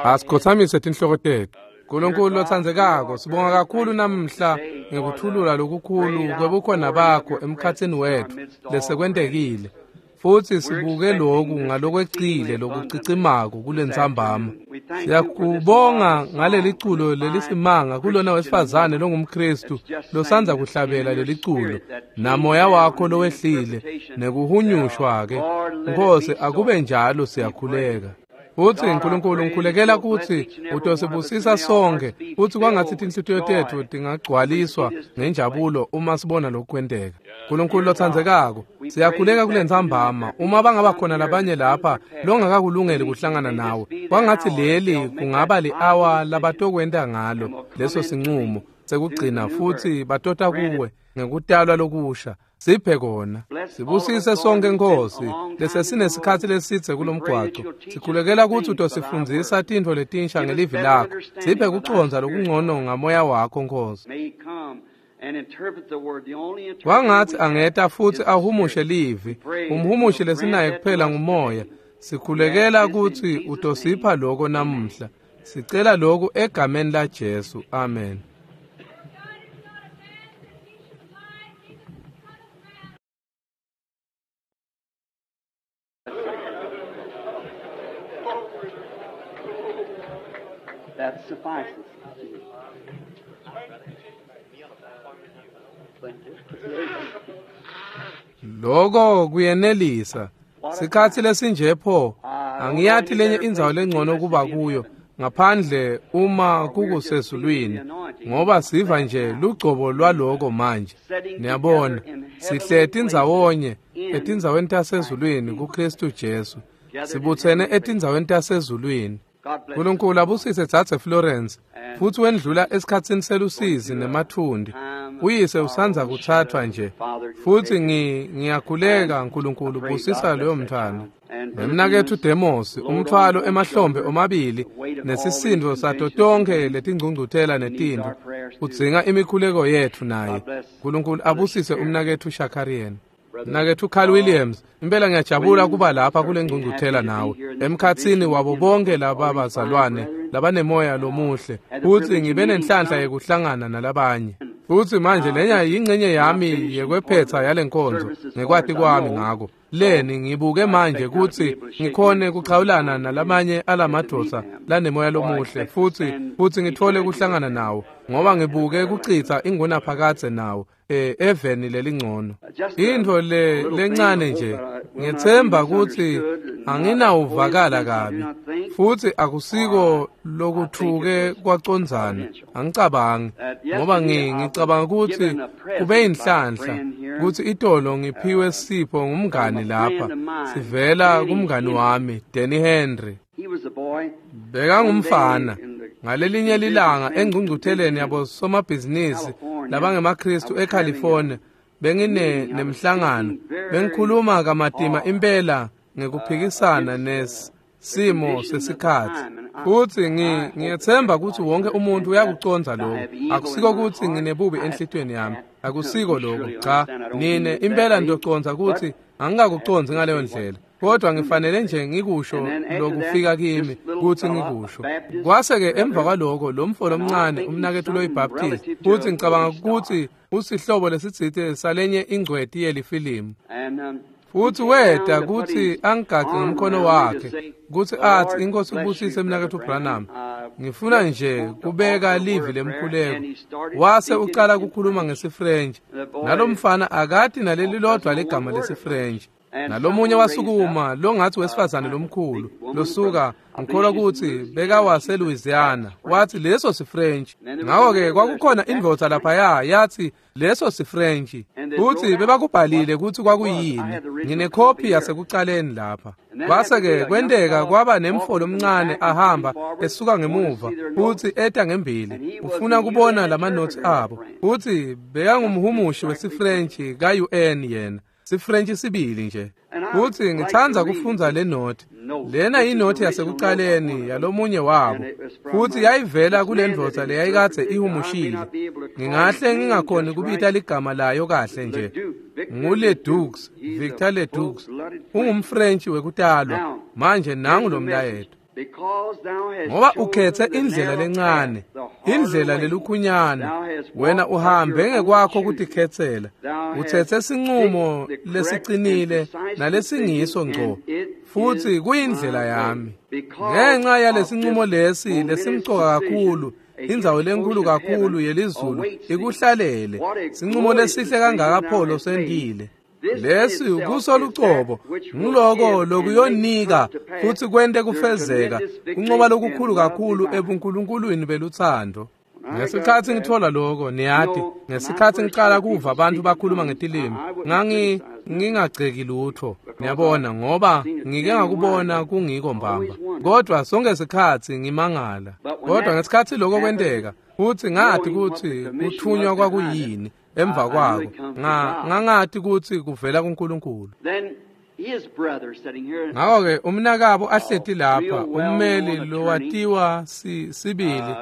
Asikhothamise tinhloko tetfu. Nkulunkulu lotsandzekako, sibonga kakhulu namhla ngekuthulula lokukhulu kwebukhona bakho emkhatsini wetfu lesekwentekile. Futsi sibuke loku ngalokwecile lokucicimako kulentsambama. Siyakubonga ngaleli culo lelisimanga kulona wesifazane longumKhristu losandza kuhlabela leli culo, namoya wakho lowehlile nekuhunyushwa-ke. Nkosi, akube njalo, siyakhuleka. Futsi Nkulunkulu, ngikhulekela kutsi utosibusisa sonke, futsi kwangatsi tinhlitiyo tetfu tingagcwaliswa ngenjabulo uma sibona lokhu kwenteka. Nkulunkulu lotsandzekako, siyakhuleka kulentsambama, uma bangaba khona labanye lapha longakakulungeli kuhlangana nawe, kwangatsi leli kungaba li-awa labatokwenta ngalo leso sincumo sekugcina, futsi batota kuwe ngekutalwa lokusha. Siphe kona. Sibusise sonke, Nkosi, lesesinesikhatsi lesidze kulomgwaco. Sikhulekela kutsi utosifundzisa tintfo letinsha ngelivi lakho. Siphe kucondza lokungcono ngamoya wakho, Nkosi. Kwangatsi angeta futsi ahumushe livi. Umhumushi lesinaye kuphela ngumoya. Sikhulekela kutsi utosipha loko namuhla. Sicela lokhu egameni laJesu. Amen. That suffices. Loko kuyenelisa. Sikhatsi lesinje pho, angiyati lenye indzawo lengcono kuba kuyo ngaphandle uma kukusezulwini, ngoba siva nje lugcobo lwaloko manje. Niyabona, sihleti ndzawonye etindzaweni tasezulwini kuKhristu Jesu. Sibutsene etindzaweni tasezulwini. Nkulunkulu abusise dzadze Florence, futsi wendlula esikhatsini selusizi nemathundi. Uyise usandza kuthathwa nje, futsi ngiyakhuleka Nkulunkulu busisa loyo mntfwana. Nemnaketfu Demos, umthwalo emahlombe omabili nesisindo sato tonkhe letingcungcuthela netintfo, udzinga imikhuleko yetfu naye. Nkulunkulu abusise umnaketfu Shakarian. Mnaketfu Carl Williams, impela ngiyajabula kuba lapha kule ngcungcuthela nawe, emkhatsini wabo bonke laba bazalwane labanemoya lomuhle, futsi ngibe nenhlanhla yekuhlangana nalabanye. Futsi manje lenya yingcenye yami yekwephetsa yale nkonzo ngekwati kwami ngako. Leni ngibuke manje kutsi ngikhone kuchawulana nalamanye alamadvodza lanemoya lomuhle, futsi ngithole kuhlangana nawo, ngoba ngibuke kucitsa ingunaphakadze nawo eveni lelingcono. Intfo le lencane nje, ngitsemba kutsi anginawuvakala kabi, futsi akusiko lokuthuke kwacondzana, angicabangi, ngoba ngicabanga kutsi kube yinhlanhla kutsi itolo ngiphiwe sipho ngumngani lapha, sivela kumngani wami Danny Henry. Bekangumfana ngalelinye lilanga engcungcutheleni yabo somabhizinisi labangemaKhristu eCalifornia, bengine nemhlangano, bengikhuluma kamatima impela ngekuphikisana nesimo sesikhatsi. Futsi ngiyethemba kutsi wonke umuntu uyakucondza lokho. Akusiko kutsi nginebubi enhlitiyweni yami, akusiko lokho, cha, nine impela nitocondza kutsi angikakucondzi ngaleyo ndlela. Kodwa ngifanele nje ngikusho lokufika kimi kutsi ngikusho. Kwase-ke emva kwaloko lo mfo lomncane umnaketfu loyiBaptist, futsi ngicabanga kutsi usihlobo lesitsite salenye ingcweti yelifilimu. Futsi weta kutsi angigace ngomkhono wakhe, kutsi atsi, Inkosi kubusise mnaketfu Branham. Ngifuna nje kubeka livi lemkhuleko. Wase ucala kukhuluma ngesiFrench. Nalomfana akati naleli lodwa ligama lesiFrench. Nalomunye wasukuma longatsi wesifazane lomkhulu losuka, ngikholwa kutsi bekawase Louisiana, watsi leso siFrench. Ngako-ke kwakukhona indvodza laphaya yathi leso siFrench, futsi bebakubhalile kutsi kwakuyini. Nginekhophi yasekucaleni lapha. Kwase-ke kwenteka kwaba nemfo lomncane ahamba esuka ngemuva futsi eta ngembili, ufuna kubona lamanothi abo, futsi bekangumhumushi wesiFrench ka-UN yena. SiFrench sibili nje. Futsi ngitsandza kufundza le nothi. Lena yinothi yasekucaleni yalomunye wabo, futsi yayivela kule ndvodza leyayikadze ihumushile. Ngingahle ngingakhoni kubita ligama layo kahle nje. NguLedoux, Victor Ledoux, ungumFrench wekutalwa. Manje nangu lo mlayeto. Ngoba ukhethe indlela lencane, indlela lelukhunyana, wena uhambe ngekwakho kutikhetsela, utsetse sincumo lesicinile nalesingiso ngco, futhi kuyindlela yami. Ngenxa yalesincumo lesi lesimcoka kakhulu, indzawo lenkulu kakhulu yelizulu ikuhlalele, sincumo lesihle kangaka pho losentile. Lesi kuso lucobo ngiloko lokuyonika futhi kwente kufezeka kuncoba lokukhulu kakhulu ebuNkulunkulwini beluthando. Ngesikhathi ngithola lokho, niyati, ngesikhathi ngiqala kuva abantu bakhuluma ngetilimi, ngingagceki lutho, niyabona, ngoba ngike ngakubona kungiko mbamba. Kodwa sonke sikhathi ngimangala. Kodwa ngesikhathi lokho kwenteka, futhi ngathi ukuthi kuthunywa kwakuyini emva kwako, ngangati ukuthi kuvela kuNkulunkulu. Ngakho-ke umnakabo ahleti lapha, ummeli lowatiwa sibili,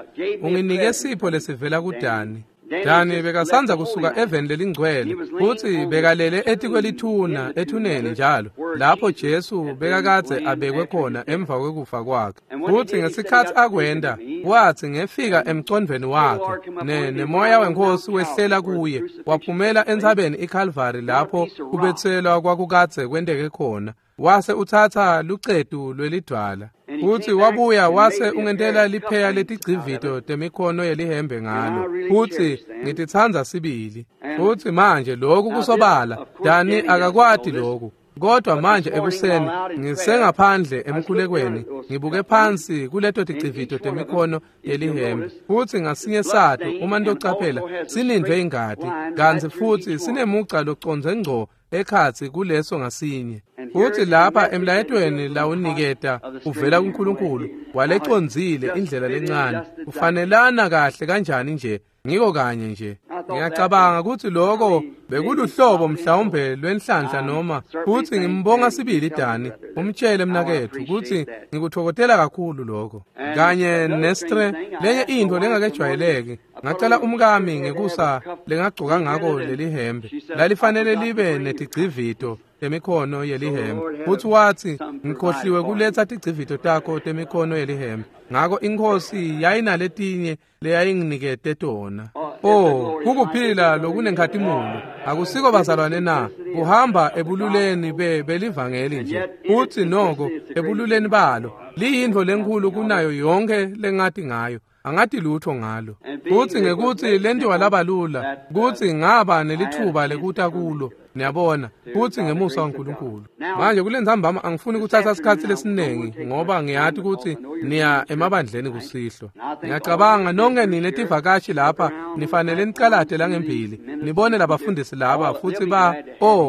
unginike sipho lesivela kuDani. Dani bekasanza kusuka eveni lelingcwele, futhi bekalele etikwelithuna ethuneni njalo, lapho Jesu bekakadze abekwe khona emva kwekufa kwakhe. Futhi ngesikhathi akwenda, wathi ngefika emcondvweni wakhe, nemoya wenkosi wehlela kuye, waphumela entsabeni iCalvary lapho kubetselwa kwakukadze kwenteke khona. Wase uthatha lucetu lwelidwala, futhi wabuya wase ungentela lipheya letigcivito temikhono yelihembe ngalo, futhi ngititsandza sibili. Futhi manje lokhu kusobala, Dani akakwati lokhu, kodwa manje ekuseni ngisengaphandle emkhulekweni, ngibuke phansi kuleto tigcivito temikhono yelihembe, futhi ngasinye sato uma ntocaphela sinindwe ingati, kantsi futhi sinemugca locondze ngco ekhatsi kuleso ngasinye. Futhi lapha emlayetweni lawuniketa uvela kuNkulunkulu, walecondzile indlela lencane, ufanelana kahle kanjani nje, ngiko kanye nje. Ngiyacabanga ukuthi lokho bekuluhlobo mhlawumbe lwenhlanhla noma, futhi ngimbonga sibili Dani, umtshele mnakethu ukuthi ngikuthokozela kakhulu lokho. Kanye nestre, lenye into lengakejwayeleki, ngacela umkami ngekusa lengagcoka ngako lelihembe, lalifanele libe netigcivito temikhono yelihembe, futhi wathi ngikhohliwe kuletha tigcivito takho temikhono yelihembe. Ngakho inkosi yayinaletinye leyayinginikete tona. Oh, kukuphila lokunenkhatimulo, akusiko bazalwane na, kuhamba ebululeni belivangeli nje, futhi noko ebululeni balo liyintfo lenkhulu kunayo yonke lengati ngayo. Angati lutho ngalo. Futhi ngekuthi lentiwa labalula, kuthi ngaba nelithuba lekuta kulo, niyabona, futhi ngemusa waNkulunkulu. Manje kulentsambama angifuni kuthatha isikhathi lesiningi ngoba ngiyati ukuthi niya emabandleni kusihlwa. Ngiyacabanga nonke nine tivakashi lapha nifanele nicalate langembili, nibone labafundisi laba futhi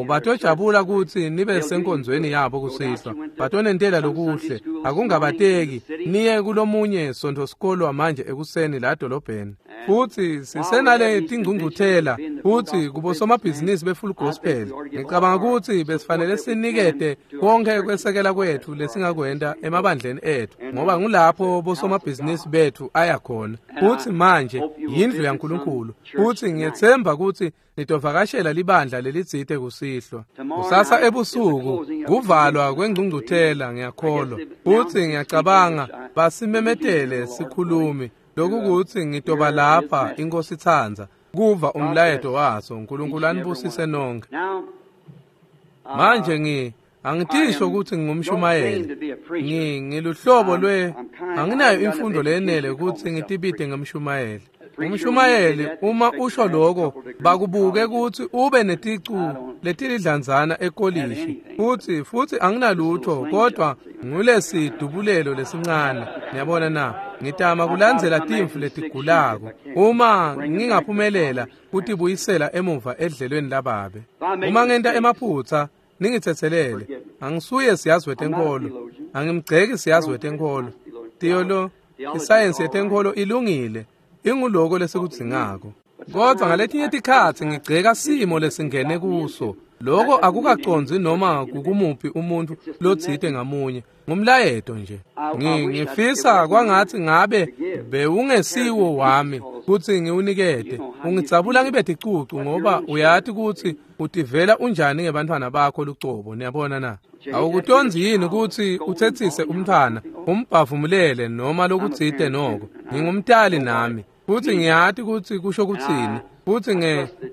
batojabula ukuthi nibe senkonzweni yabo kusihlwa. Batonentela lokuhle, akungabateki, niye kulomunye sonto sikolwa manje ekuseni la dolobheni. Futhi sisenale tingcungcuthela futhi kubosomabhizinisi be-Full Gospel. Ngicabanga ukuthi besifanele sinikete konke kwesekela kwethu lesingakwenta emabandleni ethu, ngoba ngulapho bosomabhizinisi bethu aya khona. Futhi manje yindlu yaNkulunkulu, futhi ngiyethemba ukuthi nitovakashela libandla lelitsite kusihlwa. Kusasa ebusuku kuvalwa kwengcungcuthela, ngiyakholwa. Futhi ngiyacabanga basimemetele sikhulumi lokukuthi ngitoba lapha inkosi itsandza kuva umlayeto waso. uNkulunkulu anibusise nonke. Manje angitisho ukuthi ngingumshumayeli, ngiluhlobo lwe anginayo imfundo leyenele ukuthi ngitibite ngemshumayeli. Umshumayeli uma usho lokho bakubuke ukuthi ube neticu letilidlanzana ekolishi, futhi anginalutho kodwa ngulesidubulelo lesincane, niyabona na. Ngitama kulandzela timvu letigulako, uma ngingaphumelela kutibuyisela emuva edlelweni lababe. Uma ngenta emaphutsa ningithethelele, angisuye siyazi wetenkolo, angimgceki siyazi wetenkolo. Theolo, isayensi yetenkolo ilungile, inguloko lesikudzingako. Kodwa ngaletinye tikhatsi ngigceka simo lesingene kuso. Lokho akukacondzi noma kukumuphi umuntu lotsite ngamunye, ngumlayeto nje. Ngifisa kwangathi ngabe bewungesiwo wami, kutsi ngiwunikete. Ungidzabula ngibe ticucu ngoba uyati kutsi utivela unjani ngebantfwana bakho lucobo, niyabona na? Awukutondzi yini kutsi utsetsise umntfwana, umbhavumulele noma lokutsite noko? Ngingumtali nami, futsi ngiyati kutsi kusho kutsini, futsi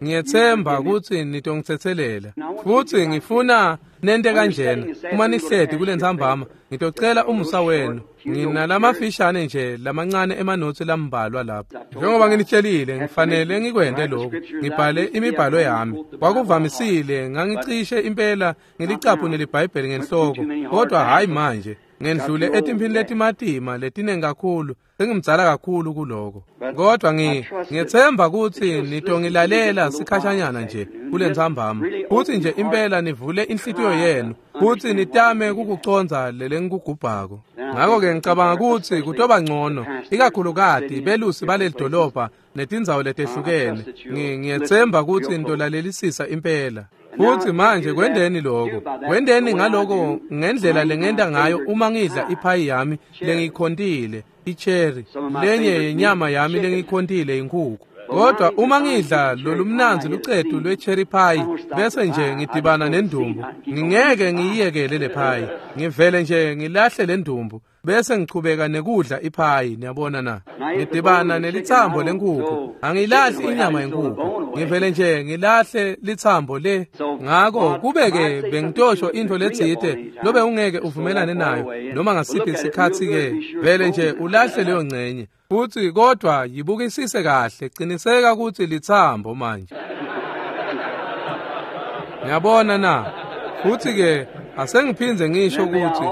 ngiyetsemba kutsi nitongitsetselela. Futsi ngifuna nente kanjena, uma nihleti kulentsambama, ngitocela umusa wenu. Nginalamafishane nje lamancane emanotsi lambalwa lapha. Njengoba nginitshelile, ngifanele ngikwente lokhu, ngibhale imibhalo yami. Kwakuvamisile ngangicishe impela ngilicaphune liBhayibheli ngenhloko, kodwa hhayi manje. Ngendlule etimphini letimatima letinengi kakhulu, sengimdzala kakhulu kuloko. Kodwa ngiyetsemba kutsi nitongilalela sikhashanyana nje kulentsambama, futsi nje impela nivule inhlitiyo yenu, futsi nitame kukucondza lelengikugubhako. Ngako-ke ngicabanga kutsi kutoba ngcono, ikakhulukati belusi baleli dolobha netindzawo letehlukene. Ngiyetsemba kutsi nitolalelisisa impela. Futsi manje kwendeni lokho, kwendeni ngaloko ngendlela lengenta ngayo uma ngidla iphayi yami lengiyikhontile, icherry, lenye yenyama yami lengiyikhontile inkhukhu. Kodwa uma ngidla lolumnandzi lucetu lwe-cherry pie bese nje ngidibana nendumbu, ngingeke ngiyiyekele le pie, ngivele nje ngilahle le ndumbu bese ngichubeka nekudla iphayi, niyabona na? Ngidibana nelitsambo lenkhukhu, angilahli inyama yenkhukhu, ngivele nje ngilahle litsambo le. Ngako kube-ke bengitosho intfo letsite lobe ungeke uvumelane nayo noma ngasiphi isikhatsi-ke, vele nje ulahle leyo ngcenye. Futsi kodwa yibukisise kahle, qiniseka kutsi litsambo manje. Niyabona na? Futsi-ke asengiphindze ngisho kutsi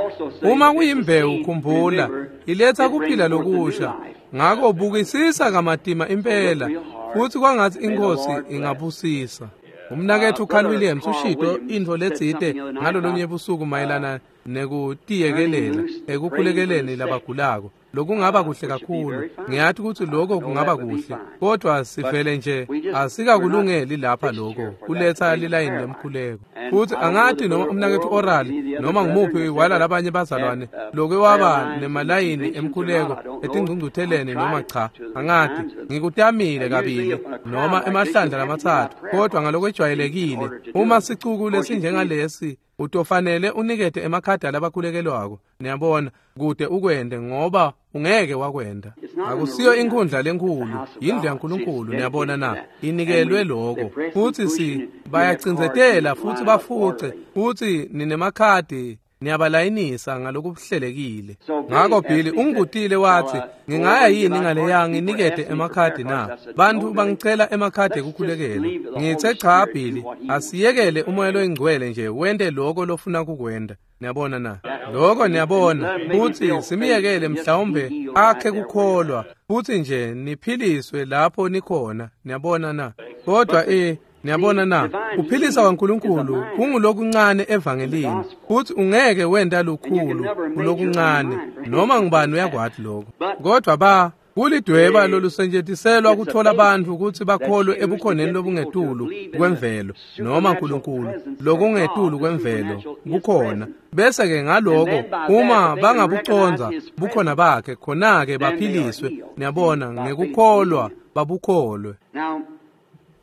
uma kuyimbewu, khumbula, iletha kuphila lokusha. Ngako bukisisa kamatima impela, futsi kwangatsi iNkhosi ingabusisa. Umnaketfu Carl Williams ushito intfo letsite ngalolunye busuku mayelana nekutiyekelela ekukhulekeleni labagulako. Lokungaba kuhle kakhulu. Ngiyati kutsi lokho kungaba kuhle, kodwa sivele nje asikakulungeli lapha lokho kuletsa lilayini lemkhuleko. Futsi angati noma umnaketfu Oral noma ngumuphi wala labanye bazalwane loke waba nemalayini emkhuleko etingcungcutheleni noma cha, angati. Ngikutamile kabili noma emahlandla lamatsatfu, kodwa ngalokwejwayelekile uma sicuku lesinjengalesi utofanele unikete emakhadi alabakhulekelwako, niyabona, kude ukwente ngoba ungeke wakwenta. Akusiyo inkhundla lenkhulu, yindlu yaNkulunkulu, niyabona na? Inikelwe lokho. Futsi bayacindzetela futhi bafuce, futhi ninemakhadi niyabalayinisa ngalokuhlelekile. Ngako Billy ungibutile wathi, ngingaya yini ngaleya nginikete emakhadi na? Bantu bangicela emakhadi ekukhulekela. Ngithe cha Billy, asiyekele umoya loyingcwele nje wente lokho lofuna kukwenta. Niyabona na? Lokho niyabona, futhi simiyekele mhlawumbe akhe kukholwa, futhi nje niphiliswe lapho nikhona. Niyabona na? Kodwa niyabona na? Kuphilisa kwaNkulunkulu kungulokuncane evangelini, futhi ungeke wenta lukhulu kulokuncane, noma ngubani uyakwati lokho. Kodwa kulidweba lolusentshentiselwa kuthola bantfu kutsi bakholwe ebukhoneni lobungetulu kwemvelo noma Nkulunkulu lokungetulu kwemvelo bukhona. Bese-ke ngaloko uma bangabucondza bukhona bakhe, khona-ke baphiliswe, niyabona, ngekukholwa babukholwe.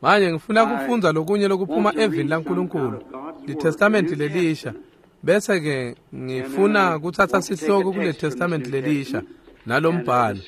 Manje ngifuna kufundza lokunye lokuphuma evini laNkulunkulu, liTestamenti lelisha. Bese-ke ngifuna kutsatsa sihloko kule Testament lelisha nalombhalo,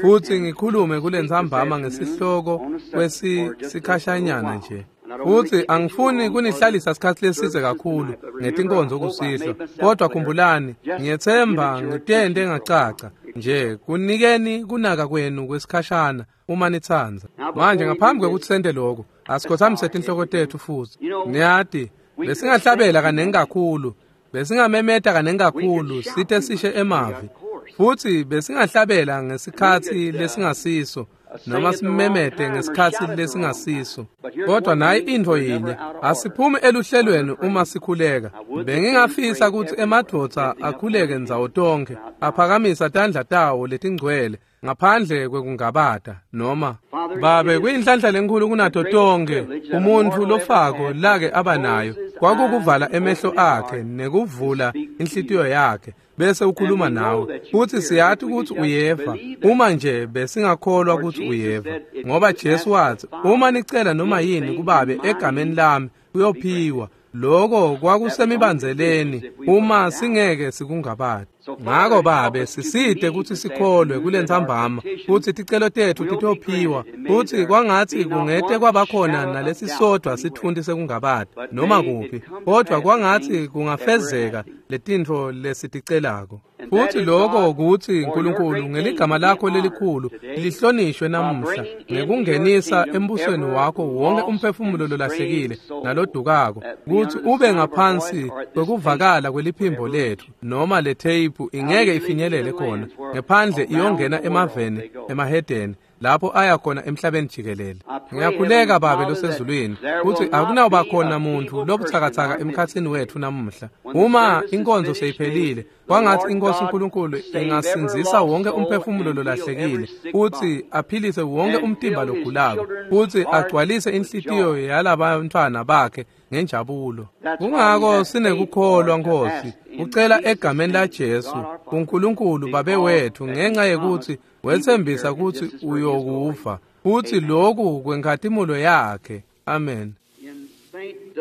futhi ngikhulume kulentsambama ngesihloko kwesikhashanyana nje. Futhi angifuni kunihlalisa isikhatsi leside kakhulu ngetinkonzo kusihlwa, kodwa khumbulani, ngiyetsemba ngitente ngacaca nje kunikeni kunaka kwenu kwesikhashana uma nitsandza. Manje ngaphambi kwekutsi sente lokho, asikhothamise tinhloko tetfu futhi. Niyati, besingahlabela kanengi kakhulu, besingamemeta kanengi kakhulu site sishe emavi, futhi besingahlabela ngesikhatsi lesingasiso noma simemete ngesikhatsi lesingasiso. Kodwa nayi intfo yinye, asiphumi eluhlelweni uma sikhuleka. Bengingafisa kutsi emadvodza akhuleke ndzawo tonkhe, aphakamisa tandla tawo letingcwele ngaphandle kwekungabata noma babe kuyinhlanhla lenkhulu kunato tonke umuntfu lofako lake aba nayo, Kwakukuvala emehlo akhe nekuvula inhlitiyo yakhe bese ukhuluma nawe. Futhi siyati ukuthi uyeva, uma nje besingakholwa ukuthi uyeva, ngoba Jesu wathi, uma nicela noma yini kuBabe egameni lami, kuyophiwa. Lokho kwakusemibandzeleni uma singeke sikungabati. Ngako Babe, sisite kutsi sikholwe kulentsambama kutsi ticelo tetfu titophiwa, futsi kwangatsi kungete kwabakhona nalesisodwa sitfunti sekungabati noma kuphi, kodvwa kwangatsi kungafezeka letintfo lesiticelako. Futhi lokho kutsi Nkulunkulu ngeligama lakho lelikhulu lihlonishwe namuhla ngekungenisa embusweni wakho wonke umphefumulo lolahlekile nalodukako, kutsi ube ngaphansi kwekuvakala kweliphimbo letfu noma letheyiphu ingeke ifinyelele khona ngephandle iyongena emaveni emahedeni lapho aya khona emhlabeni jikelele. Ngiyakhuleka Babe losezulwini kutsi akunawuba khona muntfu lobutsakatsaka emkhatsini wetfu namuhla. Uma inkonzo seyiphelile, kwangatsi iNkosi uNkulunkulu ingasindzisa wonke umphefumulo lolahlekile, futsi aphilise wonke umtimba logulako, futsi agcwalise inhlitiyo yalabantfwana bakhe ngenjabulo. Kungako sinekukholwa Nkosi, ucela egameni laJesu, uNkulunkulu Babe wetfu, ngenxa yekutsi wetsembisa kutsi uyokuva, futsi loku kwenkhatimulo yakhe. Amen. In St.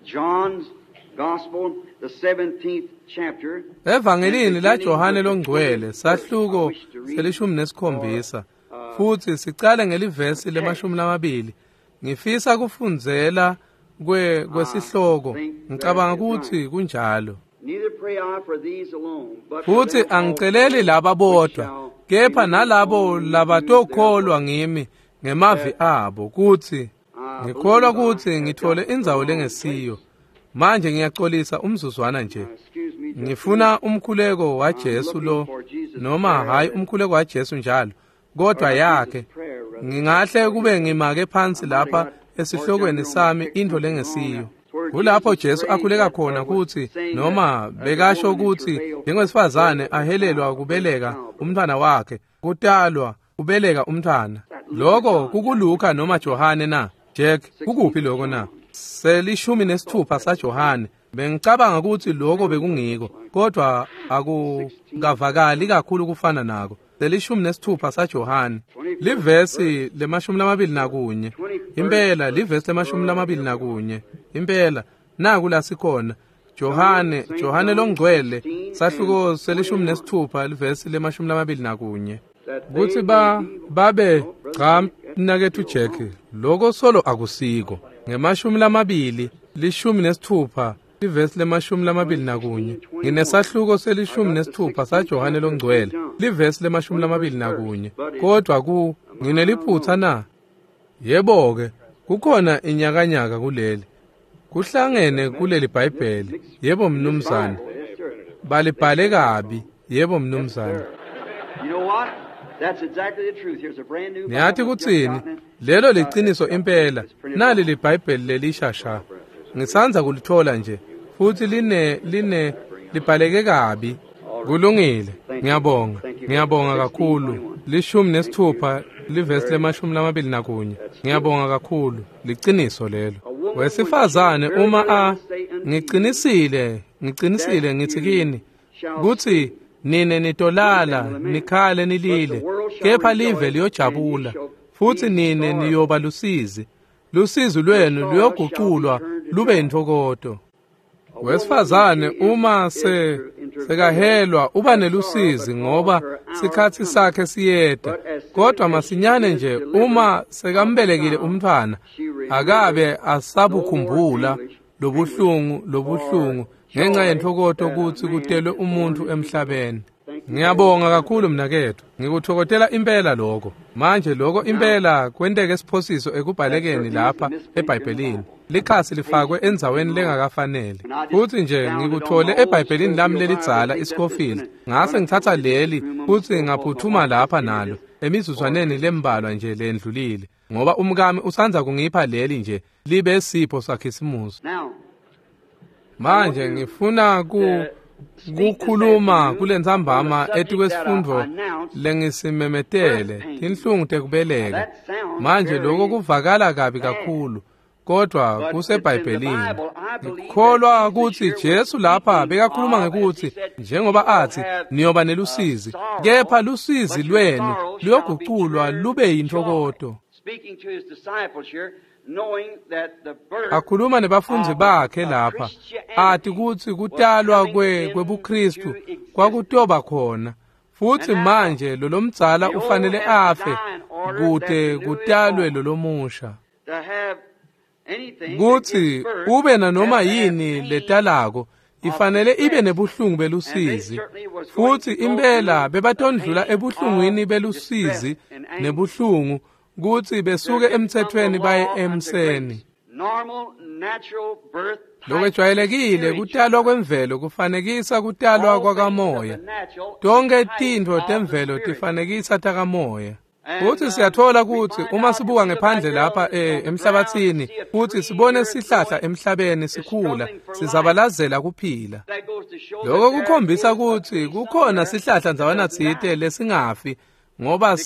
John's Gospel, the 17th chapter, Evangelini laJohane longcwele, sahluko se-17, futsi sicale ngelivesi le-20. Ngifisa kufundzela kwesihloko, ngicabanga kutsi kunjalo. Neither pray I for these alone, but for Futsi them angiceleli also laba which bodwa, shall kepha believe nalabo on me labatokholwa through their ngimi ngemavi abo, kutsi I ngikholwa believe I kutsi have ngithole got the indzawo wrong lengesiyo. place. Manje ngiyaxolisa umzuzwana nje. Excuse me just a Ngifuna minute. umkhuleko I'm waJesu looking lo, for Jesus' noma prayer hayi that- umkhuleko waJesu njalo, kodwa or Jesus' yakhe. prayer, rather. Ngingahle kube ngimake phansi I might have lapha got esihlokweni sami into lengesiyo. Kulapho Jesus Jesu prayed akhuleka that, khona or was kutsi saying noma that, the bekasho woman in kutsi travail njengowesifazane birth ahelelwa child, kubeleka childbirth. umntwana wakhe, kutalwa kubeleka umntwana. Lokho kukuLuka noma Johane na? Jack, kukuphi lokho na? Se-16 saJohane. Bengicabanga kutsi lokho bekungiko, kodwa akukavakali kakhulu kufana nako. Se-16 saJohane. Livesi le-21. Impela livesi le-21. Impela naku la sikhona. Johane longcwele, sahluko se-16 livesi le-21. That Kutsi they may be babe Oh, brother cha Jack, that's mnaketfu still Jack, wrong. lokho solo akusiko. Nge-20 16 livesi le-21. Nginesahluko se-16 saJohane longcwele, livesi le-21. Kodwa ngineliphutha na? Yebo-ke, kukhona inyakanyaka kuleli. Kuhlangene kuleli Bhayibheli. Yebo mnumzane. Yes, sir. Balibhale kabi. Yebo mnumzane. You know what? That's exactly the truth. Here's a brand new Niyathi Bible. I've just kutsini? gotten it. Lelo liciniso impela. Nali liBhayibheli lelisha sha. Ngisandza kulithola nje. Futhi line libhaleke kabi. Kulungile. Ngiyabonga. Ngiyabonga kakhulu. 16 livesi le-21. Ngiyabonga kakhulu. Liciniso lelo. Wesifazane uma ngicinisile ngithi kini kutsi nine nitolala nikhale nilile, kepha live liyojabula, futhi nine niyoba lusizi. Lusizi lwenu luyoguculwa lube yintokoto. Wesifazane uma sekahelwa uba nelusizi ngoba sikhatsi sakhe siyeta, kodwa masinyane nje uma sekambelekile umntfwana akabe asabukhumbula lobuhlungu ngenxa yentokoto kutsi kutelwe umuntu emhlabeni. Ngiyabonga kakhulu mnaketfu, ngikuthokotela impela lokho. Manje lokho impela kwenteke siphosiso ekubhalekeni lapha eBhayibhelini. Likhasi lifakwe endzaweni lengakafanele. Futhi nje ngikuthole eBhayibhelini lami lelidzala iScofield. Ngase ngithatha leli futhi ngaphuthuma lapha nalo emizuzwaneni lembalwa nje lendlulile, ngoba umkami usandza kungipha leli nje libe sipho sakhisimusi. Now, Manje ngifuna kukhuluma kulentsambama etikwesifundvo lengisimemetele, tinhlungu tekubeleka. Manje lokho kuvakala kabi kakhulu, Kodwa kuseBhayibhelini. Ngikholwa kutsi Jesu lapha bekakhuluma ngekutsi njengoba athi niyoba nelusizi, kepha lusizi lwenu luyoguculwa lube yintokoto. Akhuluma nebafundzi bakhe lapha, ati kutsi kutalwa kwebuKristu kwakutoba khona. Futsi manje lolomdzala ufanele afe kute kutalwe lolomusha. Kutsi ube nanoma yini letalako ifanele ibe nebuhlungu belusizi, futsi impela bebatondlula ebuhlungwini belusizi nebuhlungu kutsi besuke emthethweni baye emseni. Lokwejwayelekile kutalwa kwemvelo kufanekisa kutalwa kwakamoya. Tonke tintfo temvelo tifanekisa takamoya. Futsi siyatfola kutsi uma sibuka ngephandle lapha emhlabathini futsi sibone sihlahla emhlabeni sikhula, sizabalazela kuphila. Lokho kukhombisa kutsi kukhona sihlahla ndzawana tsite lesingafi, ngoba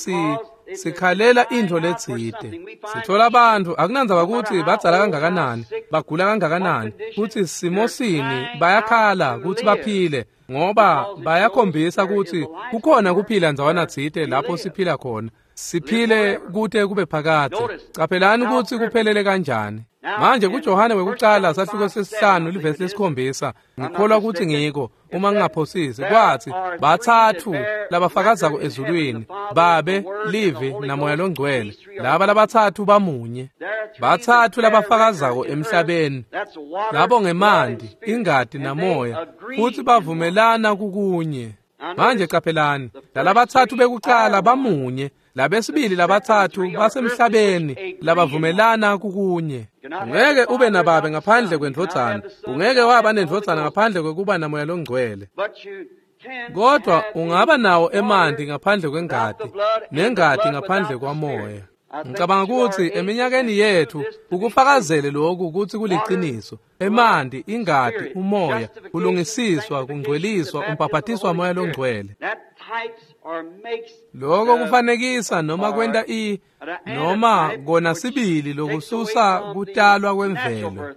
sikhalela intfo letsite. Sithola bantfu akunandzaba kutsi badzala kangakanani, bagula kangakanani, kutsi simo sini, bayakhala kutsi baphile, ngoba bayakhombisa kutsi kukhona kuphila ndzawana tsite lapho siphila khona. Siphile kute kube phakadze. Caphelani kutsi kuphelele kanjani. Manje kuJohane wekucala sahluko sesihlanu livesi lesikhombisa, ngikholwa kutsi ngiko uma ngingaphosisi, kwathi bathathu labafakazako ezulwini, Babe, Livi naMoya loNgcwele. Laba labathathu bamunye. Bathathu labafakazako emhlabeni, labo ngemanti, ingati namoya, futsi bavumelana kukunye. Manje caphelani, lalabathathu bekucala bamunye, labesibili labathathu basemhlabeni labavumelana kukunye. Ungeke ube nababe ngaphandle kwendvodzana, ungeke waba nendvodzana ngaphandle kwekuba naMoya loNgcwele. Kodwa ungaba nawo emanti ngaphandle kwengati, nengati ngaphandle kwamoya. Ngicabanga kutsi eminyakeni yethu ukufakazele lokhu kutsi kuliciniso. Emanti, ingati, umoya, kulungisiswa, kungcweliswa, umbhaphatiswa waMoya loNgcwele. Lokho kufanekisa noma kwenta noma kona sibili lokususa kutalwa kwemvelo.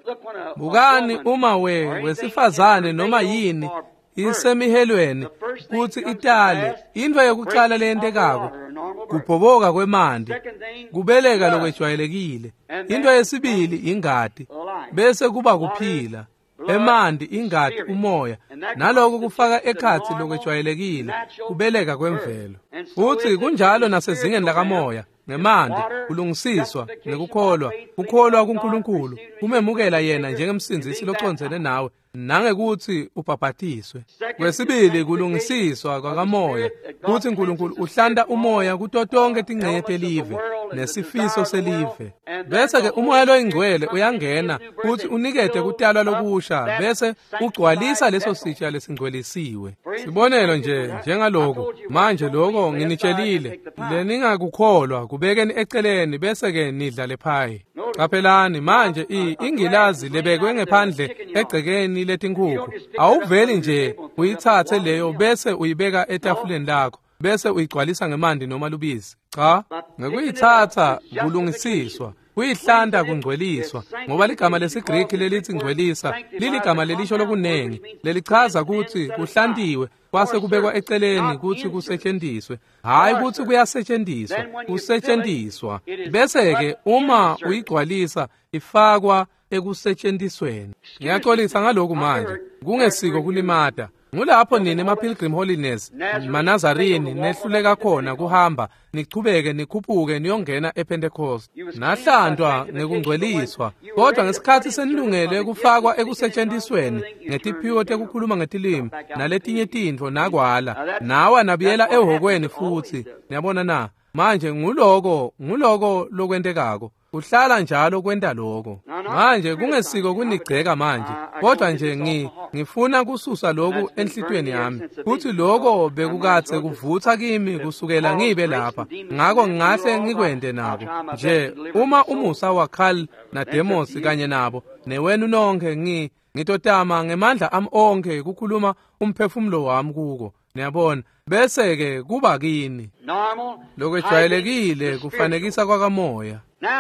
Bukani uma wesifazane noma yini isemihelweni kutsi itale, intfo yekucala leyentekako kubhoboka kwemanti, kubeleka lokwejwayelekile. Into yesibili ingati, bese kuba kuphila. Emanti, ingati, umoya, naloko kufaka ekhatsi lokwejwayelekile, kubeleka kwemvelo. Futsi kunjalo nasezingeni lakamoya, ngemanti, kulungisiswa, ngekukholwa, kukholwa kuNkulunkulu, kumemukela yena njengemsindzisi locondzene nawe, nangekutsi ubhabhatiswe. Kwesibili kulungisiswa kwakamoya, kutsi Nkulunkulu uhlanta umoya kuto tonke tingcenye telive nesifiso selive. Bese-ke umoya loyingcwele uyangena kutsi unikete kutalwa lokusha, bese ugcwalisa leso sitsha lesingcwelisiwe. Sibonelo nje njengaloku, manje loko nginitshelile, leningakukholwa kubekeni eceleni bese-ke nidla lephayi. Caphelani manje ingilazi lebekwe ngephandle egcekeni letinkhukhu, awuveli nje uyitsatse leyo bese uyibeka etafuleni lakho, bese uyigcwalisa ngemanti noma lubisi. Cha, ngekuyitsatsa kulungisiswa, kuyihlanta kungcweliswa, ngoba ligama lesiGriki lelithi ngcwelisa liligama lelisho lokunengi, lelichaza kutsi kuhlantiwe kwase kubekwa eceleni kutsi kusetjentiswe, hhayi kutsi kuyasetjentiswa, kusetjentiswa. Bese-ke uma uyigcwalisa ifakwa ekusetjentisweni. Ngiyaxolisa ngaloku manje, kungesiko kulimata. Ngulapho nini ema-Pilgrim Holiness, Manazarini nehluleka khona kuhamba, nichubeke nikhuphuke niyongena ePentecost. Nahlantwa ngekungcweliswa, kodwa ngesikhatsi senilungele kufakwa ekusetjentisweni ngetiphiwo tekukhuluma ngetilimi naletinye tintfo nakwala, nawa nabuyela ehhokweni futsi. Niyabona na? Manje nguloko lokwentekako. Uhlala njalo kwenta lokho. Manje kungesiko kunigceka manje, kodwa nje ngifuna kususa lokhu enhlitiyweni yami, kuthi lokho bekukadze kuvutsa kimi kusukela ngibe lapha, ngako ngingahle ngikwente nabo. Nje uma umusa waKhal naDemos kanye nabo newenu nonke, ngitotama ngemandla ami onke kukhuluma umphefumulo wami kuko. Niyabona, bese-ke kuba kini. Lokwejwayelekile kufanekisa kwakamoya.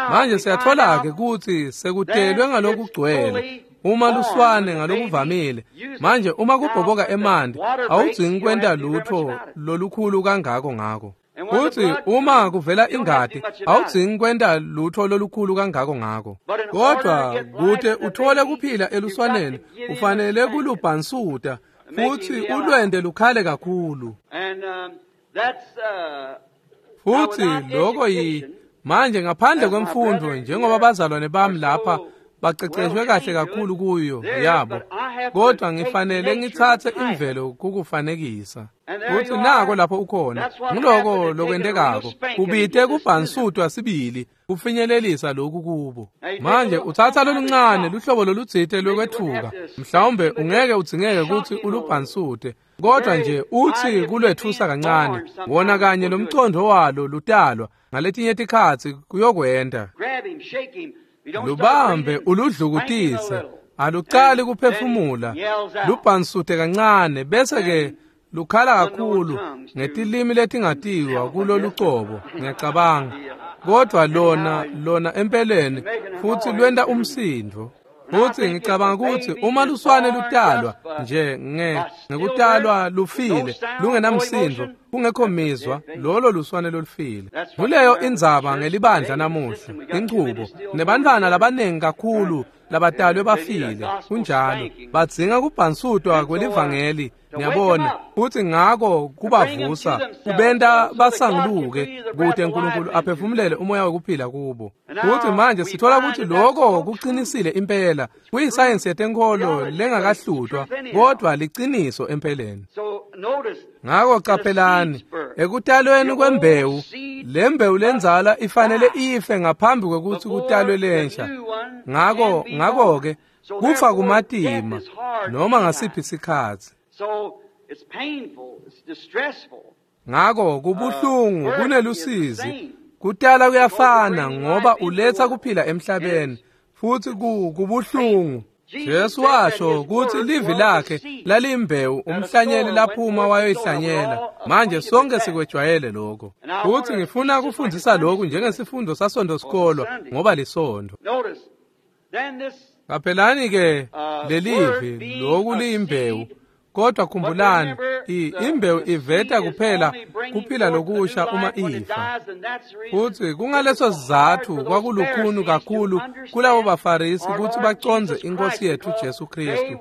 Manje siyathola-ke kutsi sekutelwe ngalokugcwele uma luswane ngalokuvamile. Manje uma kubhoboka emanti, awudzingi kwenta lutho lolukhulu kangako ngako. Futsi uma kuvela ingati, awudzingi kwenta lutho lolukhulu kangako ngako. Kodwa kute uthole kuphila eluswaneni, ufanele kulubhansuta futsi ulwente lukhale kakhulu. Futsi lokho manje ngaphandle kwemfundo, njengoba bazalwane bami lapha baceceshwe kahle kakhulu kuyo yabo, kodwa ngifanele ngitsatse imvelo kukufanekisa. Futsi nako lapho ukhona, nguloko lokwentekako, kubite kubhansutwa sibili kufinyelelisa lokhu kubo. Manje utsatsa loluncane luhlobo lolutsite lwekwetfuka, mhlawumbe ungeke udzingeke kutsi ulubhansute, kodwa nje utsi kulwetfusa kancane, wona kanye lomcondo walo lutalwa ngaletinye tikhatsi kuyokwenta. Lubambe uludlukutise, alucali kuphefumula, lubhansute kancane, bese-ke lukhala kakhulu ngetilimi letingatiwa kulolucobo, ngiyacabanga. Kodwa lona empeleni futsi lwenta umsindvo. Futsi ngicabanga kutsi uma luswane lutalwa nje ngekutalwa lufile, lungenamsindvo, kungekho mizwa, lolo luswane lolufile. Nguleyo indzaba ngelibandla namuhla, inchubo, nebantfwana labaningi kakhulu labatalwe bafile, kunjalo, badzinga kubhansutwa kwelivangeli, niyabona, futsi ngako kubavusa, kubenta basanguluke, kute uNkulunkulu aphefumulele umoya wekuphila kubo. Futsi manje sithola kutsi lokho kuqinisile impela, kuyisayensi yetenkholo lengakahlutwa, kodwa liciniso empeleni. Ngako caphelani, ekutalweni kwembewu, le mbewu lendzala ifanele ife ngaphambi kwekutsi kutalwe lensha. Ngako-ke kufa kumatima noma ngasiphi sikhatsi. Ngako kubuhlungu, kunelusizi. Kutala kuyafana ngoba uletsa kuphila emhlabeni, futsi kubuhlungu. Jesu washo kutsi livi lakhe lalimbewu umhlanyeli laphuma wayoyihlanyela. Manje sonke sikwejwayele lokho. Futsi ngifuna kufundzisa lokhu njengesifundo saSondo sikolwa ngoba lisondo. Qaphelani ke lelivi lokhu liyimbewu. Kodwa khumbulani, imbewu iveta kuphela kuphila lokusha uma ifa. Futsi kungaleso sizatfu kwakulukhuni kakhulu kulabo baFarisi kutsi bacondze iNkosi yethu Jesu Kristu,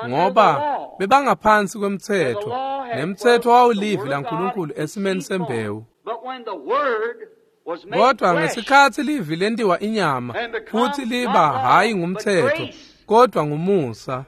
ngoba bebangaphansi kwemtsetfo, nemtsetfo wawulivi laNkulunkulu esimeni sembewu. Kodwa ngesikhatsi livi lentiwa inyama, futsi liba hhayi ngumtsetfo, kodwa ngumusa.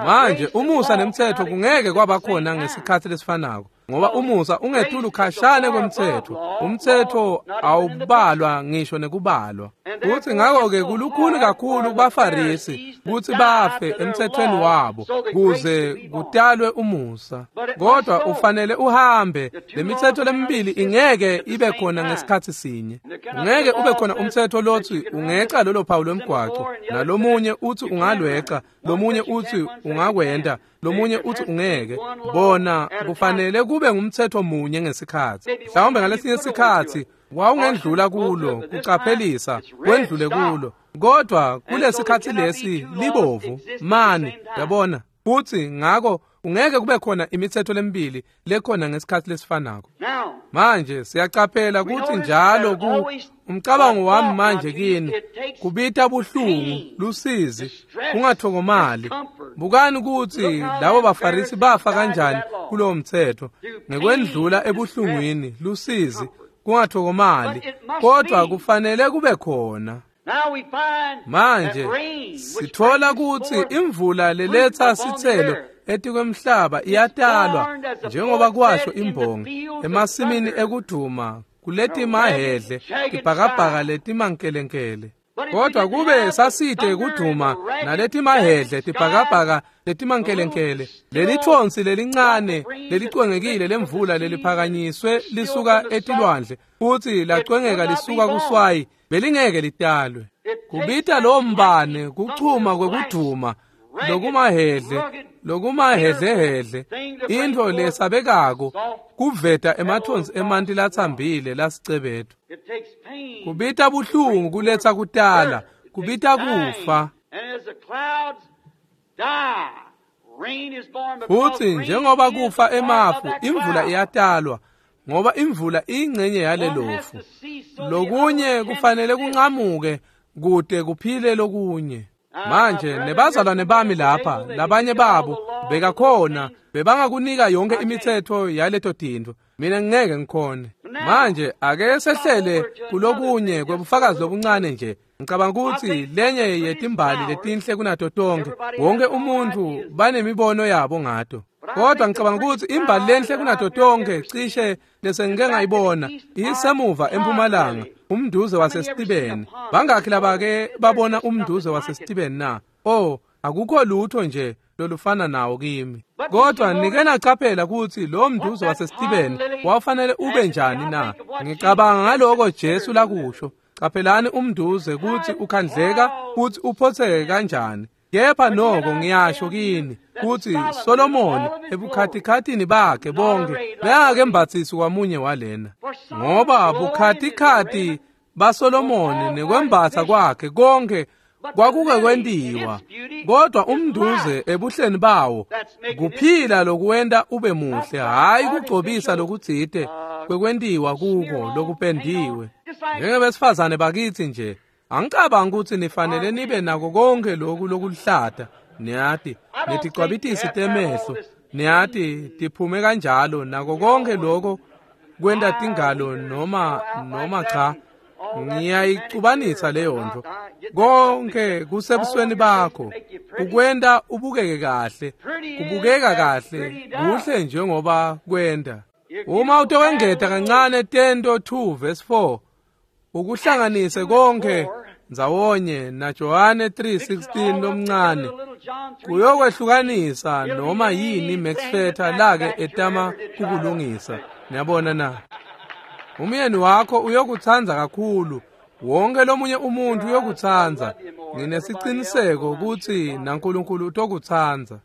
Manje umusa nemtsetfo kungeke kwaba khona ngesikhatsi lesifanako, ngoba umusa ungetulu khashane kwemtsetfo. Umtsetfo awubalwa ngisho nekubalwa. Futsi ngako-ke kulukhuni kakhulu kubaFarisi kutsi bafe emtsetfweni wabo kuze kutalwe umusa. Kodwa ufanele uhambe, lemitsetfo lemibili ingeke ibe khona ngesikhatsi sinye. Ungeke ube khona umtsetfo lotsi ungeca lolo phawu lwemgwaco, nalomunye utsi ungalweca, lomunye utsi ungakwenta, lomunye utsi ungeke. Bona kufanele kube ngumtsetfo munye ngesikhatsi. Mhlawumbe ngalesinye sikhatsi wawungendlula kulo kucaphelisa wendlule kulo, kodwa kulesikhatsi lesi libovu mani, yabona. Futsi ngako ungeke kube khona imitsetfo lemibili lekhona ngesikhatsi lesifanako. Manje siyacaphela kutsi njalo umcabango wami manje kini kubita buhlungu, lusizi, kungathokomali. Bukani kutsi labo baFarisi bafa kanjani kulowo mtsetfo, ngekwendlula ebuhlungwini, lusizi, kungathokomali, kodwa kufanele kube khona. Manje sithola kutsi imvula leletsa sitselo etikwemhlaba iyatalwa, njengoba kwasho imbongi, emasimini ekuduma kuletimahedle tibhakabhaka letimankelenkele. Kodwa kube sasite kuduma naletimahedle tibhakabhaka letimankelenkele, lelithonsi lelincane lelicwengekile lemvula leliphakanyiswe lisuka etilwandle futsi lacwengeka lisuka kuswayi, belingeke litalwe. Kubita lowo mbane kuchuma kwekuduma lokumahhedle, lokumahhedlehhedle, intfo lesabekako, kuveta emathonsi emanti latsambile lasicebethu. Kubita buhlungu kuletsa kutala, kubita kufa. Futsi njengoba kufa emafu, imvula iyatalwa, ngoba imvula iyingcenye yalelofu. Lokunye kufanele kunqamuke kute kuphile lokunye. Manje nebazalwane bami lapha, labanye babo bekakhona, bebangakunika yonke imitsetfo yaleto tintfo. Mina ngeke ngikhone. Manje ake sehlele kulokunye kwebufakazi lobuncane nje. Ngicabanga ukuthi lenye yetimbali letinhle kunato tonke, wonke umuntu banemibono yabo ngato. Kodwa ngicabanga ukuthi imbali lenhle kunato tonke cishe lesengike ngayibona isemuva empumalanga, umduze waseStibeni. Bangakhi labake babona umduze waseStibeni na? Oh, akukho lutho nje lolufana nawo kimi. Kodwa nike nacaphela ukuthi lo mduze waseStibeni wawufanele ube njani na? Ngicabanga ngaloko Jesu lakusho. Caphelani umduze ukuthi ukhandleka futhi uphotheke kanjani. Kepha noko ngiyasho kini ukuthi Solomoni ebukhatikhathini bakhe bonke bekakembatsisi kwamunye walena. Ngoba bukhatikhathi baSolomoni nekwembatsa kwakhe konke kwakuke kwentiwa, kodwa umduze ebuhleni bawo kuphila lokuwenta ube muhle, hhayi kugcobisa lokutsite kwekwentiwa kuko lokupendiwe. Njengebesifazane bakithi nje, angicabangi ukuthi nifanele nibe nako konke lokhu lokulihlata, niyati, neticwabitisi temehlo, niyati, tiphume kanjalo, nako konke lokho kwenta tingalo noma cha, ngiyayicubanisa leyo nto. Konke kusebusweni bakho, kukwenta ubukeke kahle, kubukeka kahle, kuhle njengoba kwenta. Uma utowengeta kancane Tento 2 verse 4, ukuhlanganise konke ndzawonye na Johane 3:16 lomncane, kuyokwehlukanisa noma yini Max Fetter lake etama kukulungisa. Niyabona na? Umyeni wakho uyokutsandza kakhulu, wonke lomunye umuntu uyokutsandza. Nginesiqiniseko ukuthi naNkulunkulu utokutsandza.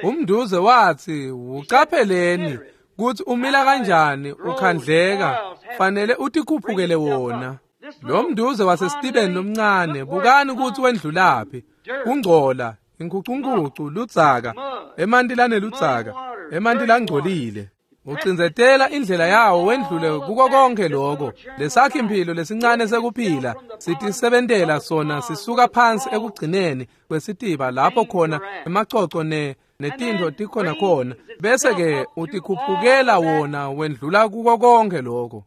Umduze wathi, ucapheleni kuthi umila kanjani ukhandleka, fanele utikhuphukele wona. Lo mduze waseStibeni lomncane, bukani ukuthi wendlulaphi. Kungcola, inkhucunkucu, ludzaka, emanti laneludzaka, emanti langcolile. Ucindzetela indlela yawo wendlule kuko konke lokho. Lesakhi impilo lesincane sekuphila sitisebentela sona sisuka phansi ekugcineni kwesitiba lapho khona emacoco netintfo tikhona khona, bese ke utikhuphukela wona wendlula kuko konke lokho.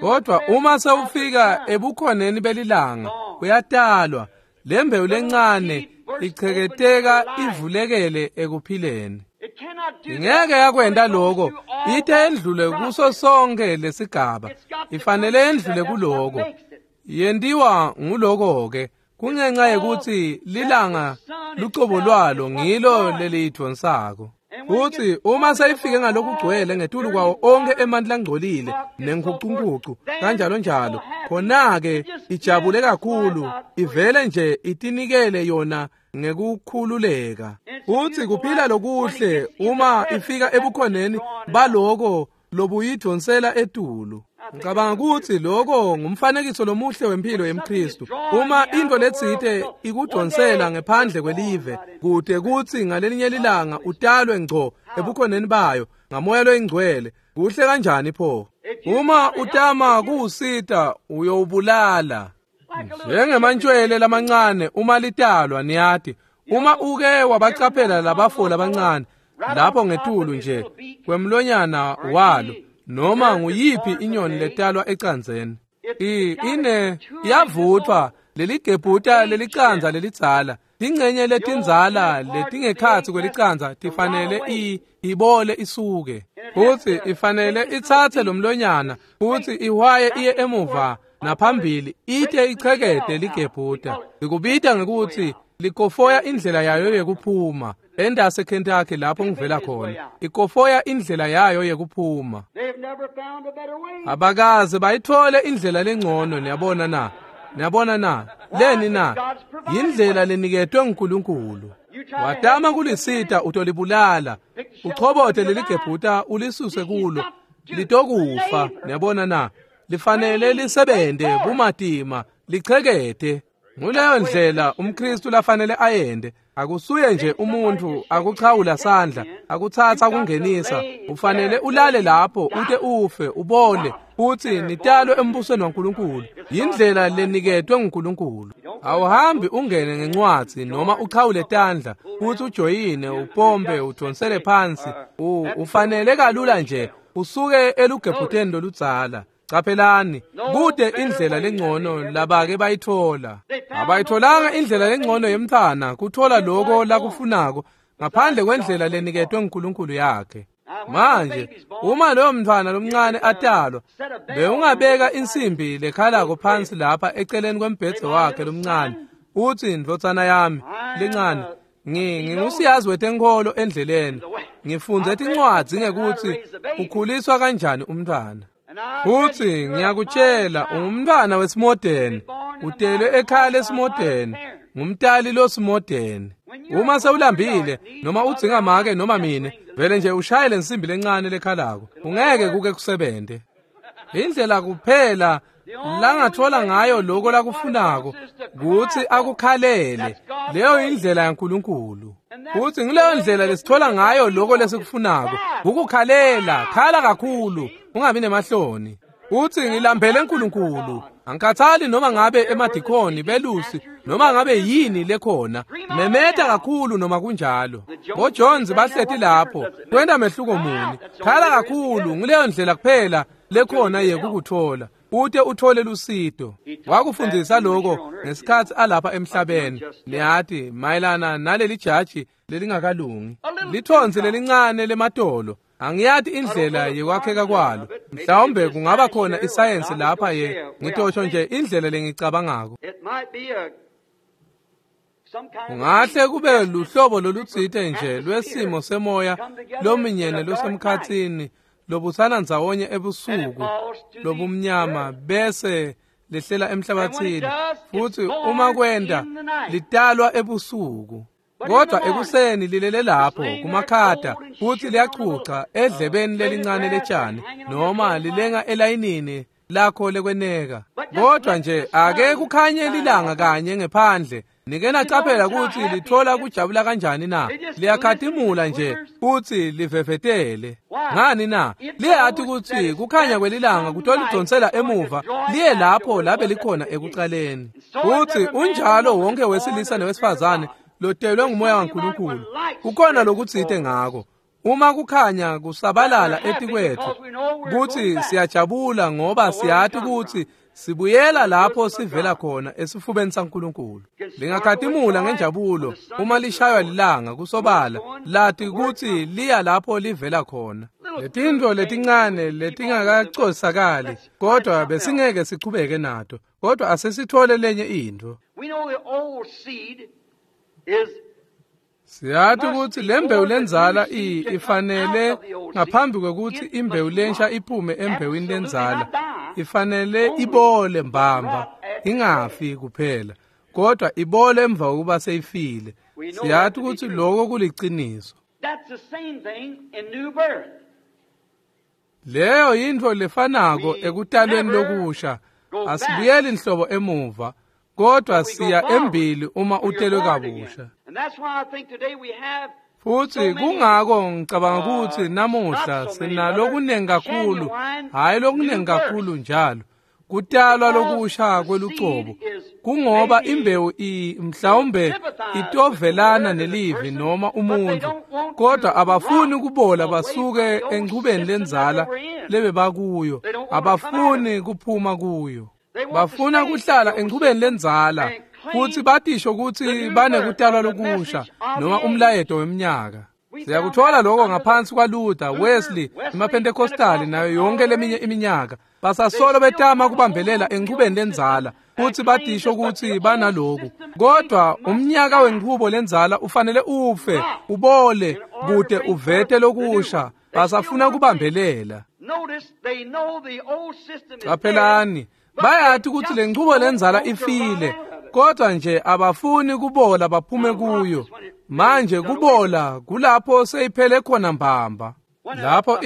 Kodwa uma sewufika ebukhoneni belilanga, uyatalwa. Lembewu lencane icheketeka ivulekele ekuphileni. Ingeke yakwenta lokho, ite endlule kuso sonke lesigaba, ifanele endlule kuloko. Yentiwa nguloko ke, kungenxa yekuthi lilanga lucobo lwalo ngilo leliyidvonsako. Futhi uma seyifike ngalokugcwele ngetulu kwawo onke emanti langcolile nenkucunkucu kanjalo njalo, khona-ke ijabule kakhulu, ivele nje itinikele yona ngekukhululeka. Futhi kuphila lokuhle uma ifika ebukhoneni baloko lobuyidvonsela etulu. Ngicabanga ukuthi lokho ngumfanekiso lomuhle wempilo yemKristu. Uma into letsite ikudvonsela ngephandle kwelive, kude kuthi ngalelinye lilanga utalwe ngco ebukhoneni bayo ngamoya loyingcwele, kuhle kanjani pho? Uma utama kuwusita uyowubulala. Njengemantshwele lamancane uma litalwa, niyati, uma uke wabacaphela labafo labancane lapho ngetulu nje kwemlonyana walo, noma nguyiphi inyoni letalwa ecandzeni, iyavuthwa leligebhuta lelicandza lelidzala. Tingcenye letindzala letingekhatsi kwelicandza tifanele ibole isuke, futhi ifanele itsatse lomlonyana futhi ihwaye iye emuva naphambili, ite ichekete ligebhuta. Likubita ngekuthi likofoya indlela yayo yekuphuma. Endase Kentucky lapho ngivela khona, ikofoya indlela yayo yekuphuma. Abakaze bayithole indlela lengcono. Niyabona na? Niyabona na? Leni na? Yindlela leniketwe nguNkulunkulu. Watama kulisita utolibulala, uchobote leligebhuta ulisuse kulo, litokufa. Niyabona na? Lifanele lisebente bumatima, lichekete. Nguleyo ndlela umKristu lafanele ayende. Akusuye nje umuntu akuchawula sandla, akutsatsa kungenisa. Ufanele ulale lapho ute ufe, ubole, futhi nitalwe embusweni waNkulunkulu. Yindlela leniketwe nguNkulunkulu. Awuhambi ungene ngencwadzi noma uchawule tandla, futhi ujoyine, upompe, udonsele phansi. Ufanele kalula nje usuke elugebhuteni loludzala. Caphelani, kude indlela lengcono labake bayithola. Abayitholanga indlela lengcono yemntfwana kuthola lokho lakufunako ngaphandle kwendlela leniketwe nguNkulunkulu yakhe. Manje, uma loyo mntfwana lomncane atalwa, bewungabeka insimbi lekhalako phansi lapha eceleni kwembhedze wakhe lomncane, uthi, ndvodzana yami lencane, ngingusiyazi wetenkholo endleleni. Ngifundze tincwadzi ngekuthi ukhuliswa kanjani umntfwana. Futhi ngiyakutshela, ungumntfwana wesimodeni, utelwe ekhaya lesimodeni, ngumtali losimodeni. Uma sewulambile noma udzinga make noma mine, vele nje ushaye lensimbi lencane lekhalako, ungeke kuke kusebente. Indlela kuphela langathola ngayo lokho lakufunako kutsi akukhalele. Leyo indlela yaNkulunkulu. Futhi ngileyo ndlela lesithola ngayo lokho lesikufunako, ukukhalela. Khala kakhulu, ungabi nemahloni. Uthi ngilambele uNkulunkulu. Angikhathali noma ngabe emadikoni, belusi, noma ngabe yini lekhona. Memeta kakhulu noma kunjalo. BoJones bahleti lapho, kwenta mehluko muni? Khala kakhulu, ngileyo ndlela kuphela lekhona yekukuthola, ute uthole lusito. Wakufundisa lokho ngesikhatsi alapha emhlabeni. Niyati mayelana naleli jaji lelingakalungi, lithonsi lelincane lematolo. Angiyati indlela yekwakheka kwalo. Mhlawumbe kungaba khona isayensi lapha ye ngitosho nje indlela lengicabangako. Kungahle kube luhlobo lolutsite nje lwesimo semoya lominyene losemkhatsini lobutsana ndzawonye ebusuku lobumnyama bese lehlela emhlabathini, futhi uma kwenta litalwa ebusuku. Kodwa ekuseni lilele lapho kumakhata, futhi liyachucha edlebeni lelincane letshani noma lilenga elayinini lakho lekweneka. Kodwa nje ake kukhanye lilanga kanye ngephandle, nike nacaphela ukuthi lithola kujabula kanjani na? Liyakhatimula nje futhi livevetele. Ngani na? Liyati ukuthi kukhanya kwelilanga kutolidonsela emuva liye lapho labe likhona ekucaleni. Futhi unjalo wonke wesilisa newesifazane lotelwe ngumoya waNkulunkulu. Kukhona lokutsite ngako. Uma kukhanya kusabalala etikwethu, kuthi siyajabula ngoba siyati ukuthi sibuyela lapho sivela khona esifubeni saNkulunkulu. Lingakhatimula ngenjabulo uma lishaywa lilanga kusobala, lati ukuthi liya lapho livela khona. Letintfo letincane letingakacosakali, kodwa besingeke sichubeke nato, kodwa asesithole lenye intfo. Siyati ukuthi lembewu lenzala ifanele ngaphambi kwekuthi imbewu lensha iphume embewini lenzala, ifanele ibole mbamba, ingafi kuphela, kodwa ibole emva kokuba seyifile. Siyati ukuthi lokho kuliciniso. Leyo yintfo lefanako ekutalweni lokusha. Asibuyeli nhlobo emuva, kodwa siya embili uma utelwe kabusha. Futhi kungako ngicabanga ukuthi namuhla sinalokunengi kakhulu, hhayi lokunengi kakhulu njalo, kutalwa lokusha kwelucobo. Kungoba imbewu mhlawumbe itovelana nelivi noma umuntu, kodwa abafuni kubola basuke enchubeni lenzala lebebakuyo, abafuni kuphuma kuyo. Bafuna kuhlala enchubeni lenzala futhi batisho ukuthi banekutalwa lokusha noma umlayeto weminyaka. Siyakuthola lokho ngaphansi kwaLuther, Wesley, emaPentecostali nayo yonke leminye iminyaka. Basasolo betama kubambelela enchubeni lenzala futhi batisho ukuthi banaloku. Kodwa umnyaka wenchubo lenzala ufanele ufe, ubole, kude uvete lokusha. Basafuna kubambelela. Qaphelani, bayati ukuthi le nchubo lenzala ifile, Kodwa nje abafuni kubola baphume kuyo. Manje kubola kulapho seyiphele khona mbamba. Lapho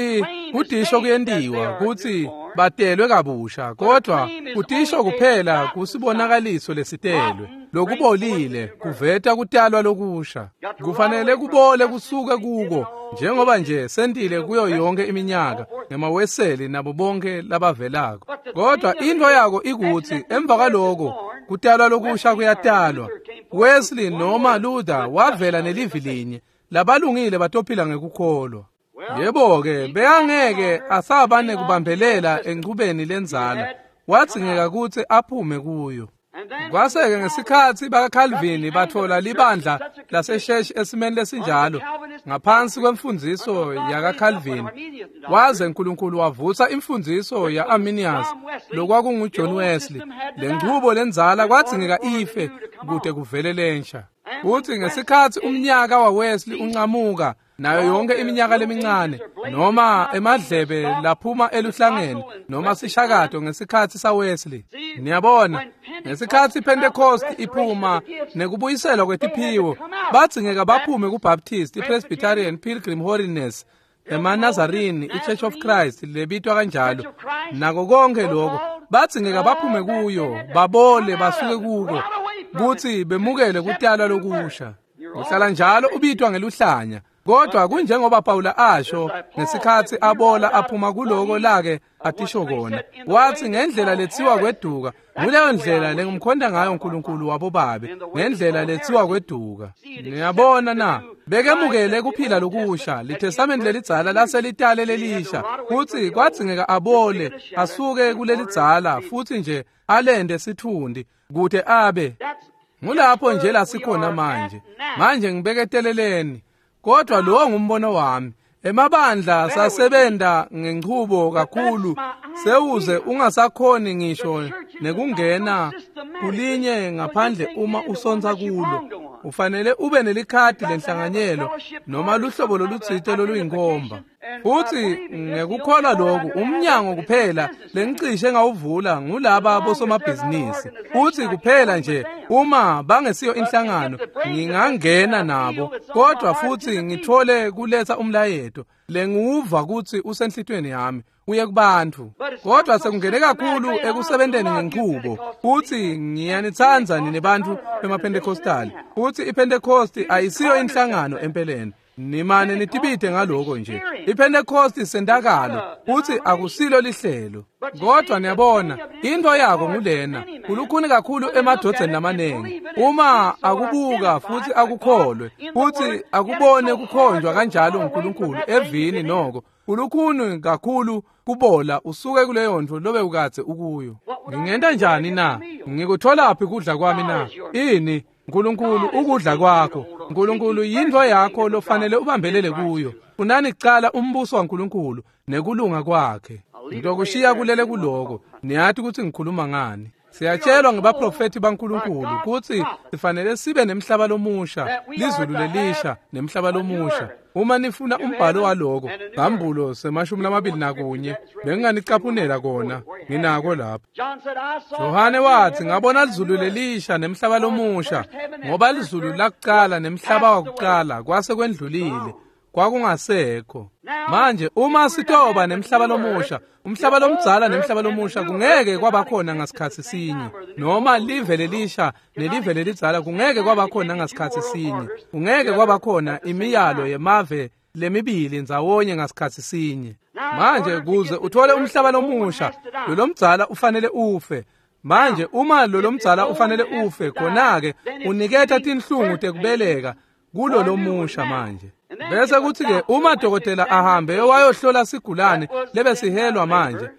kudisho kuyentiwa kutsi batelwe kabusha, kodwa kudisho kuphela kusibonakaliso lesitelwe. Lokubolile kuveta kutalwa lokusha. Kufanele kubole kusuke kuko, njengoba nje sentile kuyo yonke iminyaka ngemaweseli nabo bonke labavelako. Kodwa into yako ikutsi emva kwaloko kutalwa lokusha kuyatalwa. Wesley noma Luther wavela nelivi linye, labalungile batophila ngekukholwa. Yebo-ke, bekangeke asabane kubambelela enchubeni lenzala, wadzingeka kutsi aphume kuyo. Kwase-ke ngesikhatsi bakaCalvin batfola libandla lasesheshi esimeni lesinjalo ngaphansi kwemfundziso yakaCalvin, waze uNkulunkulu wavusa imfundziso ya-Arminius lokwakunguJohn Wesley. Lenchubo lenzala kwadzingeka ife kute kuvele lensha. Futsi ngesikhatsi umnyaka waWesley uncamuka nayo yonke iminyaka lemincane noma emadlebe laphuma eluhlangeni noma sishakato ngesikhatsi saWesley. Niyabona, ngesikhatsi iPentecost iphuma nekubuyiselwa kwetiphiwo, badzingeka baphume kuBaptist, iPresbyterian, Pilgrim Holiness, emaNazarene, iChurch of Christ lebitwa kanjalo, nako konke lokho badzingeka baphume kuyo, babole basuke kuko kutsi bemukele kutalwa lokusha. Uhlala njalo ubitwa ngeluhlanya. Kodwa kunjengoba Pawula asho ngesikhatsi abola aphuma kuloko lake atisho kona, wathi ngendlela letsiwa kweduka, nguleyo ndlela lengimkhonda ngayo uNkulunkulu wabobabe, ngendlela letsiwa kweduka. Niyabona na, bekemukele kuphila lokusha, litestamenti lelidzala laselitale lelisha, futsi kwadzingeka abole asuke kulelidzala futsi nje alende sithundi kute abe ngulapho nje lasikhona manje. Manje ngibeketeleleni. Kodwa lo ngumbono wami. Emabandla sasebenta ngenchubo kakhulu sewuze ungasakhoni ngisho nekungena kulinye ngaphandle uma usontsa kulo. Ufanele ube nelikhadi lenhlanganyelo noma luhlobo lolutsite loluyinkomba. Futsi ngekukholwa loku umnyango kuphela lengicishe ngawuvula ngulaba bosomabhizinisi. Futsi kuphela nje uma bangesiyo inhlangano ngingangena nabo, kodwa futsi ngithole kuletsa umlayeto lengiwuva kutsi usenhlitweni yami uye kubantfu. Kodwa sekungene kakhulu ekusebenteni ngenchubo. Futsi ngiyanitsandza nine bantfu bemaPentecostali. Futsi iPentecost ayisiyo inhlangano empeleni. Nimane nitibite ngaloko nje. IPentecost sentakalo, futsi akusilo lihlelo. Kodwa niyabona, into yako ngulena, kulukhuni kakhulu emadvodzeni lamanengi. Uma akubuka futsi akukholwe, futsi akubone kukhonjwa kanjalo uNkulunkulu evini noko, kulukhuni kakhulu kubola usuke kuleyo ntfo lobe ukadze ukuyo. Ngingenta njani na? Ngikutholaphi kudla kwami na? Ini? uNkulunkulu ukudla kwakho. uNkulunkulu yintfo yakho lofanele ubambelele kuyo. Funani kucala umbuso waNkulunkulu nekulunga kwakhe. Ngizokushiya kulele kuloko. Niyati kutsi ngikhuluma ngani. Siyatshelwa ngebaprofethi baNkulunkulu kutsi sifanele sibe nemhlaba lomusha, lizulu lelisha nemhlaba lomusha. Uma nifuna umbhalo waloko, Sambulo 21, benginganicaphunela kona, nginako lapha. Johane wathi ngabona lizulu lelisha nemhlaba lomusha, ngoba lizulu lakuqala nemhlaba wakuqala kwase kwendlulile, kwakungasekho. Manje uma sitoba nemhlaba lomusha, umhlaba lomdzala nemhlaba lomusha kungeke kwabakhona ngasikhatsi sinye, noma live lelisha nelive lelidzala kungeke kwabakhona ngasikhatsi sinye, kungeke kwabakhona imiyalo yemave lemibili ndzawonye ngasikhatsi sinye. Manje kuze uthole umhlaba lomusha, lolomdzala ufanele ufe. Manje uma lolomdzala ufanele ufe, khona-ke uniketa tinhlungu tekubeleka kulo lomusha manje. Bese kuthi-ke uma dokotela ahambe wayohlola sigulane lebesihelwa manje,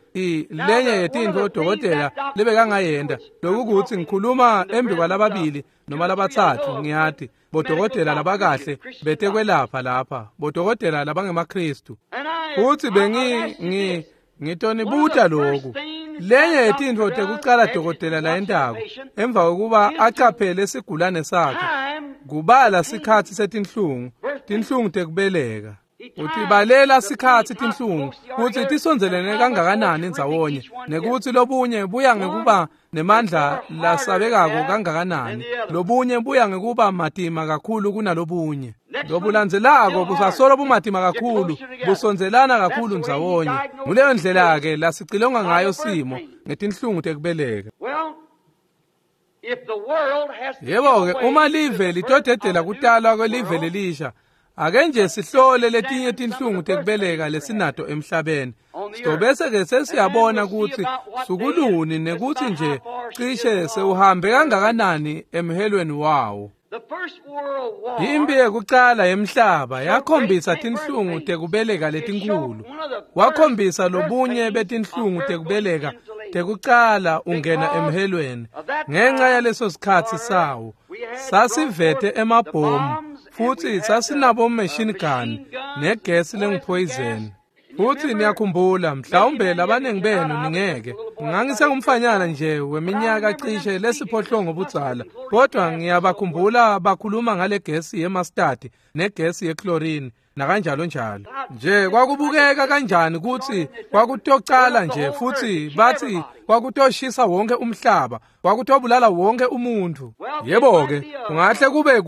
lenye yetintfo dokotela lebekangayenta, lokukuthi ngikhuluma embi kwalababili noma labatsatfu, ngiyati bodokotela labakahle betekwelapha lapha, bodokotela labangemaKhristu. Futsi ngitonibuta loku. Lenye yetintfo tekucala dokotela layentako emva kokuba acaphele sigulane sakhe, kubala sikhatsi setinhlungu, tinhlungu tekubeleka. Utibalela sikhatsi tinhlungu kutsi tisondzelene kangakanani ndzawonye, nekutsi lobunye buya ngekuba nemandla lasabekako kangakanani, lobunye buya ngekuba matima kakhulu kunalobunye. Lobulandzelako busasolo bumatima kakhulu, busondzelana kakhulu ndzawonye. Nguleyo ndlela-ke lasicilonga ngayo simo ngetinhlungu tekubeleka. Yebo-ke, uma live litodedela kutalwa kwelive lelisha, ake nje sihlole letinye tinhlungu tekubeleka lesinato emhlabeni. Sitobese-ke sesiyabona kutsi sukuluni nekutsi nje cishe sewuhambe kangakanani emhelweni wawo. Imphi yekucala yemhlaba yakhombisa tinhlungu tekubeleka letinkhulu. Wakhombisa lobunye betinhlungu tekubeleka tekucala ungena emhelweni. Ngenxa yaleso sikhatsi sawo, sasivete emabhomu futsi sasinabo machine gun negesi lenguphoyizeni. Futsi niyakhumbula, mhlawumbe labaningi benu ningeke. Ngangisengumfanyana nje weminyaka cishe lesiphohlongo budzala, kodwa ngiyabakhumbula bakhuluma ngale gesi yemastadi negesi yechlorine nakanjalo njalo. Nje kwakubukeka kanjani kutsi kwakutocala nje, futsi bathi kwakutoshisa wonke umhlaba, kwakutobulala wonke umuntfu. Yebo-ke, kungahle kube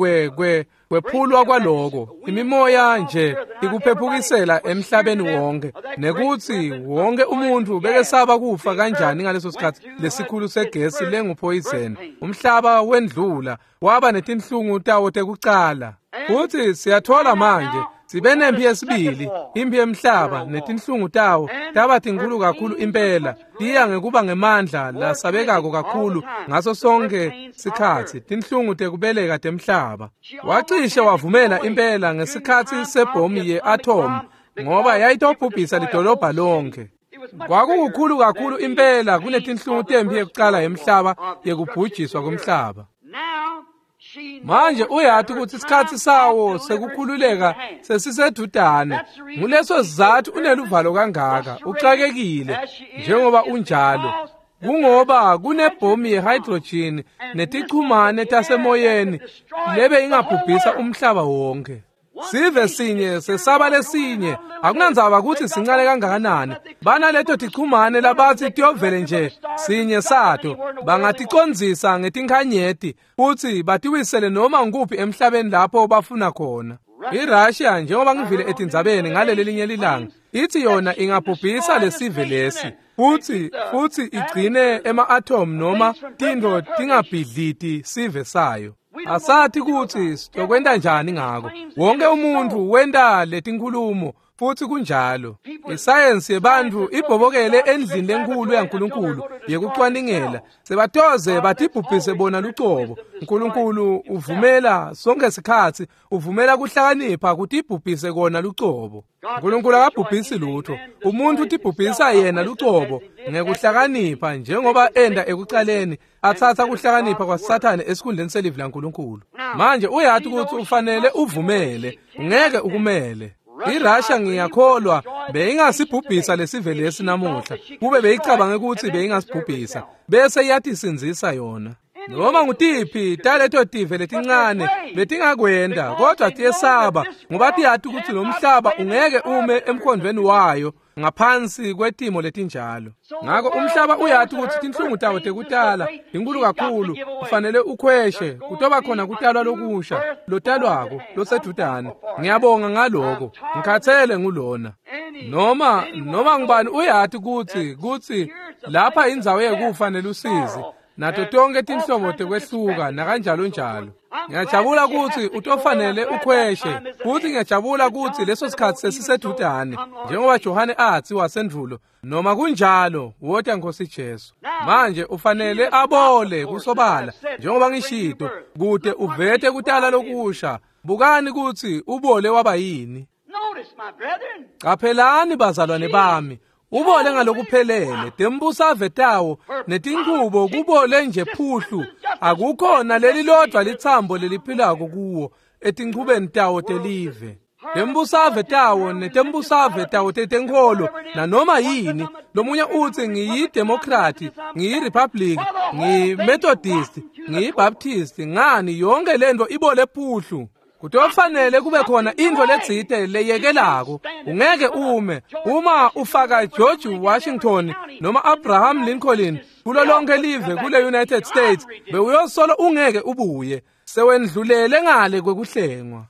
kwephulwa kwaloko, imimoya nje ikuphephukisela emhlabeni wonke, nekutsi wonke umuntfu bekesaba kufa kanjani ngaleso sikhatsi lesikhulu segesi lenguphoyizeni. Umhlaba wendlula waba netinhlungu tawo tekucala. Futsi siyathola manje sibe nemphi yesibili, imphi yemhlaba, netinhlungu tawo taba tinkhulu kakhulu impela, tiya ngekuba ngemandla lasabekako kakhulu ngaso sonke sikhatsi, tinhlungu tekubeleka temhlaba. Wacishe wavumela impela ngesikhatsi sebhomu ye-atom, ngoba yayitobhubhisa lidolobha lonke. Kwakukukhulu kakhulu impela kunetinhlungu temphi yekucala yemhlaba yekubhujiswa komhlaba. Manje uyati kutsi isikhatsi sawo sekukhululeka sesisedudane. Nguleso sizatfu uneluvalo kangaka, uxakekile njengoba unjalo. Kungoba kunebhomu ye-hydrogen netichumane tasemoyeni lebe ingabhubhisa umhlaba wonke. Sive sinye sesaba lesinye, akunandzaba kutsi sincane kangakanani. Banaleto tichumane labatsi tiyovele nje sinye sato, bangaticondzisa ngetinkhanyeti futsi batiwisele noma nguphi emhlabeni lapho bafuna khona. IRussia, njengoba ngivile etindzabeni ngaleli linye lilanga, ithi yona ingabhubhisa lesive lesi futsi igcine ema-atom noma tintfo tingabhidliti sive sayo. Asathi kutsi sitokwenta njani ngako. Wonke umuntfu wenta letinkhulumo futsi kunjalo. Isayensi yebantfu ibhobokele endlini lenkulu yaNkulunkulu yekucwaningela. Sebatoze batibhubhise bona lucobo. Nkulunkulu uvumela sonke sikhatsi, uvumela kuhlakanipha kutibhubhise kona lucobo. Nkulunkulu akabhubhisi lutho. Umuntfu utibhubhisa yena lucobo ngekuhlakanipha, njengoba enda ekucaleni atsatsa kuhlakanipha kwaSathane esikhundleni selivi laNkulunkulu. Manje uyati kutsi ufanele uvumele, ungeke ukumele. IRussia ngiyakholwa beyingasibhubhisa lesive lesi namuhla, kube beyicabange kutsi beyingasibhubhisa, bese iyatisindzisa yona. Noma ngutiphi taleto tive letincane betingakwenta, kodwa tiyesaba ngoba tiyati kutsi lo mhlaba ungeke ume emkhondvweni wayo ngaphansi kwetimo letinjalo. Ngako umhlaba uyati kutsi tinhlungu tawo tekutala inkulu kakhulu, kufanele ukhweshe, kutoba khona kutalwa lokusha lotalwako losedudane. Ngiyabonga ngaloko, ngikhathele ngulona. Noma ngubani uyati kutsi lapha indzawo yekufa nelusizi, nato tonke tinhlobo tekwehluka nakanjalo njalo. Ngiyajabula kutsi utofanele ukhweshe, futsi ngiyajabula kutsi leso sikhatsi sesisedudane, njengoba Johane atsi wasendvulo, noma kunjalo wota Nkosi Jesu. Manje ufanele abole kusobala, njengoba ngishito, kute uvete kutala lokusha. Bukani kutsi ubole waba yini. Qaphelani bazalwane bami, ubole ngalokuphelele, tembusave tawo netinchubo kubole nje phuhlu, akukhona leli lodvwa litsambo leliphilako kuwo etinchubeni tawo telive. Tembusave tawo netembusave tawo tetenkholo nanoma yini. Lomunye utsi ngiyidemokrati, ngiyirepublic, ngiyimethodist, ngiyibaptist, ngani yonke lento ibole phuhlu. Kutofanele kube khona intfo letsite leyekelako. Ungeke ume uma ufaka George Washington noma Abraham Lincoln kulo lonke live kule United States, bewuyosolo ungeke ubuye. Sewendlulele ngale kwekuhlengwa.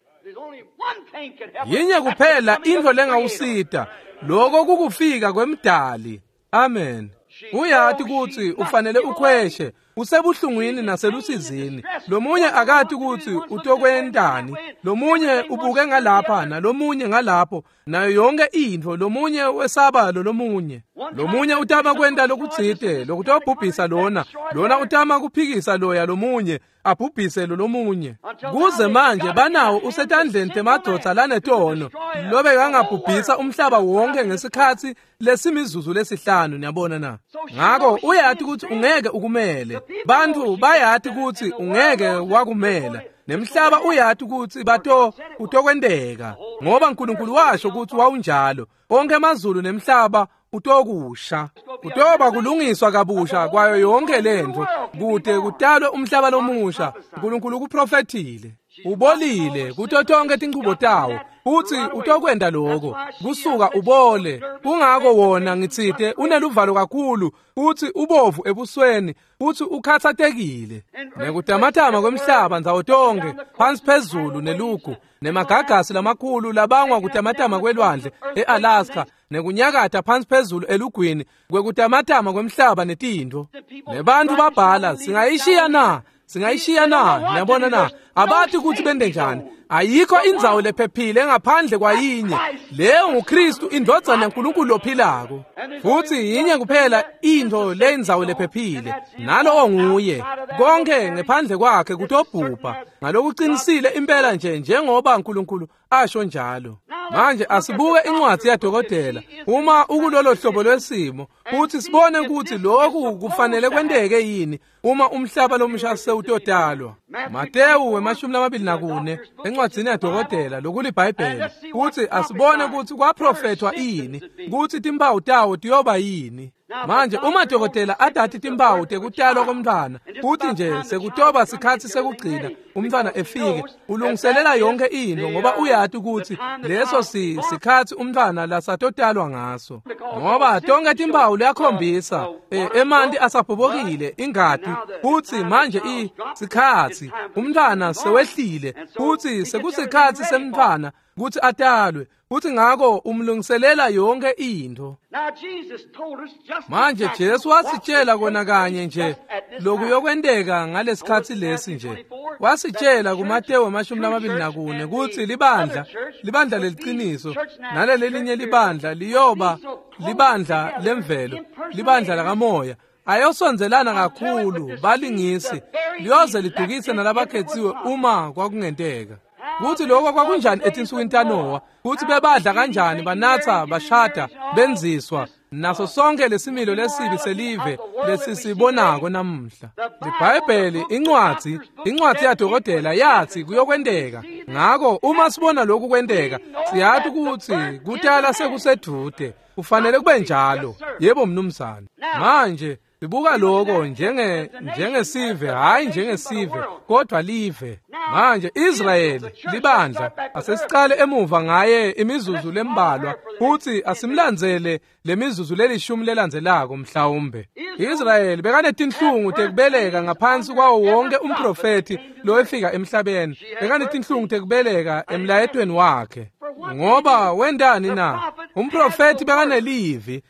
Yinye kuphela intfo lengawusita, lokho kukufika kwemdali. Amen. Uyati kutsi ufanele ukhweshe, usebuhlungwini naselusizini. Lomunye akati kutsi utokwentani, lomunye ubuke ngalapha nalomunye ngalapho, nayo yonke intfo, lomunye wesaba lomunye. Lomunye utama kwenta lokutsite lokutobhubhisa lona, lona utama kuphikisa loya lomunye, abhubhise lomunye. Kuze manje banawo usetandleni temadvodza lanetono, lobe kangabhubhisa umhlaba wonke ngesikhatsi lesimizuzu lesihlanu, niyabona na. Ngako uyati kutsi ungeke ukumele. Bantfu bayati kutsi ungeke wakumela. Nemhlaba uyati kutsi bato utokwenteka, ngoba uNkulunkulu washo kutsi wawunjalo. Onke amazulu nemhlaba utokusha. Kutoba kulungiswa kabusha kwayo yonke lentfo kute kutalwe umhlaba lomusha. uNkulunkulu kuprofethile. Ubolile kuto tonke tinchubo tawo, utsi utokwenta lokho kusuka ubole. Kungako wona ngitsite uneluvalo kakhulu, utsi ubovu ebusweni, utsi ukhatsatekile. Nekutamatama kwemhlaba ndzawo tonke, phansi phezulu nelugu, nemagagasi lamakhulu labangwa kutamatama kwelwandle eAlaska, nekunyakata phansi phezulu elugwini kwekutamatama kwemhlaba netintfo. Nebantfu babhala, singayishiya na? Singayishiya na? Niyabona na? Abati kutsi bente njani. Ayikho indzawo lephephile ngaphandle kwayinye. Leyo nguKristu, indvodzana yaNkulunkulu lophilako. Futsi yinye kuphela intfo leyindzawo lephephile, nalowo nguye. Konke ngephandle kwakhe kutobhubha. Ngalokuqinisile impela nje njengoba uNkulunkulu asho njalo. Manje asibuke incwadzi yadokotela uma ukulolo hlobo lwesimo, futhi sibone ukuthi lokhu kufanele kwenteke yini uma umhlaba lomusha sewutodalwa. Matewu 24 encwadzini yadokotela lokuliBhayibheli, futhi asibone ukuthi kwaprofethwa ini, ukuthi timpawu tawo tiyoba yini. Manje uma dokotela adati timpawu tekutalwa komntwana, futhi nje sekutoba sikhatsi sekugcina umntwana efike, ulungiselela yonke into ngoba uyati ukuthi leso sikhatsi umntwana lasatotalwa ngaso. Ngoba tonke timpawu liyakhombisa emanti asabhobokile, ingati, futhi manje sikhatsi umntwana sewehlile, futhi sekusikhatsi semntwana kutsi atalwe, futhi ngako umlungiselela yonke intfo. Manje Jesu wasitshela kona kanye nje lokuyokwenteka ngalesikhatsi lesi nje. Wasitshela kuMatewu 24 kutsi libandla, libandla leliciniso, nalelelinye libandla liyoba libandla lemvelo, libandla lakamoya. Ayosondzelana kakhulu balingisi, liyoze lidukise nalabakhetsiwe uma kwakungenteka. Kuthi lokho kwakunjani etinsukwini taNowa, kuthi bebadla kanjani, banatha, bashada, benziswa, naso sonke lesimilo lesibi selive lesisibonako namuhla. IBhayibheli, incwadzi yadokotela yathi kuyokwenteka. Ngako uma sibona lokhu kwenteka, siyati ukuthi kutala sekusedude. Kufanele kube njalo. Yebo mnumzane. Manje sibuka lokho njengesive, hayi njengesive, kodwa live. Manje Israyeli libandla, asesiqale emuva ngaye imizuzu lembalwa, futhi asimlandzele lemizuzu lelishumi lelandzelako mhlawumbe. Israyeli bekanetinhlungu tekubeleka ngaphansi kwawo wonke umprofethi lowefika emhlabeni. Bekanetinhlungu tekubeleka emlayetweni wakhe. Ngoba wendani na? Umprofethi bekanelivi,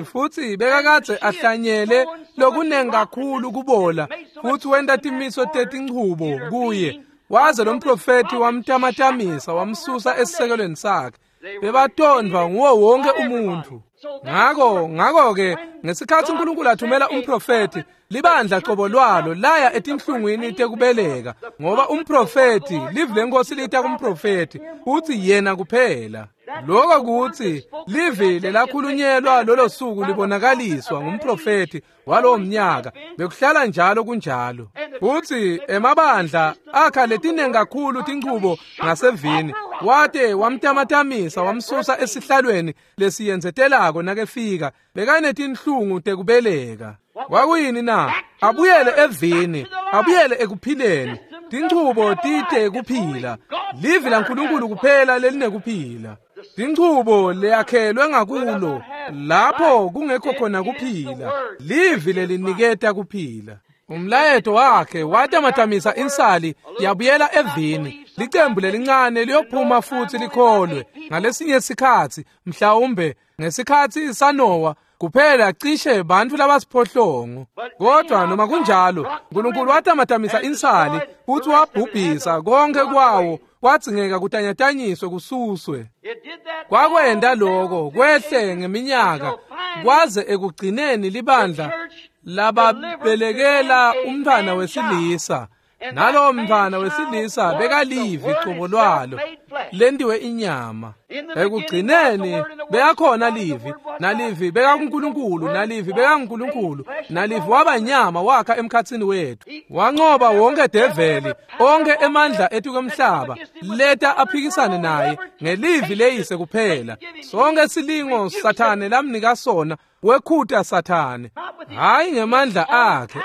futhi bekakadze ahlanyele lokunengi kakhulu kubola, futhi wenta timiso tetinchubo kuye. Waze lo mprofethi wamtamatamisa, wamsusa esisekelweni sakhe. Bebatondwa nguwo wonke umuntu. Ngako-ke ngesikhatsi uNkulunkulu athumela umprofethi, libandla qobo lwalo laya etinhlungwini tekubeleka, ngoba umprofethi, livi lenkosi lita kumprofethi, uthi yena kuphela. Lokho kuthi livi lelakhulunyelwa lolo suku libonakaliswa ngumprofethi walowo mnyaka, bekuhlala njalo kunjalo. Uthi emabandla akha letinengi kakhulu tinchubo ngasevini, wate wamtamatamisa wamsusa esihlalweni lesiyenzetelako nakefika, bekanetinhlungu tekubeleka. Kwakuyini na? Abuyele evini, abuyele ekuphileni. Tinchubo tite kuphila. Livi laNkulunkulu kuphela lelinekuphila. Tinchubo leyakhelwe ngakulo lapho kungekho khona kuphila. Livi leliniketa kuphila. Umlayeto wakhe watamatamisa insali yabuyela evini. Licembu lelincane liyophuma futhi likholwe. Ngalesinye sikhatsi mhlawumbe ngesikhatsi saNowa kuphela cishe bantfu labasiphohlongo. Kodwa noma kunjalo uNkulunkulu watamatamisa insali futhi wabhubhisa konke kwawo, kwadzingeka kutanyatanyiswe kususwe. Kwakwenta lokho kwehle ngeminyaka kwaze ekugcineni libandla lababelekela umntfwana wesilisa. Nalowo mntfwana wesilisa bekalivi cobo lwalo lentiwe inyama. Ekugcineni bekakhona livi, nalivi bekakuNkulunkulu, nalivi bekanguNkulunkulu, nalivi waba nyama wakha emkhatsini wethu. Wanqoba wonke develi, onke emandla etukwemhlaba leta aphikisane naye ngelivi leyise kuphela. Sonke silingo Sathane lamnika sona wekhuta Sathane, hayi ngemandla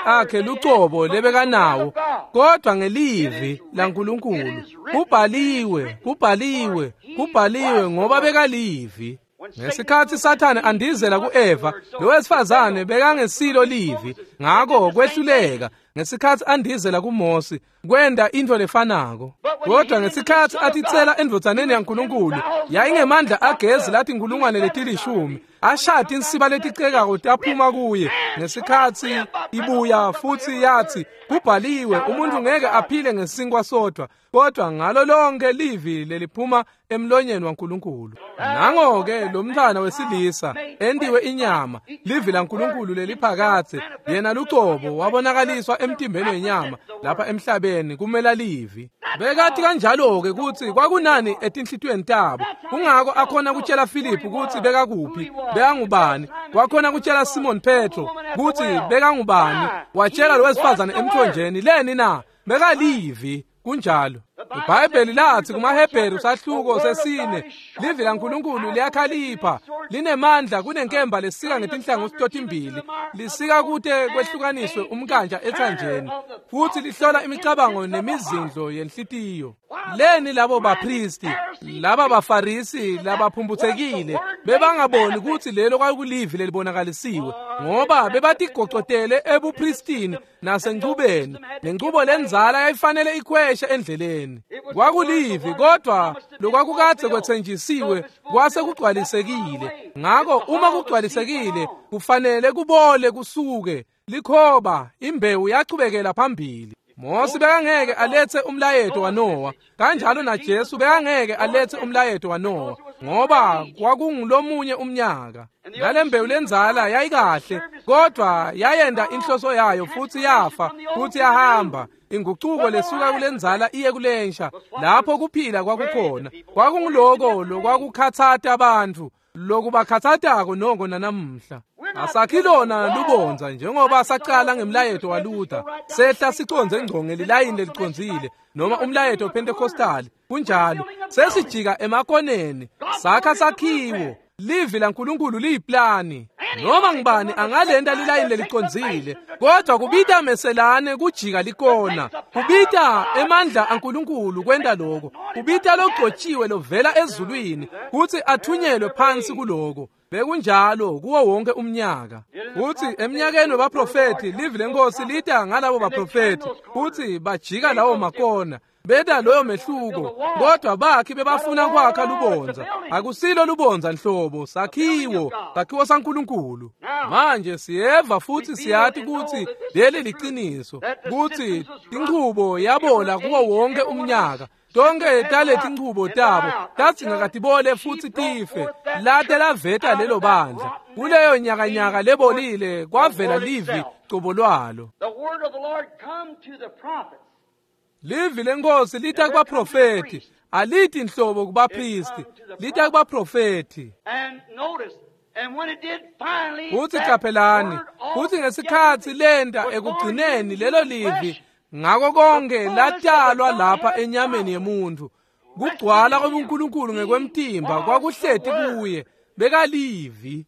akhe lucobo lebekanawo, kodwa ngelivi laNkulunkulu. Kubhaliwe, kubhaliwe, kubhaliwe, ngoba bekalivi. Ngesikhatsi Sathane andizela kuEva, lo wesifazane bekangesilo livi, ngako kwehluleka. Ngesikhatsi andizela kuMosi, kwenta intfo lefanako. Kodwa ngesikhatsi atitsela endvodzaneni yaNkulunkulu, yayingemandla agezi lathi inkulungwane letilishumi, ashaya tinsiba leticekako taphuma kuye. Ngesikhatsi ibuya futhi yathi, kubhaliwe, umuntu ngeke aphile ngesinkwa sodwa, kodwa ngalo lonke livi leliphuma emlonyeni waNkulunkulu. Nango-ke lo mntfwana wesilisa entiwe inyama, livi laNkulunkulu leliphakadze, yena lucobo wabonakaliswa emtimbeni wenyama lapha emhlabeni kumela livi. Bekathi kanjalo-ke kutsi kwakunani etinhlitiyweni tabo. Kungako akhona kutshela Filiphu kutsi bekakuphi, bekangubani. Wakhona kutshela Simon Petro kutsi bekangubani. Watshela lo wesifazane emthonjeni, leni na? Bekalivi. Kunjalo. IBhayibheli lathi kumaHebheru sahluko sesine, livi laNkulunkulu liyakhalipha, linemandla kunenkemba lesika ngetinhlangothi totimbili, lisika kute kwehlukaniswe umkanja ethanjeni, futhi lihlola imicabango nemizindlo yenhlitiyo. Leni labo bapristi, laba bafarisi labaphumphutsekile bebangaboni kutsi lelo kwakulivi lelibonakalisiwe, ngoba bebatigocotele ebupristini nasenchubeni. Lenchubo lendzala yayifanele ikhweshe endleleni. Kwakulivi, kodwa lokwakukadze kwetsenjisiwe kwase kugcwalisekile. Ngako uma kugcwalisekile kufanele kubole kusuke. Likhoba imbewu yachubekela phambili. Mosi bekangeke aletse umlayeto waNowa, kanjalo naJesu bekangeke aletse umlayeto waNowa, ngoba kwakungulomunye umnyaka. Nalembewu lendzala yayikahle, kodwa yayenda inhloso yayo futhi yafa futhi yahamba. Ingucuko lesuka kulendzala iye kulensha, lapho kuphila kwakukhona. Kwakunguloko lokwakukhatsata abantu, lokubakhatsatako noko nanamuhla. Asakhilona lubondza njengoba sacala ngemlayeto waLuther, sehla siconze ngco ngelilayini lelicondzile, noma umlayeto wePentecostal. Kunjalo, sesijika emakoneni, sakha sakhiwo. Livi laNkulunkulu liyiplani. Noma ngibani angalenta lilayini lelicondzile, kodwa kubita meselane kujika likona. Kubita emandla aNkulunkulu kwenta lokho. Kubita logcotshiwe lovela ezulwini kutsi athunyelwe phansi kuloko. Bekunjalo kuwo wonke umnyaka. Futhi eminyakeni webaprofethi livi lenkosi lita ngalabo baprofethi futhi bajika lawo makona. Beda loyo mehluko, kodwa bakhi bebafuna kwakha lubondza. Akusilo lubondza nhlobo, sakhiwo, sakhiwo saNkulunkulu. Manje siyeva futhi siyati kutsi leli liciniso, kutsi inchubo yabola kuwo wonke umnyaka. Tonke taleti nchubo tabo tadzingeka tibole futhi tife, late laveta lelo bandla. Kuleyo nyakanyaka lebolile kwavela livi cobo lwalo. Livi lenkosi lita kubaprofethi, alithi nhlobo kubapristi, lita kubaprofethi. Futhi qaphelani, futhi ngesikhatsi lenta ekugcineni lelo livi ngako konke latalwa lapha enyameni yemuntu. Kugcwala kwebuNkulunkulu ngekwemtimba kwakuhleti kuye, bekalivi.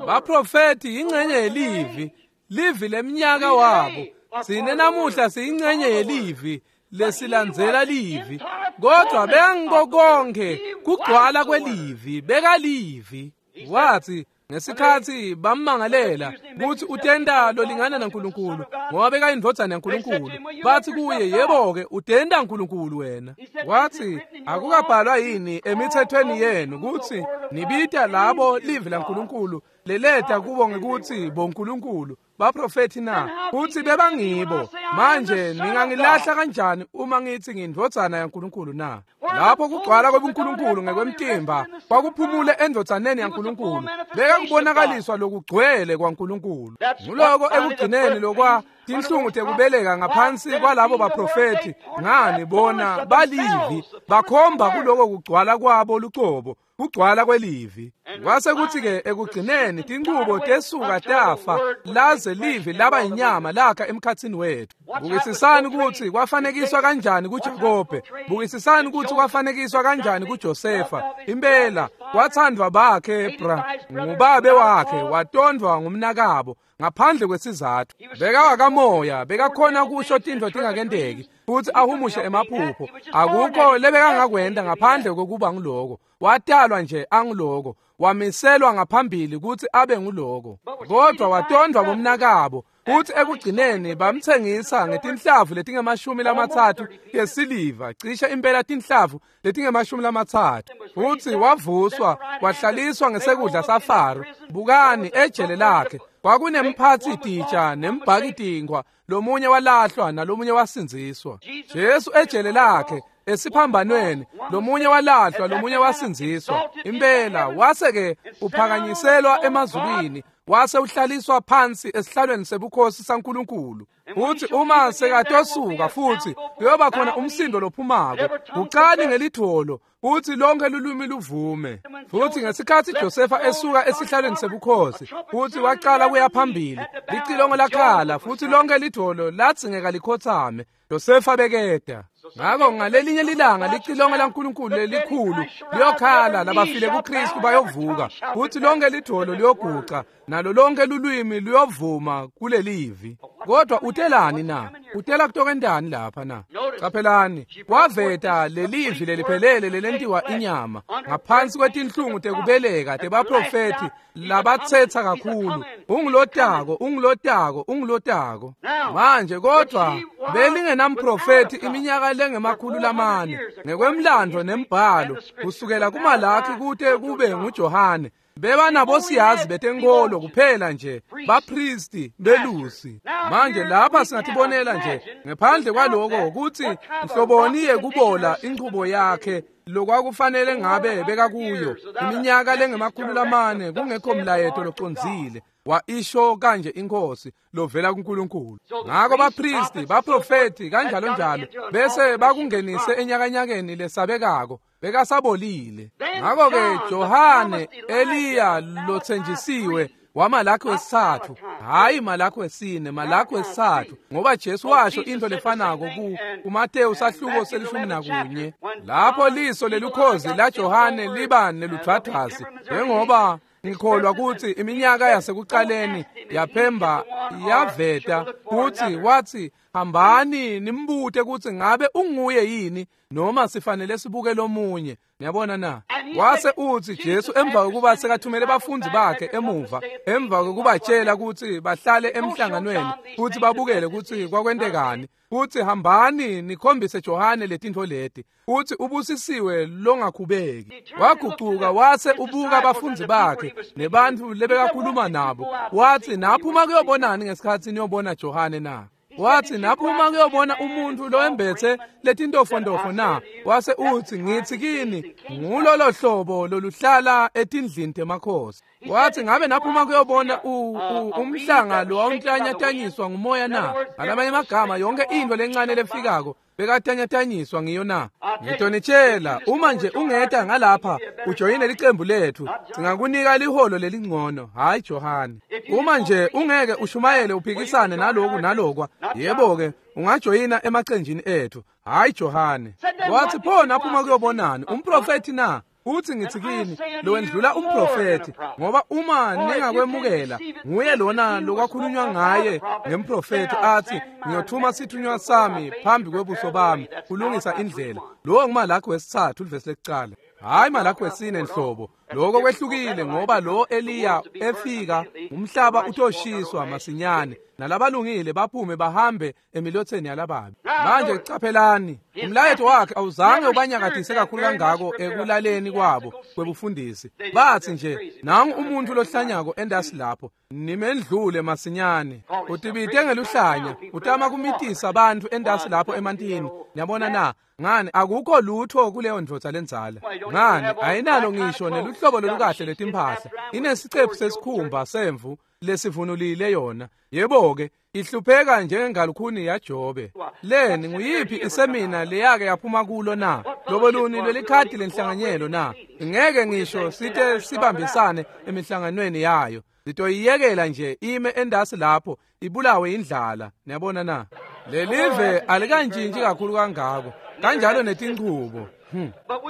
Baprofethi ingcenye yelivi, livi lemnyaka wabo. Sine namuhla siyingcenye yelivi lesilandzela livi, kodwa bekangiko konkhe kugcwala kwelivi, bekalivi. Wathi ngesikhathi bammangalela ukuthi utenda lolingana naNkulunkulu ngoba bekayindvodzana yaNkulunkulu, bathi kuye, yebo-ke utenda Nkulunkulu wena. Wathi, akukabhalwa yini emithethweni yenu ukuthi nibita labo livi laNkulunkulu leleta kubo ngekuthi boNkulunkulu baprofethi na? Kuthi bebangibo. Manje ningangilahla kanjani uma ngithi ngiyindvodzana yaNkulunkulu na? Lapho kugcwala kwebuNkulunkulu ngekwemtimba kwakuphumule endvodzaneni yaNkulunkulu, bekakubonakaliswa lokugcwele kwaNkulunkulu. Nguloko ekugcineni lokwa tinhlungu tekubeleka ngaphansi kwalabo baprofethi. Ngani bona balivi, bakhomba kuloko kugcwala kwabo lucobo, kugcwala kwelivi. Kwase kuthi-ke ekugcineni tinchubo tesuka tafa laze livi laba inyama lakha emkhatsini wethu. Bukisisani ukuthi kwafanekiswa kanjani kuJakobe, bukisisani ukuthi kwafanekiswa kanjani kuJosefa. Impela wathandwa bakhe bra ngubabe wakhe, watondvwa ngumnakabo ngaphandle kwesizathu. Bekawakamoya, bekakhona kusho tintfo tingakenteki futhi ahumushe emaphupho. Akukho lebekangakwenta ngaphandle kokuba nguloko. Watalwa nje anguloko, wamiselwa ngaphambili ukuthi abe nguloko, kodwa watondvwa bomnakabo futhi ekugcineni bamtsengisa ngetinhlavu letinge-30 tesiliva, cishe impela tinhlavu letinge-30. Futhi wavuswa wahlaliswa ngesekudla saFaro. Bukani ejele lakhe kwakunemphathi titsha nembhaki tinkhwa, lomunye walahlwa nalomunye wasindziswa. Jesu ejele lakhe esiphambanweni, lomunye walahlwa lomunye wasindziswa. Impela wase-ke uphakanyiselwa emazulwini, wase uhlaliswa phansi esihlalweni sebukhosi saNkulunkulu. Futhi uma sekatosuka futhi kuyoba khona umsindo lophumako, gucani ngelidvolo futhi lonke lulwimi luvume. Futhi ngesikhathi Josefa esuka esihlalweni sebukhosi futhi waqala kuya phambili, licilongo lakhala futhi lonke lidvolo ladzingeka likhotsame. Josefa bekeda. Ngakho ngalelinye lilanga licilongo laNkulunkulu lelikhulu liyokhala, labafile kuKristu bayovuka, futhi lonke lidvolo liyoguca nalo lonke lulwimi luyovuma kulelivi. Kodwa utelani na? Utela kutokentani lapha na? Caphelani, waveta lelivi leliphelele lelentiwa inyama ngaphansi kwetinhlungu tekubeleka tebaprofethi labatsetsa kakhulu. Ungulotako, ungulotako, ungulotako. Manje kodwa belingenamprofethi iminyaka lenge-400 ngekwemlando nembhalo kusukela kuMalaki kute kube nguJohane. Bebanabosiyazi betenkolo kuphela nje, bapristi, belusi. Manje lapha singatibonela nje ngephandle kwaloko ukuthi nhloboni yekubola inchubo yakhe lokwakufanele ngabe bekakuyo iminyaka lenge-400 kungekho mlayeto locondzile wa isho kanje inkosi lovela kuNkulunkulu. Ngakho bapristi, baprofeti kanjalo njalo bese bakungenise enyakanyakeni lesabekako, bekasabolile. Ngakho-ke Johane, Eliya lothenjisiwe waMalaki wesithathu, hayi Malaki wesine, Malaki wesithathu, ngoba Jesu washo into lefanako kuMateyu sahluko se-11, lapho liso lelukhozi laJohane liba neludvwadvwasi, njengoba ngikholwa ukuthi iminyaka yasekuqaleni yaphemba yaveta kuthi wathi, hambani nimbute ukuthi ngabe unguye yini noma sifanele sibuke lomunye. Niyabona na? Wase uthi Jesu emva kokuba sekathumele bafundi bakhe emuva, emva kokubatshela ukuthi bahlale emhlanganweni futhi babukele ukuthi kwakwentekani, futhi hambani nikhombise Johane letintfo leti, uthi ubusisiwe longakhubeki. Wagucuka wase ubuka abafundi bakhe nebantu lebekakhuluma nabo, wathi, naphuma kuyobonani ngesikhathi niyobona Johane na? Wathi, naphuma kuyobona umuntu loembethe letintofontofo na? Wase uthi, ngithi kini ngulolo hlobo loluhlala etindlini temakhosi. Wathi, ngabe naphuma kuyobona umhlanga lo wawuntlanyatanyiswa ngumoya na? Ngalamanye amagama, yonke into lencane lefikako bekatanyatanyiswa ngiyo na? Ngitonitshela, uma nje ungeta ngalapha ujoyine licembu lethu, singakunika liholo lelingcono. Hayi Johane, uma nje ungeke ushumayele uphikisane naloku nalokwa, yebo-ke ungajoyina emacenjini ethu. Hayi Johane. Wathi, pho naphuma kuyobonani? Umprofethi na? Uthi ngithi kini lowendlula umprofethi, ngoba uma ningakwemukela nguye lona lokwakhulunywa ngaye ngemprofethi athi ngiyothuma sithunywa sami phambi kwebuso bami kulungisa indlela. Lowo nguMalakhi wesithathu livesi lekucala. Hayi Malakhi wesine nhlobo. Lokho kwehlukile ngoba lo Eliya efika umhlaba utoshiswa masinyane nalabalungile baphume bahambe emilotheni yalababi. Manje caphelani, umlayeto wakhe awuzange ubanyakatise kakhulu kangako ekulaleni kwabo kwebufundisi. Bathi nje nangu umuntu lohlanyako endasi lapho, nimendlule masinyane. Utibite ngeluhlanya, utama kumitisa abantu endasi lapho emantini. Niyabona na? Ngani akukho lutho kuleyo ndvodza lendzala. Ngani ayinalo ngisho neluhlobo lolukahle letimpahla. Inesicephu sesikhumba semvu lesivunulile yona. Yebo-ke ihlupheka njengengalukhuni yaJobe. Leni nguyiphi isemina leyake yaphuma kulo na? Loboluni lelikhadi lenhlanganyelo na? Ngeke ngisho site sibambisane emihlanganweni yayo. Sitoyiyekela nje ime endasi lapho ibulawe indlala. Niyabona na? Lelive alikantshintshi kakhulu kangako. Kanjalo netinchubo.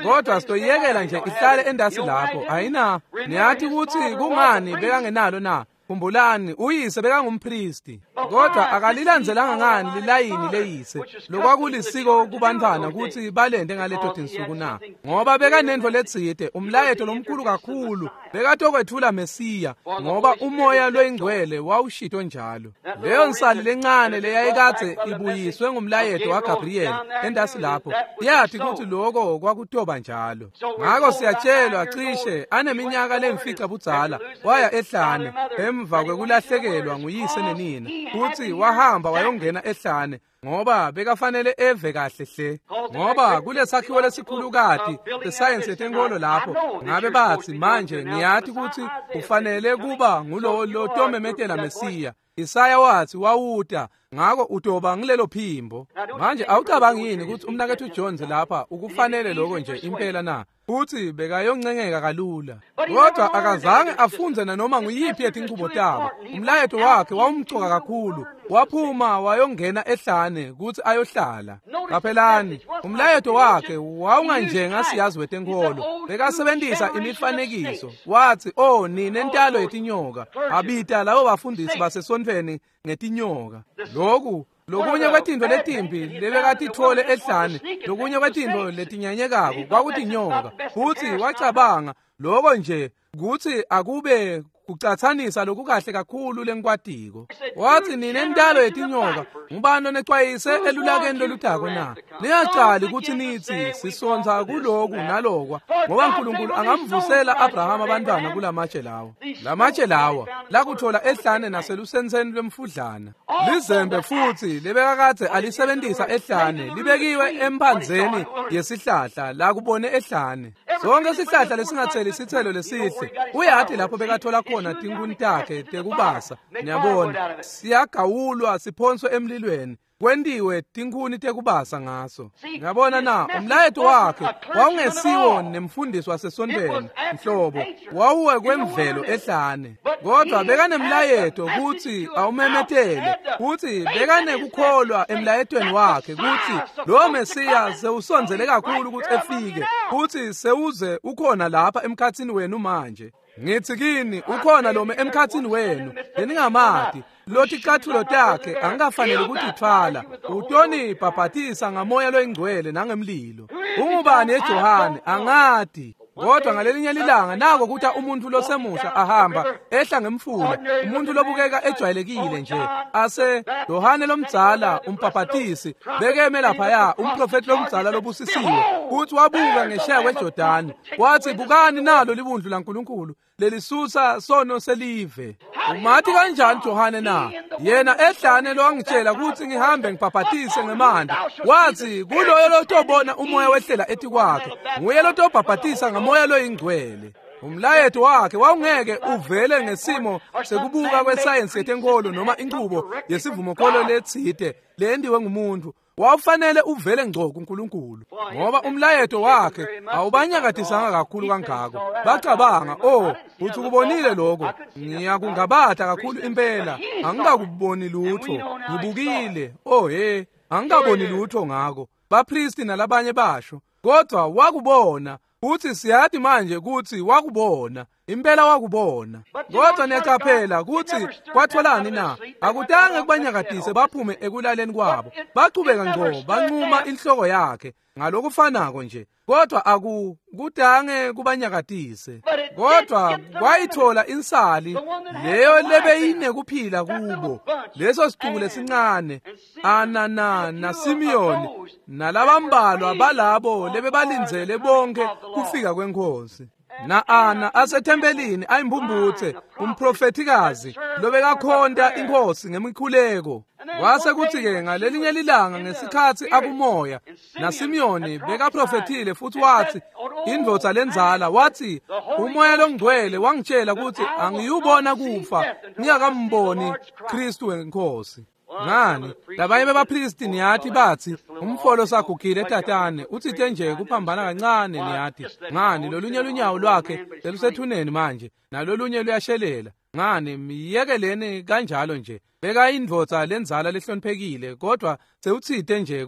Kodwa sitoyiyekela nje ihlale endasi lapho. Ayina, niyathi ukuthi kungani bekangenalo na? Khumbulani, uyise bekangumpristi, kodwa akalilandzelanga ngani lilayini leyise lokwakulisiko kubantwana ukuthi balende ngaleto tinsuku na? Ngoba bekanento letsite, umlayeto lomkhulu kakhulu, bekatokwethula Mesiya, ngoba umoya loyingcwele wawushito njalo. Leyo nsali lencane leyayikadze ibuyiswe ngumlayeto waGabriel endasi lapho, yathi ukuthi lokho kwakutoba njalo. Ngakho siyatshelwa cishe aneminyaka lemfica budzala waya ehlane emva kwekulahlekelwa nguyise nenina, futhi wahamba wayongena ehlane ngoba bekafanele eve kahle hle. Ngoba kulesakhiwo lesikhulukati sesayensi yetenkolo lapho ngabe bathi manje ngiyathi ukuthi ufanele kuba ngulo lotomemetela Mesiya. Isaya wathi wawuta, ngakho utoba ngilelo phimbo. Manje awucabangi yini ukuthi umnakethu Jones lapha ukufanele lokho nje impela na? Futhi bekayoncengeka kalula. Kodwa akazange afunze nanoma nguyiphi yetinchubo tabo. Umlayeto wakhe wawumcoka kakhulu. Waphuma wayongena ehlane ukuthi ayohlala. Qaphelani, umlayeto wakhe wawunganjengasiyazi wetenkolo. Bekasebenzisa imifanekiso. Wathi, "Oh nina entalo yetinyoka." Abita labo bafundisi basesontfweni ngetinyoka. Lokhu lokunye kwetinto letimbi lebekatitfole ehlane, lokunye kwetinto letinyanyekako kwakutinyoka. Futhi wacabanga lokho nje kuthi akube kucatsanisa lokukahle kakhulu lenkwatiko. Wathi nina entalo yetinyoka, ngubani onecwayise elulakeni loludako na? Ningacali ukuthi nithi sisontsa kuloku nalokwa, ngoba uNkulunkulu angamvusela Abraham abantwana kulamatshe lawo. Lamatshe lawa lakuthola ehlane naselusenseni lwemfudlana. Lizembe futhi lebekakadze alisebenzisa ehlane libekiwe emphandzeni yesihlahla lakubone ehlane. Sonke isihlahla lesingatheli isithelo lesihle uyathi lapho bekathola khona tinkuni takhe tekubasa. Niyabona, siyagawulwa siphonswe emlilweni, kwentiwe tinkhuni tekubasa ngaso. Ngiyabona na, umlayeto wakhe wawungesiwo nemfundisi wasesontweni nhlobo, wawuwe kwemvelo ehlane. Kodwa bekanemlayeto kutsi awumemetele, kutsi bekanekukholwa emlayetweni wakhe kutsi lo Mesiya sewusondzele kakhulu kutsi efike, kutsi sewuze ukhona lapha emkhatsini wenu manje. Ngithi kini ukhona lome emkhatsini wenu leningamati, loticathulo takhe angikafanele ukutithwala, utonibhabhatisa ngamoya loyingcwele nangemlilo. Ungubani eJohane? Angati. Kodwa ngalelinye lilanga nako kuthi umuntu losemusha ahamba ehla ngemfula, umuntu lobukeka ejwayelekile nje, ase Yohane lomdzala umbhabhatisi bekeme laphaya, umprofeti lomdzala lobusisiwe, kuthi wabuka ngesheya kweJordani wathi, bukani nalo libundlu laNkulunkulu lelisusa sono selive. Umathi kanjani Johane na? Yena ehlane lowangitshela ukuthi ngihambe ngibhabhatise ngemanti, wathi kuloyo lotobona umoya wehlela etikwakhe nguye lotobhabhatisa ngamoya loyingcwele. Umlayeto wakhe wawungeke uvele ngesimo sekubuka kwesayensi yetenkolo noma inchubo yesivumokholo letsite leyendiwe ngumuntu. Wawufanele uvele ngco kuNkulunkulu, ngoba umlayeto wakhe awubanyakatisanga kakhulu kangako. Bacabanga, oh, uthi ukubonile lokho, ngiyakungabata kakhulu impela, angikakuboni lutho, ngibukile, oh he, angikaboni lutho ngako. Bapristi nalabanye basho, kodwa wakubona. Futsi siyati manje kutsi wakubona, impela wakubona. Kodwa niyaqaphela kutsi kwatholani na? Akutange kubanyakatise baphume ekulaleni kwabo. Bachubeka ngco bancuma inhloko yakhe ngalokufanako nje. Kodwa akukutange kubanyakatise. Kodwa kwayithola insali leyo lebeyinekuphila kubo. Leso sicuku lesincane Ana na Simiyoni nalabambalwa balabo lebebalindzele bonke kufika kwenkosi. Na Ana asethempelini ayimpumputse umprofethikazi lobekakhonta inkosi ngemikhuleko. Kwase kuthi-ke ngalelinye lilanga ngesikhatsi akumoya na Simiyoni bekaprofethile futsi watsi indvodza lendzala watsi umoya longcwele wangitshela kutsi angiyubona kufa ngingakamboni Kristu wenkosi. Ngani labanye bebaphristi niyathi bathi umfolo sagugile tatane utsite nje kuphambana kancane niyathi ngani lolunye lunyawo lwakhe selusethuneni manje nalolunye luyashelela ngani miyekeleni kanjalo nje beka indvodza lendzala lehloniphekile kodwa sewutsite nje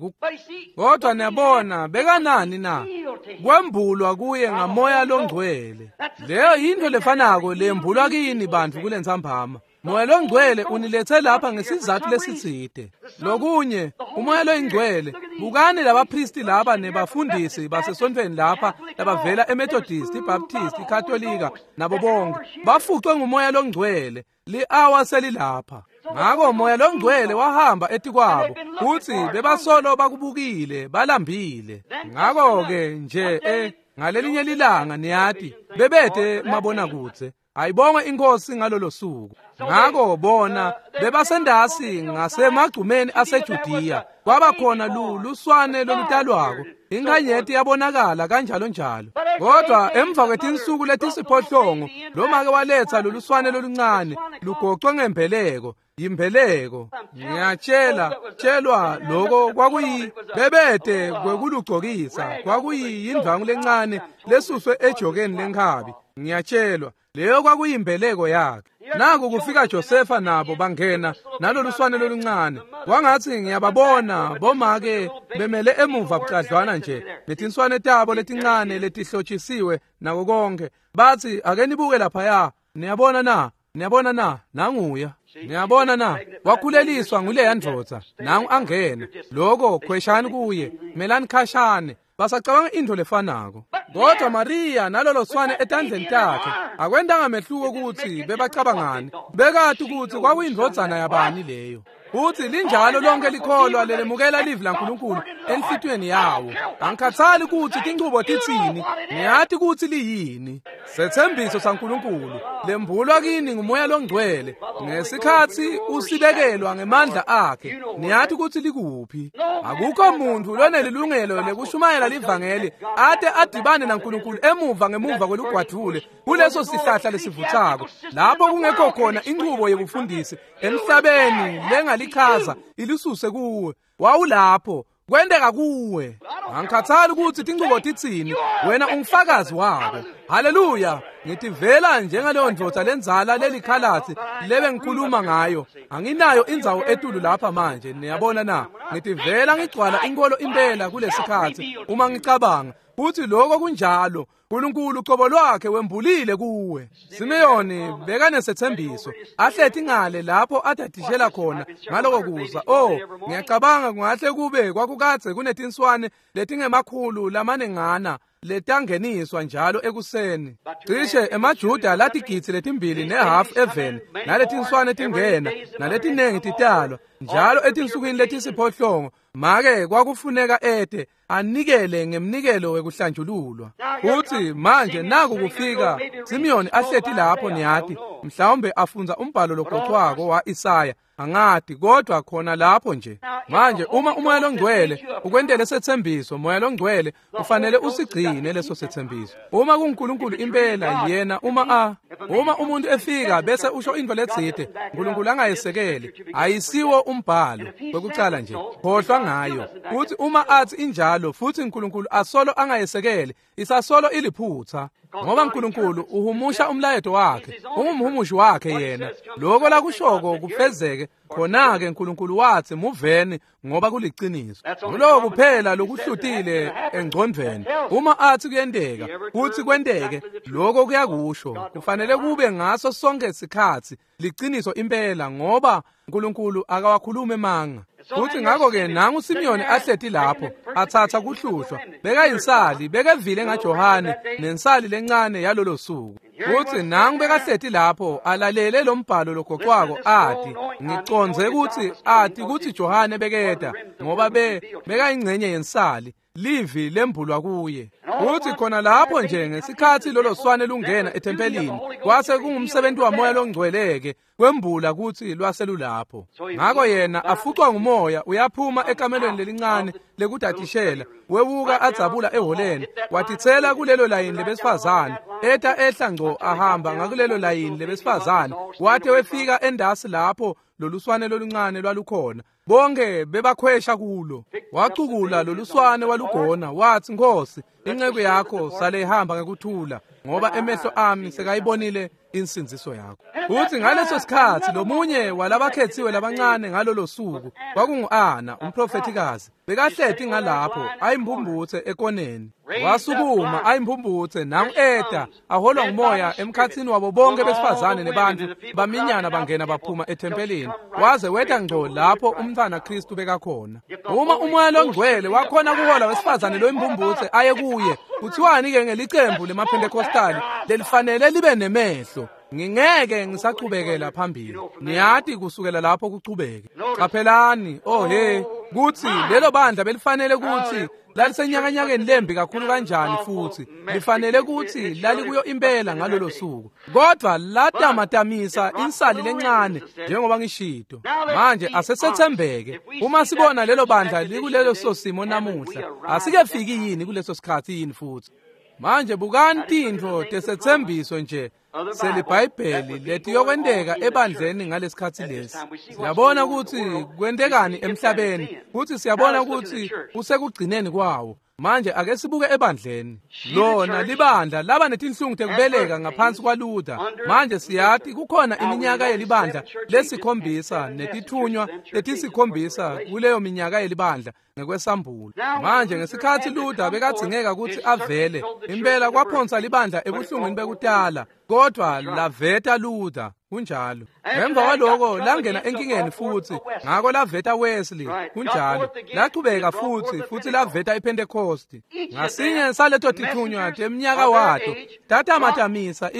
kodwa niyabona bekanani na kwembulwa kuye ngamoya longcwele. Leyo yintfo lefanako lembulwa kini bantfu kulentsambama. Moya longcwele unilethe lapha ngesizathu lesitsite. Lokunye umoya loyingcwele bukani labaphristi laba nebafundisi basesontfweni lapha labavela eMethodist, iBaptist, iKatolika nabo bonke bafucwe ngumoya longcwele. Li-awa selilapha. Ngako moya longcwele wahamba etikwabo futsi bebasolo bakubukile balambile. Ngako-ke nje ngalelinye lilanga niyati bebete mabonakudze. Ayibongwe inkosi ngalolo suku. Ngako bona bebasendasi ngasemagcumeni aseJudiya kwaba khona luswane lolutalwako inkanyeti yabonakala kanjalo njalo. Kodwa emva kwetinsuku letisiphohlongo lomake waletha loluswane loluncane lugocwe ngembeleko yimbeleko. Ngiyatshela tshelwa lokho kwakuyi bebete kwekulugcokisa kwakuyindvangu lencane lesuswe ejokeni lenkhabi. Ngiyatshelwa leyo kwakuyimbeleko yakhe. Naku kufika Josefa nabo bangena naloluswane loluncane. Kwangatsi ngiyababona bomake bemele emuva bucadlwana nje netinswane tabo letincane letihlotshisiwe nako konke. Batsi ake nibuke laphaya, niyabona na? Niyabona na? Nanguya. Niyabona na? Wakhuleliswa nguleya ndvodza. Nangu angena. Lokho khweshani kuye, melani khashane. Basacabanga intfo lefanako. Kodwa Maria nalolo swane etandleni takhe akwentanga mehluko kutsi bebacabangani. Bekati kutsi kwakuyindvodzana yabani leyo. Futsi linjalo lonke likholwa lelemukela livi laNkulunkulu enhlitiyweni yawo. Angikhathali kutsi tinchubo titsini, ngiyati kutsi liyini. Setsembiso saNkulunkulu lembulwa kini ngumoya longcwele ngesikhatsi usibekelwa ngemandla akhe. Niyati kutsi likuphi. Akukho muntfu lonelilungelo lekushumayela livangeli ate adibane naNkulunkulu emuva ngemuva kwelugwadvule kuleso sihlahla lesivutsako lapho kungekho khona inchubo yebufundisi emhlabeni lengalichaza ilisuse kuwe. Wawulapho kwenteka kuwe. Angikhathali kutsi tinchubo titsini, wena ungufakazi wako. Haleluya! Ngitivela njengaleyo ndvodza lendzala lelikhalatsi lebengikhuluma ngayo. Anginayo indzawo etulu lapha manje, niyabona na? Ngitivela ngigcwala inkolo impela kulesikhatsi uma ngicabanga futhi lokho kunjalo. uNkulunkulu ucobo lwakhe wembulile kuwe. Simeyoni bekanesetsembiso ahleti ngale lapho adadishela khona ngaloko kuza. Oh, ngiyacabanga kungahle kube kwakukadze kunetinswane letingemakhulu lamanengana letangeniswa njalo ekuseni. Cishe emaJuda latigidzi letimbili nehafu eveni naletinswane tingena naletinengi titalwa njalo etinsukwini letisiphohlongo. Make kwakufuneka ete anikele ngemnikelo wekuhlanjululwa. Futhi manje naku kufika Simiyoni ahleti lapho niyati mhlawumbe afundza umbhalo logocwako wa-Isaya angati kodwa khona lapho nje. Manje uma umoya longcwele ukwentele setsembiso, moya longcwele ufanele usigcine leso setsembiso. Uma kuNkulunkulu impela yena uma umuntu efika bese usho into letsite uNkulunkulu angayesekeli ayisiwo umbhalo kwekucala nje. Khohlwa ngayo. Futhi uma athi injalo futhi uNkulunkulu asolo angayesekele, isasolo iliphutha. Ngoba uNkulunkulu uhumusha umlayeto wakhe, ungumhumushi wakhe yena. Lokho lakushoko kufezeke, khona-ke uNkulunkulu wathi muveni ngoba kuliciniso. Nguloko kuphela lokuhlutile engcondvweni. Uma athi kuyenteka, kuthi kwenteke, lokho kuyakusho. Kufanele kube ngaso sonke isikhathi liciniso impela ngoba uNkulunkulu akawakhulumi emanga. Futhi ngakho-ke nangu Simiyoni ahleti lapho athatha kuhlushwa, bekayinsali, bekevile ngaJohane nensali lencane yalolo suku. Futhi nangu bekahleti lapho alalele lo mbhalo logoqwako athi, ngicondze ukuthi athi kuthi Johane bekeda ngoba bekayingcenye yensali, livi lembulwa kuye. Futhi khona lapho nje ngesikhathi lolo swane lungena ethempelini, kwase kungumsebenzi wamoya longcweleke kwembula ukuthi lwaselulapho. Ngakho yena afuqwa ngumoya uyaphuma ekamelweni lelincane lekudadishela, wewuka adzabula eholeni, watitsela kulelo layini lebesifazane, eta ehla ngco ahamba ngakulelo layini lebesifazane, wate wefika endasi lapho loluswane loluncane lwalukhona. Bonke bebakhwesha kulo. Wacukula loluswane walugona, wathi, Nkosi, inceku yakho sale ihamba ngekuthula, ngoba emehlo ami sekayibonile insindziso yakho. Futhi ngaleso sikhathi lomunye walabakhethiwe labancane ngalolo suku kwakungu-Ana, umprofethikazi, bekahleti ngalapho ayimbumbuthe ekoneni. Wasukuma ayimbumbuthe nangu eta aholwa ngumoya emkhathini wabo bonke besifazane nebantu baminyana bangena baphuma ethempelini, waze weta ngco lapho umntwana Kristu bekakhona. Uma umoya longcwele wakhona kuhola wesifazane loyimbumbuthe aye kuye, kuthiwani-ke ngelicembu lemaPentecostali lelifanele libe nemehlo? Ngingeke ngisachubekela phambili. Niyati kusukela lapho kuchubeke. Qaphelani, oh he, kuthi lelo bandla belifanele kuthi lalisenyakanyakeni lembi kakhulu kanjani, futhi lifanele ukuthi lalikuyo impela ngalolo suku. Kodwa latamatamisa insali lencane njengoba ngishito. Manje asesethembeke. Uma sibona lelo bandla likulelo sosimo namuhla, asikefiki yini kuleso sikhathi yini futhi? Manje bukani tintfo tesethembiso nje seliBhayibheli letiyokwenteka ebandleni ngalesikhathi lesi. Siyabona ukuthi kwentekani emhlabeni, futhi siyabona ukuthi kusekugcineni kwawo. Manje ake sibuke ebandleni. Lona libandla laba netinhlungu tekubeleka ngaphansi kwaLuther. Manje siyati kukhona iminyaka yelibandla lesikhombisa netithunywa letisikhombisa kuleyo minyaka yelibandla ngekwesambulo. Manje ngesikhathi Luther bekadzingeka ukuthi avele, impela kwaphonsa libandla ebuhlungwini bekutala, kodwa laveta Luther. Kunjalo. Emva kwaloko langena enkingeni futhi, ngako laveta Wesley. Kunjalo. Lachubeka futhi laveta iPentecost. Ngasinye saleto tithunywa teminyaka wato tatamatamisa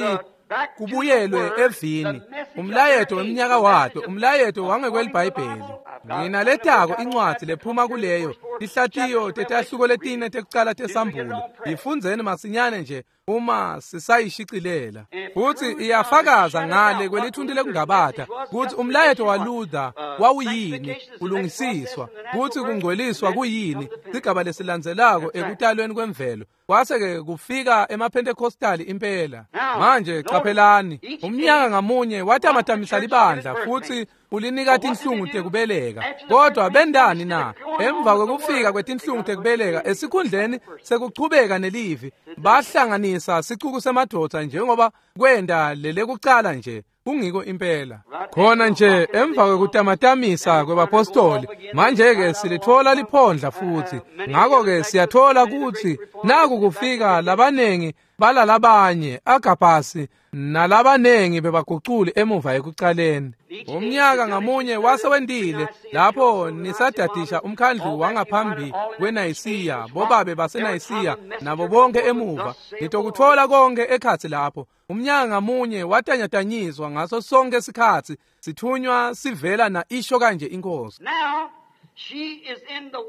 kubuyelwe evini, umlayeto weminyaka wato, umlayeto wangekweliBhayibheli. Nginaletako incwadi lephuma kuleyo tihlatiyo tetahluko letine tekucala tesambulo. Yifundzeni masinyane nje uma sisayishicilela. Futhi iyafakaza ngale kwelithunti lekungabata ukuthi umlayeto waLuther wawuyini, kulungisiswa, kuthi kungcweliswa kuyini, sigaba lesilandzelako ekutalweni kwemvelo. Kwase-ke kufika emaPentecostali impela. Manje qaphelani, umnyaka ngamunye watamatamisa libandla futhi ulinika tinhlungu tekubeleka. Kodwa bendani na? Emva kwekufika kwetinhlungu tekubeleka, esikhundleni sekuchubeka nelivi, bahlanganisa sicuku semadoda njengoba kwenda lelekucala nje. Kungiko impela. Khona nje emva kwekutamatamisa kwebapostoli, manje-ke silithola liphondla futhi. Ngakho-ke siyathola ukuthi naku kufika labanengi balalabanye agabhasi nalabanengi bebaguculi emuva ekucaleni. Umnyaka ngamunye wasewendile lapho nisadadisha umkhandlu wangaphambi kweNayisiya, bobabe baseNayisiya nabo bonke emuva. Nitokuthola konke ekhathi lapho. Umnyaka ngamunye watanyatanyiswa ngaso sonke isikhathi, sithunywa sivela na isho kanje inkosi.